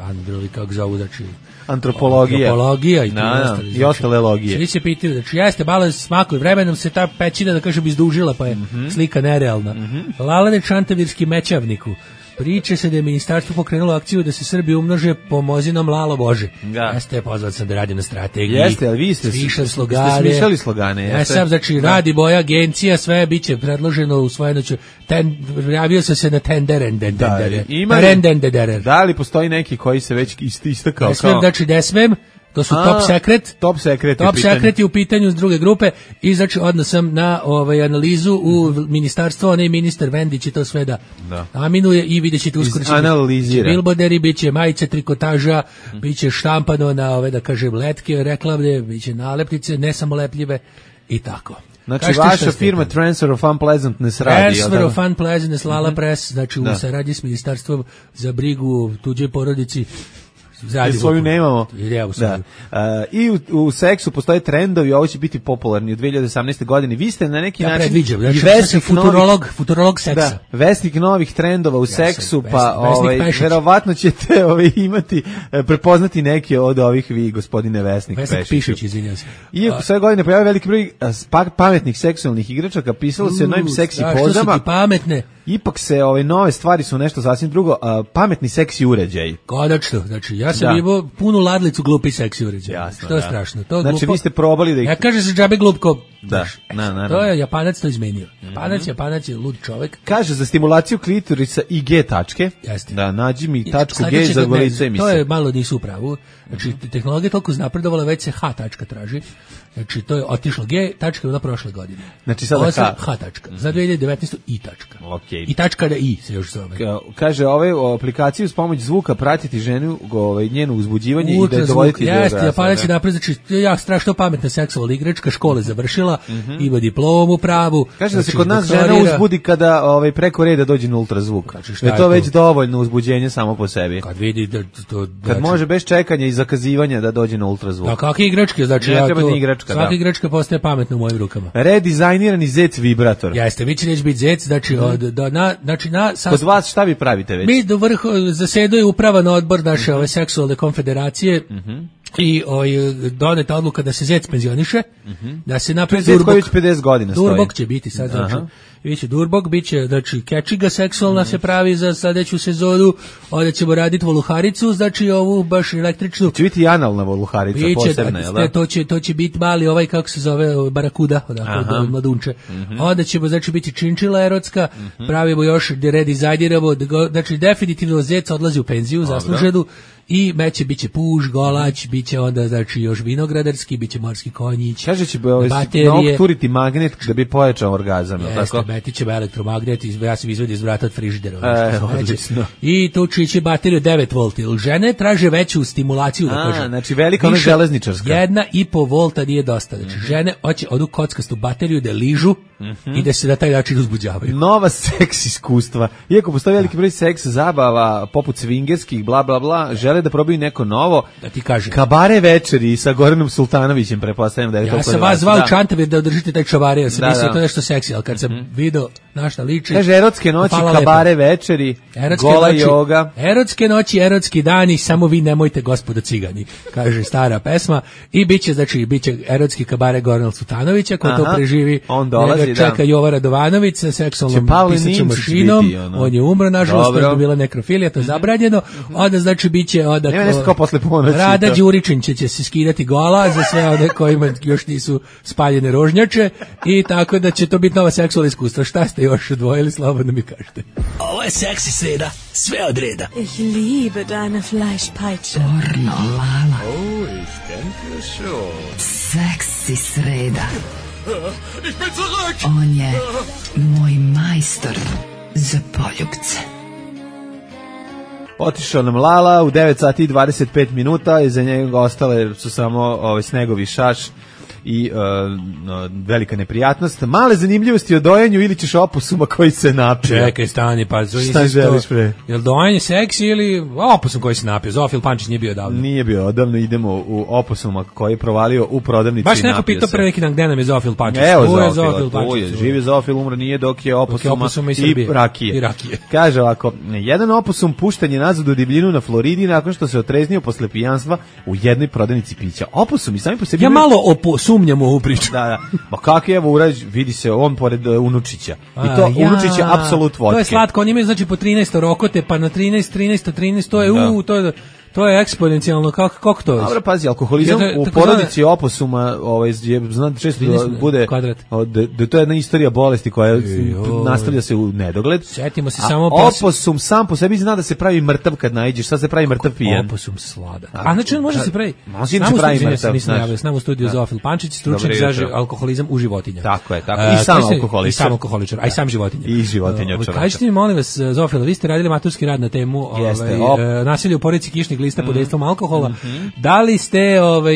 androvi, kako zovu, znači, antropologija, antropologija i, na, na, i ostale logije. Svi se pitaju, znači, jeste, malo smaklo, vremenom se ta pećina, da kažem, izdužila, pa je mm-hmm. slika nerealna. Mm-hmm. Lalane Čantavirski mećavniku. Priče se da je ministarstvo pokrenulo akciju da se Srbi umnože pomozinom Lalo Bože. Da. Jeste, pozvat sam da radim na strategiji. Jeste, ali vi ste smišljali slogane. Ja sam, znači, da. Radi moja agencija, sve biće predloženo u svojenoću. Ten, javio sam se na tenderen, den, da, den, ima den, den, den, den. Da li postoji neki koji se već istakao? Ne smem, kao... znači, ne smem. To su A, top secret. Top secret. Top secret je u pitanju s druge grupe i znači odnos sam na ovaj analizu u mm-hmm. ministarstvo, onaj ministar Vendić i to sve da, da. aminuje i vidjet ćete uskoro će bilboderi, bit će majice, trikotaža, mm. bit će štampano na ove, da kažem, letke, reklamne, bit će nalepnice, ne samo lepljive i tako. Znači, Kažete vaša firma Transfer of Unpleasantness radi. Transfer of Unpleasantness, Lala mm-hmm. Press, znači da. U saradnji s ministarstvom za brigu tuđoj porodici. I svoju nemamo. Da. Uh, I u, u seksu postoje trendovi, ovo će biti popularni u dve hiljade osamnaestoj godini. Vi ste na neki ja način predviđam, znači, vesnik futurolog, novih, futurolog seksa. Da, vesnik novih trendova u ja seksu, vesnik, pa ovaj, verovatno ćete ovaj, imati, prepoznati neki od ovih vi, gospodine Vesnik, Vesnik Pešić. Pešić, izvinjam se. I u sve godine pojavio veliki broj pametnih seksualnih igračaka, pisalo se o novim seksi pozama. Što su ti pametne? Ipak se ove nove stvari su nešto sasvim drugo, a, pametni seksi uređaj. Konačno, znači ja sam imao punu ladlicu glupi seksi uređaj. Jasno, što je da. strašno. To znači glupo, vi ste probali da ih... Ja kaže se džabe glupko. Da, na, na, to je Japanac to izmenio. Japanac, mm-hmm. Japanac je lud čovek. Kaže za stimulaciju klitorisa i G tačke. Jeste. Da, nađi mi tačku G za golice emisije. To je malo nisu u pravu. Znači, tehnologija je toliko napredovala, već se H tačka traži. Znači, to je otišlo G tačka na prošle godine. Znači, sada H. H tačka. Za dve hiljade devetnaestu I tačka. Okay. I tačka da I se još zove. Kaže, ove o aplikaciju s pomoć zvuka pratiti ženu, ovaj, njenu uzbuđivanje i da je dovoditi do Jeste, Japanac je napred, znači, ja strašno pametna seksualna igračka, škole završila, mm-hmm. ima diplomu pravu. Kaže da se kod nas žena uzbudi kada ovaj, preko reda dođe na ultrazvuk. Znači, je to, to već dovoljno uzbuđenje samo po sebi. Kad vidi da to... Kad znači, može bez čekanja i zakazivanja da dođe na ultrazvuk. Da, kakve igračke, znači, ja to... Igračka, svaka da. Igračka postaje pametna u mojim rukama. Redizajnirani zec vibrator. Jeste, vi će neće biti zec, znači, mm. od, do, na, znači na... Sas... Kod vas šta vi pravite već? Mi do vrhu zaseduje uprava na odbor naše mm-hmm. ove seksualne konfederacije mm-hmm. i oj, doneta odluka da se zec penzioniše, mm-hmm. da se napravi Durbok. Zec koji već pedeset godina stoji. Durbok će biti sad, znači, biće durbog, biće, znači, kečiga seksualna mm. se pravi za sledeću sezonu, onda ćemo raditi voluharicu, znači ovu baš električnu. Će biti i analna voluharica biće, posebna, jel da? To će, to će biti mali ovaj, kako se zove, barakuda, odakle, od mladunče. Mm-hmm. Onda ćemo, znači, biti činčila erotska, mm-hmm. pravimo još, redizajniramo, znači, definitivno Zec odlazi u penziju, zasluženu, i meće biće puž, golać, biće onda znači još vinogradarski, biće morski konjić. Kaže će baterije, turiti magnet da bi pojačao orgazam, jeste, tako? Jeste, meti ćemo elektromagnet, ja sam izvedio iz vrata od frižidera. E, I tu će bateriju devet volti. Žene traže veću stimulaciju, da kažem. A, znači velika ona železničarska. Jedna i po volta nije dosta. Znači, mm-hmm. žene hoće odu kockastu bateriju da ližu mm-hmm. i da se na taj način uzbuđavaju. Nova seks iskustva. Iako postoji veliki broj seks zabava, poput swingerskih, bla, bla, bla, žele da probaju neko novo. Da ti kažem. Kabare večeri sa Goranom Sultanovićem, pretpostavljam da je ja to. Ja sam vas zvao Čantavir da održite taj čabare, ja sam da, mislio da. To nešto seksi, ali kad sam mm-hmm. video na šta liči. Kaže erotske noći, kabare lepo. Večeri, erotske gola noći, joga. Erotske noći, erotski dani, samo vi nemojte gospodo cigani, kaže stara pesma. I biće, znači, biće erotski kabare Gorana Sultanovića, ko to preživi. On dolazi, njega čeka da. Jova Radovanović sa seksualnom pisaćom mašinom. Biti, ono. On je umro, nažalost, to je bila nekrofilija, to je zabranjeno. Onda, znači, biće onda nema nešto kao posle ponoći. Rada Đuričić će, će se skidati gola za sve one kojima još nisu spaljene rožnjače i tako da će to biti nova seksualna iskustva. Šta ste još odvojili, slobodno mi kažete. Ovo je seksi sreda, sve od reda. Ich liebe deine Fleischpeitsche. Pornolala. Oh, ich denke schon. Seksi sreda. Ich bin zurück. On je moj majstor za poljubce. Otišao nam Lala u devet sati i dvadeset pet minuta i za njega ostale su samo ovaj snegovi šaš i uh, no, velika neprijatnost. Male zanimljivosti o dojenju ili ćeš opusuma koji se napio. Čekaj, stani, pa šta želiš pre? Jel dojenje seksi ili opusum koji se napio? Zofil Pančić nije bio odavno. Nije bio odavno, idemo u opusuma koji je provalio u prodavnici. Baš neko pitao pre neki dan gde nam je Zofil Pančić. Evo Zofil, Zofil Pančić. Je, živi Zofil, umro nije dok je opusuma, dok je opusuma i, i, rakije. i rakije. Kaže ovako, jedan opusum pušten je nazad u divljinu na Floridi nakon što se otreznio posle pijanstva u jednoj prodavnici pića. Opusum i sami po sebi... Ja malo opo, sumnjam u ovu priču. Da, da. Ma kak je, evo urađ, vidi se on pored uh, Unučića. I to ja, Unučić je apsolut vodke. To je slatko, oni imaju znači po trinaest rokote, pa na trinaest, trinaest, trinaest, to je, da. u, to je... To je eksponencijalno, kako, kako to je? Dobro, pazi, alkoholizam ja, u porodici zove... opusuma ovaj, je, znate, često da bude, da, da to je jedna istorija bolesti koja Ej, nastavlja se u nedogled. Sjetimo se a samo... Oposum pos... sam po sebi zna da se pravi mrtav kad naiđeš, sad se pravi mrtav pijen. Oposum sladak. A znači on može da se pravi? Može se pravi mrtav. Nisam javio, s nama u studiju Zofil Pančić, stručnjak za alkoholizam u životinja. Tako je, tako. I sam alkoholičar. I sam alkoholičar, a i sam životinja. I životinja čovjeka. Kažite mi, molim vas, Zofil, vi ste radili maturski rad na temu nasilje u porodici kišnih lista pod dejstvom alkohola. Mm-hmm. Da li ste ovaj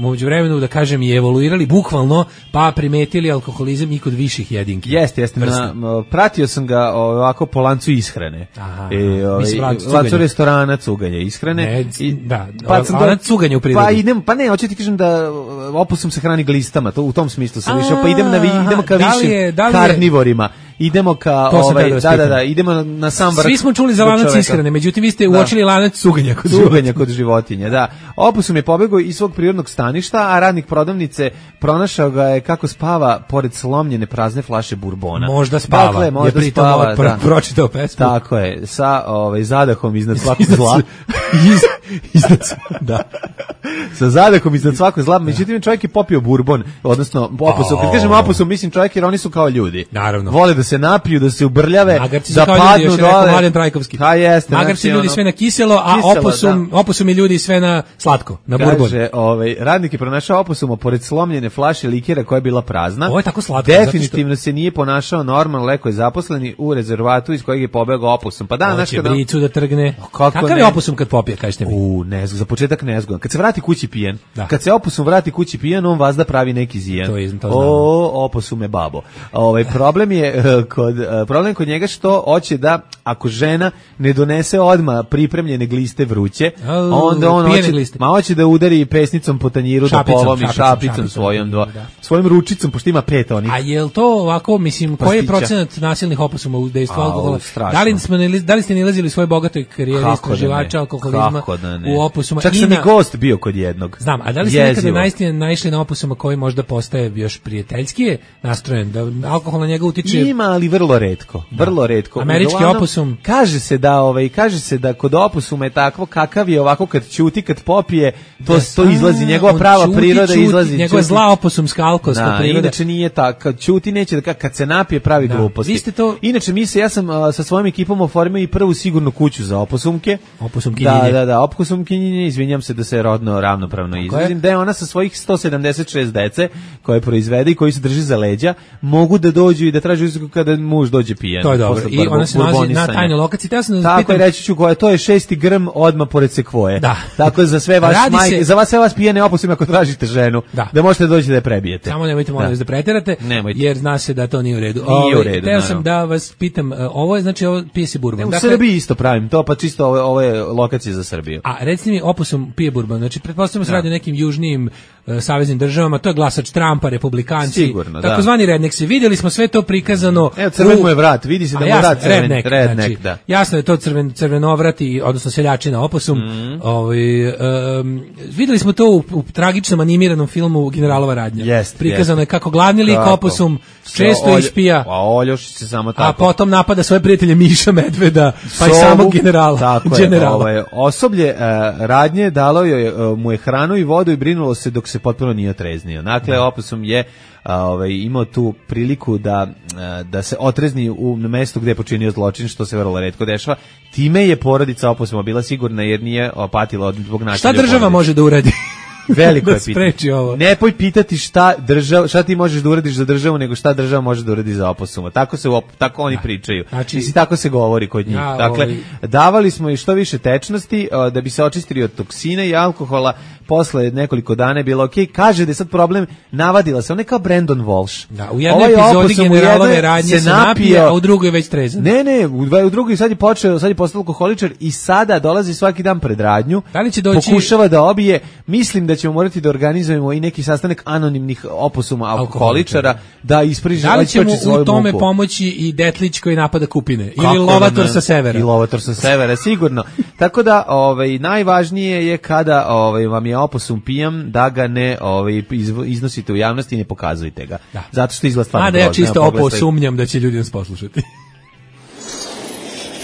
među vremenu da kažem i evoluirali bukvalno pa primetili alkoholizam i kod viših jedinki? Jeste, jeste. Na, pratio sam ga ovako po lancu ishrane. Aha, e, ovaj, lancu restorana cuganja ishrane. Ne, i da, pa sam lanac cuganja u prirodi. Pa idem, pa ne, hoću ti kažem da opusum se hrani glistama, to u tom smislu sam išao, pa idem na idemo ka višim karnivorima. Idemo ka ovaj da, da, da, da, idemo na, na sam vrh. Svi smo čuli za lanac ishrane, međutim vi ste da. uočili lanac cuganja kod cuganja kod životinja, da. Opusum je pobegao iz svog prirodnog staništa, a radnik prodavnice pronašao ga je kako spava pored slomljene prazne flaše burbona. Možda spava. Dakle, možda je spava, da. Pročitao pesmu. Tako je, sa ovaj zadahom iznad svakog zla. Iz, iznad, da. Sa zadahom iznad svakog zla, međutim čovjek je popio burbon, odnosno opusum. Kad kažem opusum, mislim čovjek jer oni su kao ljudi. Naravno. Vole da se napiju, da se ubrljave, Magarci da padnu ljudi, dole. Mladen Trajkovski. Ha, jeste. Magarci ljudi sve na kiselo, a kiselo, opusum, da. opusum i ljudi sve na slatko, na Kaže, burbon. Kaže, ovaj, radnik je pronašao opusuma pored slomljene flaše likera koja je bila prazna. Ovo je tako slatko. Definitivno što... se nije ponašao normalno, leko je zaposleni u rezervatu iz kojeg je pobegao opusum. Pa da, Hoće bricu da trgne. Kakav je opusum kad popije, kažete mi? U, nezgo, za početak nezgodan. Kad se vrati kući pijen, da. kad se opusum vrati kući pijen, on vazda pravi neki zijen. To je, to o, oposume babo. Ovaj problem je kod problem kod njega što hoće da ako žena ne donese odma pripremljene gliste vruće, onda on hoće, ma hoće da udari pesnicom po tanjiru da polomi šapicom svojom do svojim ručicom pošto ima pet onih. A jel to ovako, mislim, koji je procenat nasilnih opusuma u dejstvu alkohola? Da li smo da li ste nalazili svoj bogatoj karijeri istraživača alkoholizma? alkoholizma da u opusuma. Čak sam i gost bio kod jednog. Znam, a da li ste nekada naistine naišli na opusuma koji možda postaje još prijateljski nastrojen, da alkohol na njega utiče? Ima, ali vrlo retko, vrlo retko. Američki Uglavnom, opusum. Kaže se da, ovaj, kaže se da kod opusuma je takvo kakav je ovako kad ćuti, kad popije, to, yes. to izlazi, njegova prava čuti, priroda čuti, izlazi. Njegova je zla opusumska alkoholska da, priroda. Inače nije tako, kad ćuti neće da, kad se napije pravi da. gluposti. Vi ste to... Inače mi se, ja sam uh, sa svojim ekipom oformio i prvu sigurnu kuću za opusumke. Opusumkinjenje. Da, da, da, opusumkinjenje, izvinjam se da se rodno ravnopravno izrazim, da je ona sa svojih sto sedamdeset šest dece koje proizvede i koji se drži za leđa, mogu da dođu i da traže uslugu kada muž dođe pijan. To je dobro. I ona se nalazi na tajnoj lokaciji. Ja sam tako je, reći ću koja, to je šesti grm odmah pored sekvoje. Da. Tako za sve vas majke, se... za vas sve vas pijane opusume ako tražite ženu, da, da možete doći da je prebijete. Samo nemojte molim vas da, da preterate, nemojte. Jer zna se da to nije u redu. Nije u redu. Teo sam da vas pitam, ovo je znači ovo pije se bourbon. U dakle, Srbiji isto pravim to, pa čisto ove, ove lokacije za Srbiju. A recite mi, opusum pije bourbon, znači pretpostavljamo se radi o nekim južnijim uh, saveznim državama, to je glasač Trumpa, republikanci, sigurno, takozvani redneksi. Vidjeli smo sve to prikazano. Evo, crven mu je vrat, vidi se da mu je vrat crven, redneck, redneck, znači, da. Jasno je to crven, crvenovrati, odnosno seljačina opusum. Mm. Ovaj, um, vidjeli smo to u, u tragičnom animiranom filmu Generalova radnja. Jest, prikazano jest. je kako glavni lik opusum često olj, ispija, a oljoši se samo tako. A potom napada svoje prijatelje Miša Medveda, pa i samog generala. Tako generala. Je, ovaj, osoblje uh, radnje dalo je, uh, mu je hranu i vodu i brinulo se dok se potpuno nije otreznio. Dakle, opusum je a, ovaj, imao tu priliku da, a, da se otrezni u mestu gde je počinio zločin, što se vrlo retko dešava. Time je porodica opusuma bila sigurna jer nije patila od zbog nasilja. Šta država može da uradi? Veliko je pitanje. Ne poj pitati šta država, šta ti možeš da uradiš za državu, nego šta država može da uradi za opusuma. Tako se tako oni pričaju. Znači, i tako se govori kod njih. Ja, dakle, ovaj... davali smo i što više tečnosti da bi se očistili od toksina i alkohola. Posle nekoliko dana je bilo okej. Okay. Kaže da je sad problem, navadila se, on je kao Brandon Walsh. Da, u jednoj ovaj epizodi generalove radnje se napije, a u drugoj već trezan. Ne, ne, u, u drugoj sad je počeo, sad je postao alkoholičar i sada dolazi svaki dan pred radnju. Da li će doći... Pokušava da obije. Mislim da ćemo morati da organizujemo i neki sastanak anonimnih opusuma alkoholičara da ispriže da li će mu u tome muku. Pomoći i Detlić koji napada Kupine ili kako Lovator sa severa. I Lovator sa severa, sigurno. Tako da ovaj, najvažnije je kada ovaj, vam je opusum pijan da ga ne ovaj, iznosite u javnosti i ne pokazujete ga. Da. Zato što izgleda stvarno. A da ja čisto opo sumnjam da će ljudi nas poslušati.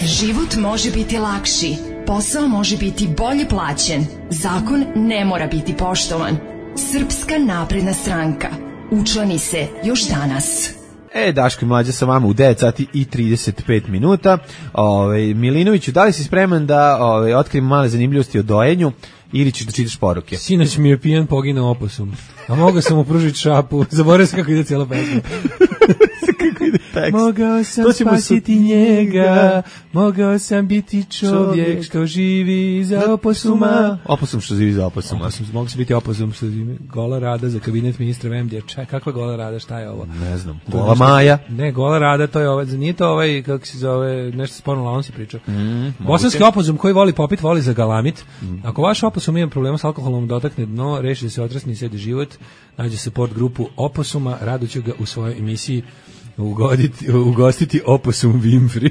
Život može biti lakši, posao može biti bolje plaćen, zakon ne mora biti poštovan. Srpska napredna stranka. Učlani se još danas. E, Daško i Mlađa sa vama u devet sati i trideset pet minuta. Ove, Milinoviću, da li si spreman da ove, otkrijem male zanimljivosti o dojenju ili ćeš da čitaš poruke? Sinoć mi je pijan poginuo opusum, a mogao sam mu pružiti šapu. Zaboravio sam kako ide cijela pesma. Kako ide tekst. Mogao sam spasiti su... njega, mogao sam biti čovjek, čovjek što živi za opusuma. Opusum što živi za opusuma. Opusum, mogu se biti opusum što živi. Gola Rada za kabinet ministra V M D. Čaj, kakva Gola Rada, šta je ovo? Ne znam. Gola Maja? Ne, Gola Rada, to je ovaj, nije to ovaj, kako se zove, nešto s porno lavom si pričao. Mm, Bosanski opusum koji voli popit, voli za galamit. Mm. Ako vaš opusum ima problema s alkoholom, dotakne dno, reši da se otresni i sedi život, nađe support grupu opusuma, rado ću ga u svojoj emisiji ugoditi, ugostiti opusum Winfrey.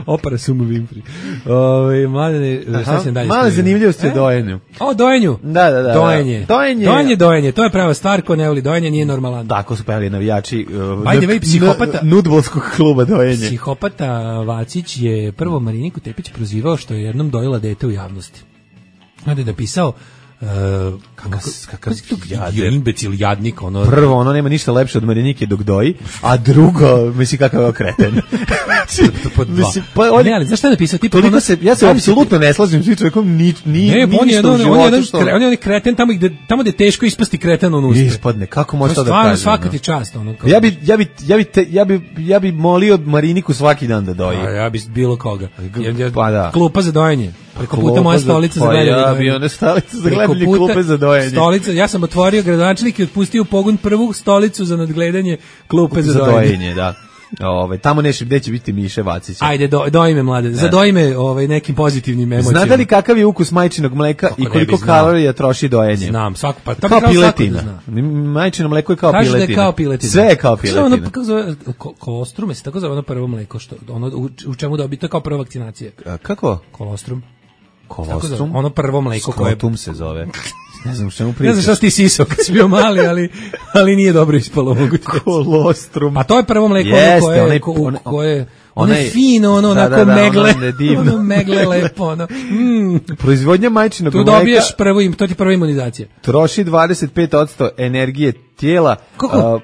Opera Sumu Winfrey. Ove, mladene, šta se dalje? Male zanimljivosti e? o dojenju. O, dojenju? Da, da, da. Dojenje. Dojenje. Dojenje, dojenje. To je prava stvar, ko ne voli dojenje, nije normalan. Tako su pevali navijači uh, Ajde, vej, psihopata, nudbolskog kluba dojenje. Psihopata Vacić je prvo Mariniku Tepić prozivao što je jednom dojela dete u javnosti. Onda je napisao Uh, kakav, kakav jader, imbecil, jadnik, ono. Prvo, ono nema ništa lepše od Marinike dok doji, a drugo, misli kakav je okreten. Mislim, pa on, ne, ali zašto je napisao? Tipa, ono, se, ja se apsolutno ne slažem s čovjekom, ni, ni, ne, ni on je, on, on, je što... on je on kreten tamo gde, tamo gde je teško ispasti kreten on uspe. Ispadne, kako može to da kaže? Svaka ti čast. Ono, ja bi, ja bi, ja bi, te, ja bi, ja bi molio Mariniku svaki dan da doji. A, ja bi bilo koga. Ja, ja, pa da. Klupa za dojenje. Preko puta moja stolica za gledanje. Ja bi one stolice za gledanje klupe za dojenje. Stolica, ja sam otvorio gradonačelnik i otpustio u pogon prvu stolicu za nadgledanje klupe za, za dojenje. Da. Ovaj tamo neće gde će biti Miše Vacića. Ajde do doji me mlade. Zadoji me ovaj nekim pozitivnim emocijama. Znate li kakav je ukus majčinog mleka kako i koliko kalorija troši dojenje? Znam, svako pa kao piletina. Da majčino mleko je kao Kaže piletina. Da je kao piletina. Sve je kao piletina. Ono kako zove kolostrum, se tako zove ono prvo mleko što ono u, u čemu dobije, to je kao prva vakcinacija. A, kako? Kolostrum. Kolostrum? Ono prvo mleko koje Skrotum se zove. Ne znam čemu pričaš. Ne znam šta si ti sisao kad si bio mali, ali, ali nije dobro ispalo moguće. Kolostrum. A to je prvo mleko Jeste, koje, onaj, koje, koje ono je fino, ono, da, onako da, da, megle, ono, ono megle lepo, ono. Mm. Proizvodnja majčinog tu mleka. Tu dobiješ prvo, to ti prva imunizacija. Troši dvadeset pet posto energije tijela. Kako? Uh,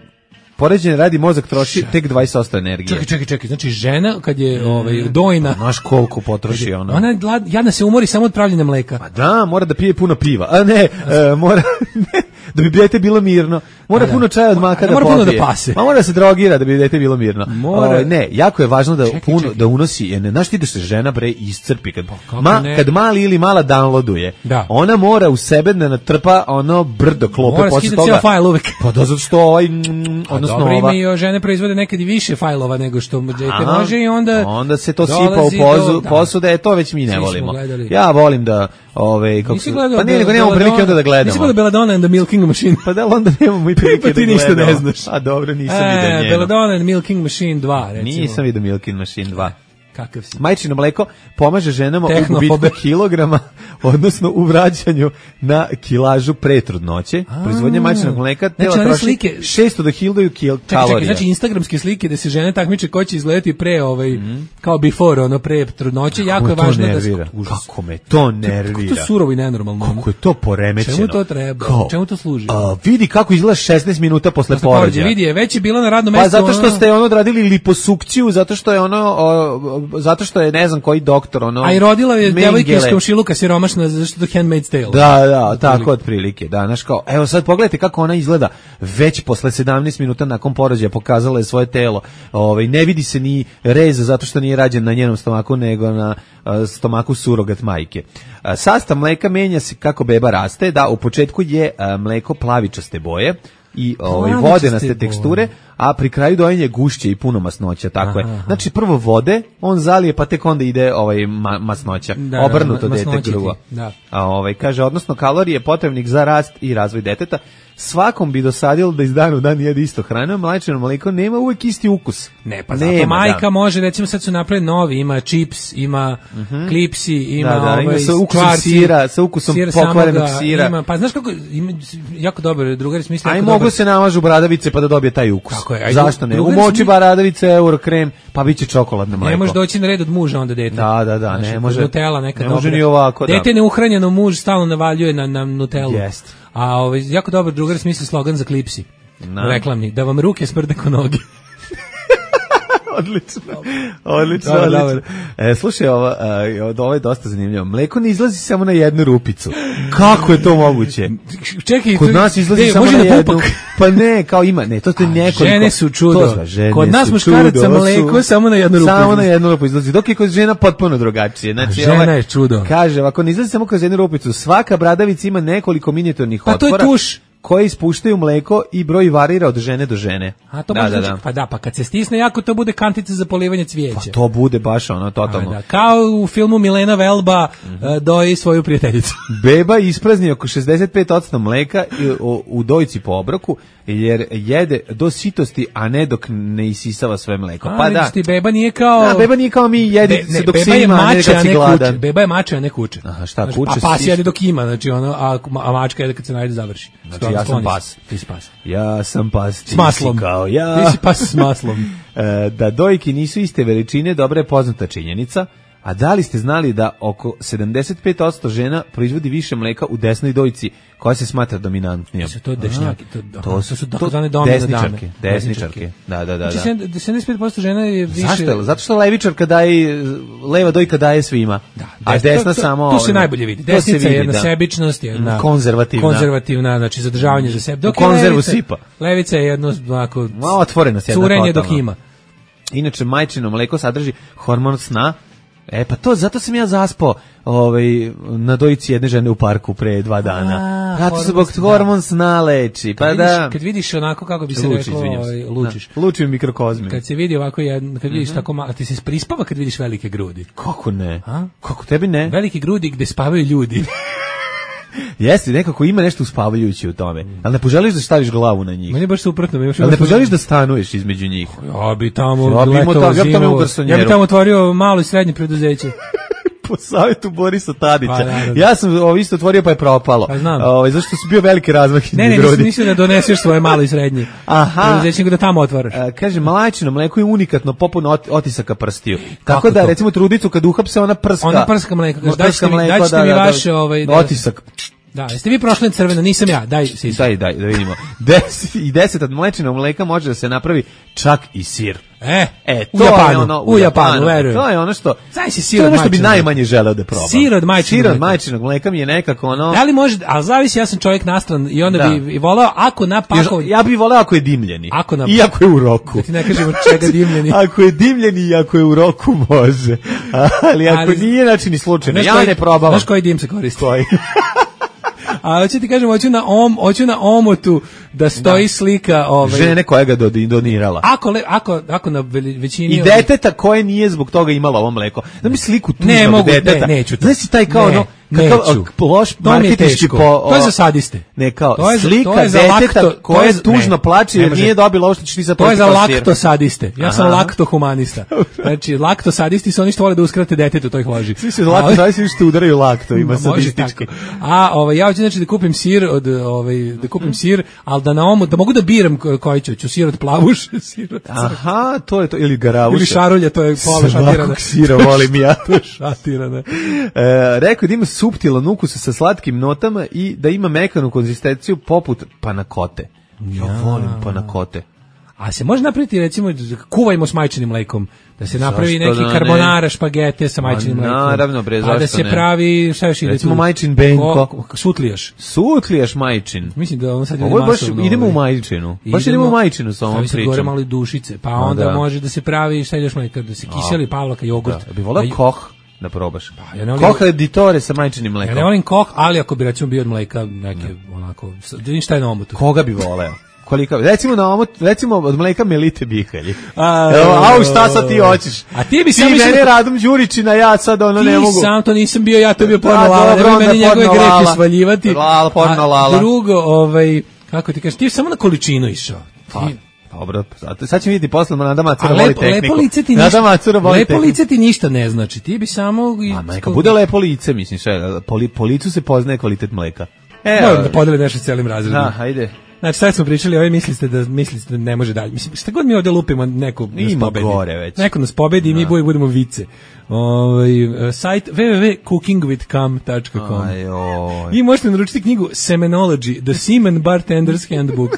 Poređenje radi mozak troši tek dvadeset posto energije. Čekaj, čekaj, čekaj. Znači žena kad je ovaj dojna, znaš koliko potroši ona. Ona jadna se umori samo od pravljenja mleka. Pa da, mora da pije puno piva. A ne, e, mora ne, da bi dete bilo mirno. Mora da. puno čaja od maka da mora popije. Puno da pase. Ma mora da se drogira da bi dete bilo mirno. Mora. O, ne, jako je važno da čekaj, puno čekaj. da unosi. Jer ne znaš ti da se žena bre iscrpi kad ma, kad mali ili mala downloaduje. Da. Ona mora u sebe da natrpa ono brdo klope mora posle toga. Mora skidati fajl uvek. Pa da zato što ovaj mm, odnosno dobro, ova. Dobro, žene proizvode nekad i više fajlova nego što dete može i onda onda se to sipa u pozu, do, posude, to već mi ne Svi volimo. Ja volim da ovaj kako se pa ne, nego nemamo prilike onda da gledamo. Nisi gledao Belladonna and the Milking Machine? Pa da onda nemamo i prilike pa ti da ništa ne znaš. A dobro, nisam e, vidio njeno. Belladonna and Milking Machine dva, recimo. Nisam vidio Milking Machine dva. Kakav si? Majčino mleko pomaže ženama u gubitku kilograma, odnosno u vraćanju na kilažu pre trudnoće. Proizvodnja majčinog mleka tela znači, troši slike, šesto do hiljadu kil, kalorija. Čekaj, znači instagramske slike da se žene takmiče ko će izgledati pre ovaj mm. kao before, ono pre trudnoće, jako je važno nervira? Da se, kako me to nervira. Kako to surovo i nenormalno. Kako je to poremećeno. Čemu to treba? Kao, čemu to služi? A, vidi kako izgleda šesnaest minuta posle porođaja. Vidi je, već je bila na radnom mestu. Pa zato što ono... ste ono odradili liposukciju, zato što je ono o, zato što je ne znam koji doktor ono. A i rodila je devojka iz komšiluka siromašna zašto to Handmaid's Tale. Da, da, tako otprilike. Da, znaš kao, evo sad pogledajte kako ona izgleda već posle sedamnaest minuta nakon porođaja, pokazala je svoje telo. Ovaj ne vidi se ni rez zato što nije rađen na njenom stomaku nego na uh, stomaku surogat majke. Uh, sastav mleka menja se kako beba raste, da u početku je uh, mleko plavičaste boje i ovaj vodenaste teksture, a pri kraju dojenja gušće i puno masnoća, tako aha, je. Znači prvo vode, on zalije pa tek onda ide ovaj ma, masnoća. Da, obrnuto da, dete drugo. Da. A ovaj kaže odnosno kalorije potrebnih za rast i razvoj deteta. Svakom bi dosadilo da iz dana u dan jede isto hranu, mlečno mleko nema uvek isti ukus. Ne, pa zato nema, majka da. može, recimo sad su napravili novi, ima čips, ima uh-huh. klipsi, ima da, da, ovaj ima sa ukusom kvarci, sira, sa ukusom sir pokvarenog sira. Ima, pa znaš kako, ima, jako dobro, drugari smisli. Aj mogu dobar. se namažu bradavice pa da dobije taj ukus. Je, zašto ne? U moći bradavice, euro krem, pa biće čokoladno mleko. Ne može doći na red od muža onda dete. Da, da, da, ne može. Nutella neka ne dobra. može ni ovako, da. Dete neuhranjeno, muž stalno navaljuje na na Nutellu. Jest. A ovaj jako dobar drugar smisli slogan za klipsi. No. Reklamni, da vam ruke smrde ko noge. Odlično. Odlično, dobar, odlično. Dobar. E, slušaj, ovo, uh, ovo je dosta zanimljivo. Mleko ne izlazi samo na jednu rupicu. Kako je to moguće? Čekaj, kod nas izlazi ne, samo na, na jednu. Pa ne, kao ima, ne, to je nekoliko. Žene su čudo. Žene kod nas muškaraca mleko samo na jednu rupu. Samo na jednu rupu izlazi. Dok je kod žena potpuno drugačije. Znači, žena ovaj, je čudo. Kaže, ako ne izlazi samo kroz jednu rupicu, svaka bradavica ima nekoliko minijaturnih pa otvora. Pa to je tuš. Koje ispuštaju mleko i broj varira od žene do žene. A to da, može da, znači, da. pa da, pa kad se stisne jako to bude kantica za polivanje cvijeća. Pa to bude baš ono totalno. A, da. Kao u filmu Milena Velba mm-hmm. uh, doji svoju prijateljicu. Beba isprazni oko šezdeset pet posto mleka u, u dojci po obroku jer jede do sitosti, a ne dok ne isisava sve mleko. A, pa da. Ti beba nije kao da, beba nije kao mi jedi Be, ne, se dok se ima, a ne kad si gladan. Beba je mača, a ne kuće. Aha, šta znači, kuće? A pas jede dok ima, znači ono, a, a mačka jede kad se najde završi. Znači ja sam pas. Ti si pas. Ja sam pas. S maslom. Kao ja. Ti si pas s maslom. e, da dojke nisu iste veličine, dobra je poznata činjenica. A da li ste znali da oko sedamdeset pet posto žena proizvodi više mleka u desnoj dojci koja se smatra dominantnijom? To su to dešnjaki, to, to su takozvane dominne desničarke, desničarke. Da, da, da, da. Znači sedamdeset pet posto žena je više. Zašto? Zato što levičarka daje, leva dojka daje svima. Da, a desna to, samo. Tu se najbolje vidi. Desnica je jedna da. sebičnost, jedna konzervativna. Konzervativna, znači zadržavanje za sebe. Dok konzervu levica, sipa. Levica je jedno ovako otvorenost, jedna curenje dok ima. Inače majčino mleko sadrži hormon sna E pa to, zato sam ja zaspao ovaj, na dojici jedne žene u parku pre dva dana. Zato se zbog hormonsna leči. Pa kad da. Vidiš, kad vidiš onako, kako bi se Luči, reklo, ovaj, lučiš. Da. Luči u mikrokozmi. Kad se vidi ovako, jedno, kad vidiš mm-hmm. tako malo, ti se prispava kad vidiš velike grudi. Kako ne? A? Kako tebi ne? Velike grudi gde spavaju ljudi. Jeste, nekako ima nešto uspavajuće u tome. Ali ne poželiš da staviš glavu na njih. Meni je baš suprotno. Ali ne poželiš da stanuješ između njih. Ja bi tamo ja bi letovao zimu. Ja bi tamo otvorio malo i srednje preduzeće. Po savjetu Borisa Tadića. Pa, ja sam ovo isto otvorio pa je propalo. Pa znam. O, zašto su bio veliki razmah. Ne, ne, nisam mislio da doneseš svoje malo i srednje. Aha. Preduzeće da tamo otvaraš. A, kaže, mlačino mleko je unikatno poput ot, otisaka prstiju. Tako da, to? recimo, trudicu kad uhapse, ona prska. Ona prska mleko. Daćete mi, mleko, daćete da, mi da, vaše... da, ovaj, da, otisak. Da, jeste vi prošli na crveno, nisam ja, daj sisam. Daj, daj, da vidimo. Des, I deset od mlečnog mleka može da se napravi čak i sir. E, e u Japanu, ono, u, u Japanu, verujem. To je ono što, Zaj si sir to je od ono što bi najmanje želeo da probam. Sir od majčinog mleka. Sir od majčinog mleka mi je nekako ono... Da li može, ali zavisi, ja sam čovjek nastran i onda da. bi voleo, ako na pakovanje... Ja bih voleo ako je dimljeni. Ako na... I ako je u roku. Da ti ne kažemo čega dimljeni. Ako je dimljeni i ako je u roku može. Ali ako ali, nije, znači ni slučajno. Ja koji, ne probavam. Znaš koji dim se koristi? Koji? A hoću ti kažem, hoću na om, hoću na omotu da stoji da. slika ovaj žene koja ga donirala. Ako le, ako ako na većini i deteta koje nije zbog toga imalo ovo mleko. Da mi sliku tužnog ne mogu, deteta. Ne, neću to. Znaš taj kao ne, ono kakav loš marketinški po o, to je za sadiste. Ne kao to je, slika to je deteta lakto, koje je tužno plače jer nije dobila ovo što ćeš ti sad. To je za lakto sadiste. Ja sam lakto humanista. Znači lakto sadisti su oni što vole da uskrate detetu, to ih loži. Svi se lakto sadisti što udaraju lakto, ima sadistički. A ovaj ja hoću znači da kupim sir od ovaj da kupim sir, al da na omu da mogu da biram koji ću, ću sir od plavuše, sir od crkve. Aha, to je to ili garavuša. Ili šarulja, to je pola šatirana. Sira volim ja. To je šatirana. E, rekao da ima suptilan ukus sa slatkim notama i da ima mekanu konzistenciju poput panakote. Ja, ja volim panakote. A se može napraviti, recimo, kuvajmo s majčinim mlekom, da se napravi zašto neki da karbonara, špagete sa majčinim mlekom. Naravno, bre, zašto ne? A da se ne? pravi, šta još ide? Recimo majčin benko. Ko, sutlijaš. Sutlijaš majčin. Mislim da on sad ide masovno. Baš, idemo u majčinu. Baš idemo u majčinu sa ovom pričom. Stavi se gore malo i dušice, pa onda da. može da se pravi, šta ideš mleka, da se kiseli pavlaka, jogurt. Da, bi volao da, koh da probaš. Pa, ja ne volim, koh editore sa majčinim mlekom. Ja ne volim koh, ali ako bi recimo bio od mleka, neke ne. onako, šta je na omotu? Koga bi voleo? Koliko, recimo na omot, recimo od mleka Melite Bihalji. A, Evo, au šta sad ti hoćeš? A ti bi ti sam mene Radom Đurićina, ja sad ono ne mogu. Ti sam to nisam bio, ja to bio porno lala, nemoj meni njegove grehe svaljivati. Lala, porno lala. A drugo, ovaj, kako ti kažeš, ti samo na količinu išao. Ti, dobro, sad ćemo vidjeti posle Nada Macura voli tehniku. Lepo lice ti ništa, lepo lice ti ništa ne znači, ti bi samo... A neka bude lepo lice, mislim, sve, po, po licu se poznaje kvalitet mleka. Evo, da podeli nešto s celim razredom. Da, ajde. Znači, sad smo pričali, ovaj mislite da mislite da ne može dalje. Mislim, šta god mi ovde lupimo, neko nas pobedi. Gore već. Neko nas pobedi i mi boji budemo vice. Ovaj uh, sajt w w w dot cooking with com dot com. I možete naručiti knjigu Semenology, The Semen Bartender's Handbook.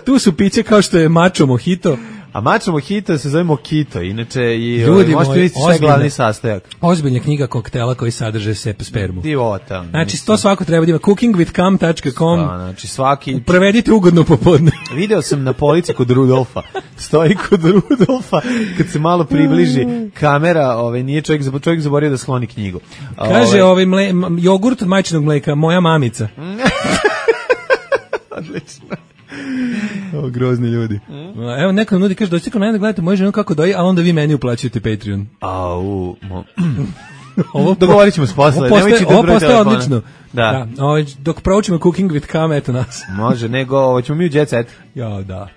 Tu su piće kao što je Macho Mojito. A Macho Mojito se zove Mojito, inače i ljudi možete vidjeti sve glavni sastojak. Ozbiljna knjiga koktela koji sadrže sep spermu. Divota. Znači, mislim. To svako treba da ima. cooking with com dot com. Znači, svaki... Prevedite ugodno popodne. Video sam na polici kod Rudolfa. Stoji kod Rudolfa, kad se malo približi kamera, ovaj, nije čovjek, čovjek zaborio da skloni knjigu. Kaže, ovaj, mle, jogurt od majčinog mleka, moja mamica. Odlično. O, grozni ljudi. Mm. Evo, neko nudi, kaže, dođite kod mene da gledate moju ženu kako doji, a onda vi meni uplaćujete Patreon. Au, mo... ovo dogovorit ćemo s posle. Ovo postaje, ovo postaje odlično. Da. Da. Ovo, dok proučimo Cooking with Cam, eto nas. Može, nego, ovo ćemo mi u Jet Set. Ja, da.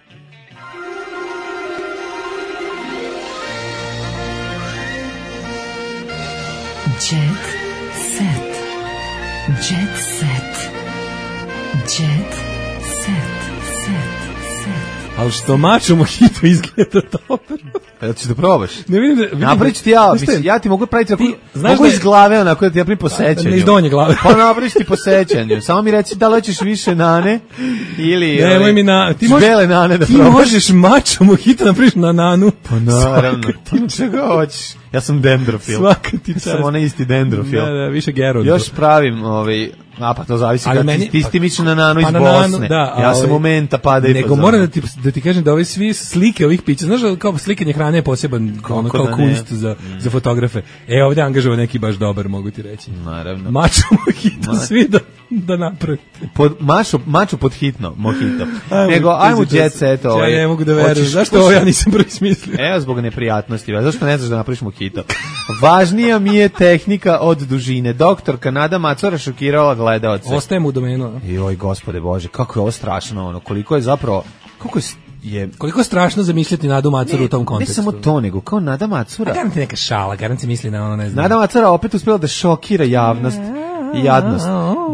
Jet Set. Jet Set. Jet Set. Ali što Macho Mojito izgleda dobro. Jel ćeš da probaš? Ne vidim da... Vidim napraviš ti ja, mislim, ja ti mogu praviti tako, mogu iz glave onako da ti napravim po sećanju. Ne iz donje glave. Pa napraviš ti po sećanju. Samo mi reci da li hoćeš više nane ili... Ne, moj mi na... Ti možeš, nane da ti možeš Macho Mojito napraviš na nanu. Pa naravno. Ti čega hoćeš? Ja sam dendrofil. Svaka ti čast. Sam onaj isti dendrofil. Da, da, više Geronto. Još pravim ovaj... A pa to zavisi kako meni, ti, ti misliš na Nanu pa iz Bosne. Da, ja sam u Menta pada i nego moram da ti, da ti kažem da ove svi slike ovih pića, znaš da kao slikanje hrane je poseban ono, kao da kunst za, mm. za fotografe. E, ovdje angažava neki baš dobar, mogu ti reći. Naravno. Mačo mojito, Ma... svi da, da napravite. Pod, mačo, mačo pod hitno, mojito. Nego, ajmo jet set. Ovaj, ja ne mogu da verujem. Zašto ovo ja nisam prvi smislio? Evo, zbog neprijatnosti. Zašto ne znaš da napraviš mojito? Važnija mi je tehnika od dužine. Doktorka Nada Macora šokirala gledaoce. Ostajem u domenu. Joj, gospode Bože, kako je ovo strašno, ono, koliko je zapravo, koliko je, je koliko je strašno zamisliti Nadu Macuru u tom kontekstu. Ne samo to, nego kao Nada Macura. A garant neka šala, garant se misli na ono, ne znam. Nada Macura opet uspjela da šokira javnost i jadnost.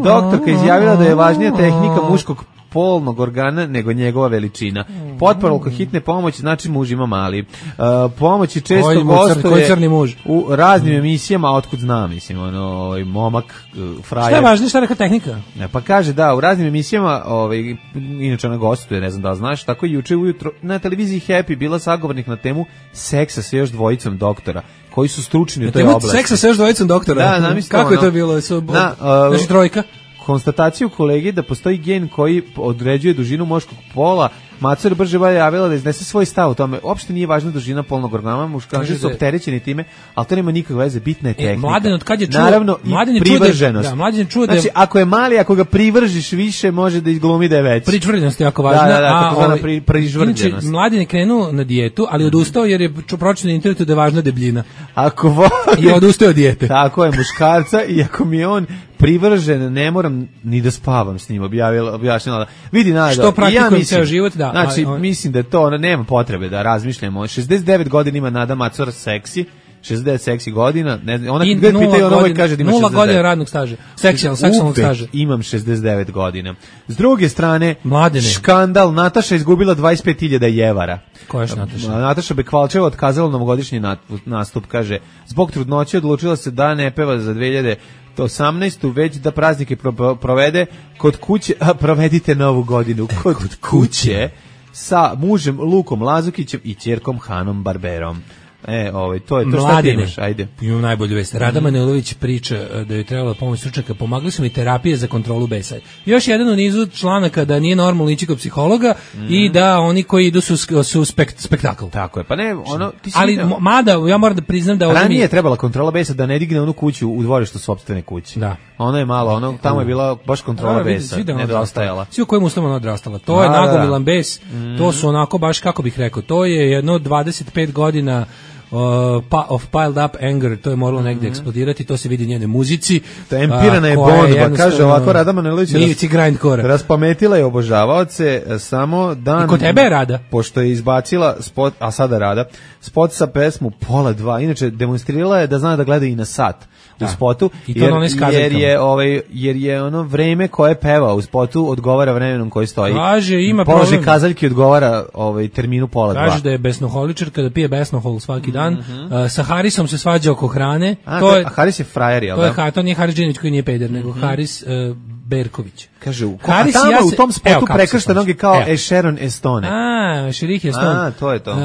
Doktorka izjavila da je važnija tehnika muškog polnog organa nego njegova veličina. Potporuka hitne pomoći znači muž ima mali. Uh, pomoći često gostuje u raznim emisijama, otkud znam, mislim, ono, ovaj momak, uh, frajer. Šta je važnije, šta je neka tehnika? Ne, pa kaže da, u raznim emisijama, ovaj, inače ona gostuje, ne znam da znaš, tako juče ujutro na televiziji Happy bila sagovornik na temu seksa sa još dvojicom doktora, koji su stručni u toj oblasti. Seksa sa još dvojicom doktora? Da, kako je to bilo? Su, na, uh, znači trojka? Konstataciju kolege da postoji gen koji određuje dužinu muškog pola, Macur brže bolje javila da iznese svoj stav o tome. Uopšte nije važna dužina polnog organa, muškarci su opterećeni time, ali to nema nikakve veze, bitna je tehnika. E, mladen, od kad je čuo, naravno, i privrženost. Da, mladen čuo da je... Znači, ako je mali, ako ga privržiš više, može da izglumi da je veći. Pričvrljenost je jako važna. Da, da, da, tako zvana pri, prižvrljenost. Inače, mladen je krenuo na dijetu, ali odustao jer je pročitao na internetu da je važna debljina. Ako voli... I odustao od dijete. Tako je, muškarca, i ako mi je on privržen, ne moram ni da spavam s njim, objavila, objašnjala. Vidi, nada. Što praktikujem ja ceo život, da. Znači, a, mislim da je to, ona nema potrebe da razmišljamo. šezdeset devet godina ima Nada Macura seksi, šezdeset devet seksi godina, ne, ona kad god pitaju, ono ovaj kaže da ima šezdeset devet. Nula godina radnog staža, seksualnog, seksualnog staža. Imam šezdeset devet godina. S druge strane, Mladene. Škandal, Nataša izgubila dvadeset pet hiljada jevara. Ko je Nataša? Nataša Bekvalčeva otkazala novogodišnji nastup, kaže, zbog trudnoće odlučila se da ne peva za dve hiljade osamnaestu već da praznike pro, provede kod kuće, a provedite novu godinu kod, kod kuće sa mužem Lukom Lazukićem i ćerkom Hanom Barberom. E, ovaj, to je to. Šta ti imaš, ajde. Imam najbolju vest. Rada Manojlović priča da joj trebala pomoć stručnjaka, pomagli su mi terapije za kontrolu besa. Još jedan u nizu članaka da nije normalno ići kod psihologa mm. i da oni koji idu su, su spekt, spektakl. Tako je, pa ne, ono... Ti si ali, vidio... mada, ja moram da priznam da... Ranije mi... je trebala kontrola besa da ne digne onu kuću u dvorištu sopstvene kuće. Da. Ono je malo, ono, tamo je bila baš kontrola da, besa, nedostajala. Svi u kojim uslovima ona odrastala. To je nagomilan bes, mm. to su onako baš, kako bih rekao, to je jedno dvadeset pet godina Uh, pa, of piled up anger, to je moralo mm-hmm. negdje eksplodirati, to se vidi u njenoj muzici. Ta empirana je bomba, kaže ovako Rada Manojlović ras, raspametila je obožavaoce samo dan... I kod tebe je Rada? Pošto je izbacila spot, a sada Rada, spot sa pesmu Pola dva, inače demonstrirala je da zna da gleda i na sat u spotu, jer, jer, je, ovaj, jer je ono vreme koje peva u spotu odgovara vremenom koji stoji. Kaže, ima položaj problem. kazaljki odgovara ovaj, terminu pola dva. Kaže da je besnoholičar kada pije besnohol svaki dan. Mm-hmm. uh, sa Harisom se svađa oko hrane. A, to to, je, a Haris je frajer, jel to da? Je, to nije Haris Džinić koji nije peder, nego mm-hmm. Haris uh, Berković. Kaže, u, Haris, a tamo ja se, u tom spotu prekršta noge kao e Sharon Estone. A, Šerih Estone. A, to je to. Uh,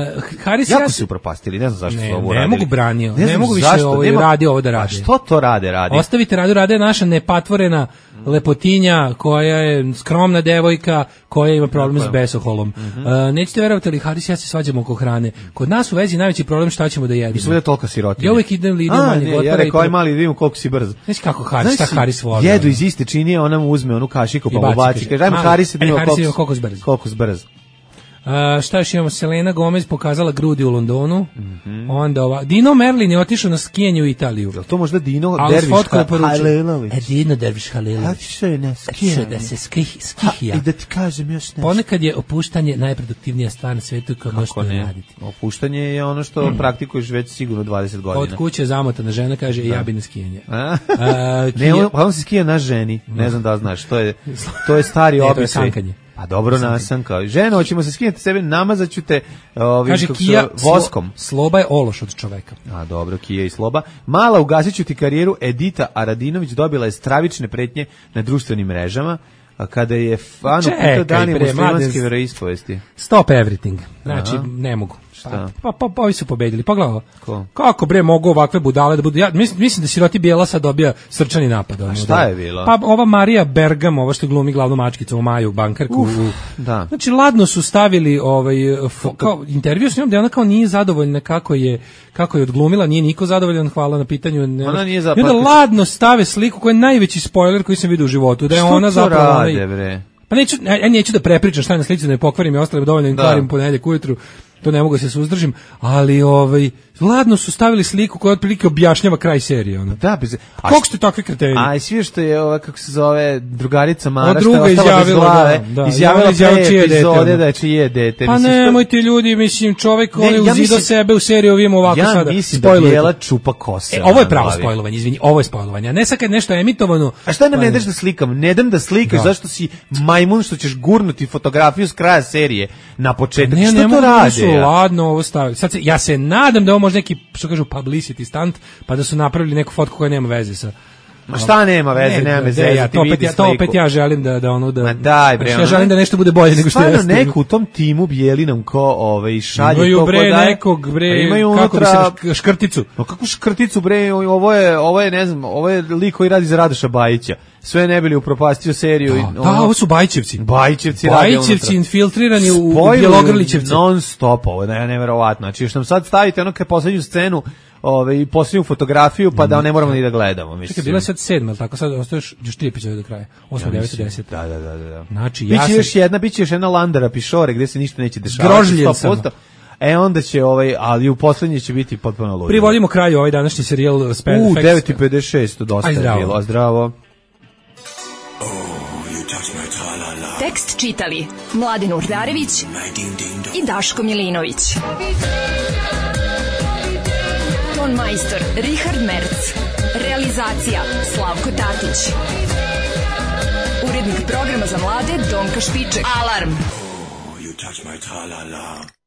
Haris jako ja su upropastili, ne znam zašto ne, su ovo ne radili. Mogu branio, ne, ne mogu više zašto, ovo nema, radi ovo da radi. A što to rade, radi? Ostavite Radu, Rada je naša nepatvorena lepotinja koja je skromna devojka koja ima problem s besoholom. Mm-hmm. Uh, nećete verovati, ali Haris ja se svađamo oko hrane. Kod nas u vezi najveći problem šta ćemo da jedemo. Mislim da je tolika sirotinja. Ja uvijek idem li idem manje gotara. Ja rekao, aj mali, vidimo koliko si brzo. Znaš kako Haris, šta Haris voli. Jedu iz iste činije, ona mu uzme onu kašiku, pa mu baci. Kaže, ajmo Haris, da vidimo koliko zbrz. Koliko zbrz. Uh, šta još imamo? Selena Gomez pokazala grudi u Londonu. Mm-hmm. Onda ova Dino Merlin je otišao na skijanje u Italiju. Je to možda Dino Derviš Halilović? E, Dino Derviš Halilović. Otišao je na skijanje. Da se skih, skihija. I da ti kažem još nešto. Ponekad je opuštanje najproduktivnija stvar na svetu koja možete raditi. Opuštanje je ono što mm. praktikuješ već sigurno dvadeset godina. Od kuće zamotana žena kaže, da. Ja bi na skijanje. A? A, ne, on, on se skija na ženi. Ne znam da znaš. To je, to je stari običaj. To je sankanje. A dobro nasanka. Ženo, hoćemo se skinuti sebe, namazaću te ovim kaže, kija, voskom. Slo, sloba je ološ od čoveka. A dobro, Kija i sloba. Mala, ugasiću ti karijeru. Edita Aradinović dobila je stravične pretnje na društvenim mrežama kada je fan upitao Dani muslimanske veroispovesti. Stop everything. Znači, aha. Ne mogu. Šta? Pa, pa, pa ovi su pobedili. Pogledaj. Ko? Kako bre mogu ovakve budale da budu? Ja mislim, mislim da siroti Bijela sad dobija srčani napad. A šta je bilo? Pa ova Marija Bergam, ova što glumi glavnu mačkicu u Maju, bankarku. Uf, da. Znači ladno su stavili ovaj fo, kao intervju s njom da ona kao nije zadovoljna kako je kako je odglumila, nije niko zadovoljan, hvala na pitanju. Ne, ona nije zapravo. I onda ladno stave sliku koja je najveći spoiler koji sam vidio u životu, da je što ona zapravo rade, bre? Pa neću, ja neću da prepričam šta je na slici, da ne pokvarim i ostale dovoljno im kvarim ponedjeljak ujutru, to ne mogu se suzdržim, ali ovaj, ladno su stavili sliku koja otprilike objašnjava kraj serije. Ono. Da, bez... Kako ste takvi kreteni? A i svi što je, ova, kako se zove, drugarica Mara, što je ostala bez glave, da, da, izjavila pre epizode da je čije dete. Pa nemoj ti ljudi, mislim, čovjek ne, on je ja uzido mislim, sebe u seriju, ovim ovako ja sada. Ja mislim da Bijela čupa kose. E, ovo je pravo spojlovanje, izvini, ovo je spojlovanje, a ne sad kad nešto je emitovano. A šta nam ne daš da slikam? Ne dam da slikaš, zašto si majmun što ćeš gurnuti fotografiju s kraja serije na početak. Ne, što ne, to radi? Ladno ovo staviti. Sad se, ja se nadam da ovo može neki, što kažu, publicity stunt, pa da su napravili neku fotku koja nema veze sa... Ma šta nema veze, ne, nema veze, ja, to, opet, ja, to opet ja želim da, da ono da... Ma daj bre, ja želim da nešto bude bolje nego što je. Stvarno neko u tom timu Bijelinom ko ovaj, šalje imaju, to bre, da... nekog, bre, imaju kako unutra... bi se škrticu. No kako škrticu, bre, ovo je, ovo je, ne znam, ovo je lik koji radi za Radoša Bajića. Sve ne bili upropastio seriju. Da, i, ono, da, ovo su Bajčevci. Bajčevci, Bajčevci infiltrirani u Bjelogrlićevce. Non stop, ovo je neverovatno. Znači, još nam sad stavite ono kad poslednju scenu, ovaj posljednju fotografiju, pa da ne moramo ni da gledamo, mislim. Čekaj, bila je sad sedma, tako sad ostaješ još tri epizode do kraja. osma, deveta, deseta. Da, da, da, da. Znači, ja biće još jedna, biće još jedna Landara Pišore gde se ništa neće dešavati. Grožljen sam. E onda će ovaj, ali u poslednji će biti potpuno ludo. Privodimo kraju ovaj današnji serijal Spend U devet i pedeset šest dosta je bilo. A zdravo. Tekst čitali Mladen Urdarević i Daško Milinović. Ton majstor Richard Merc. Realizacija Slavko Tatić. Urednik programa za mlade Donka Špiček. Alarm! Oh, you touch my tra-la-la.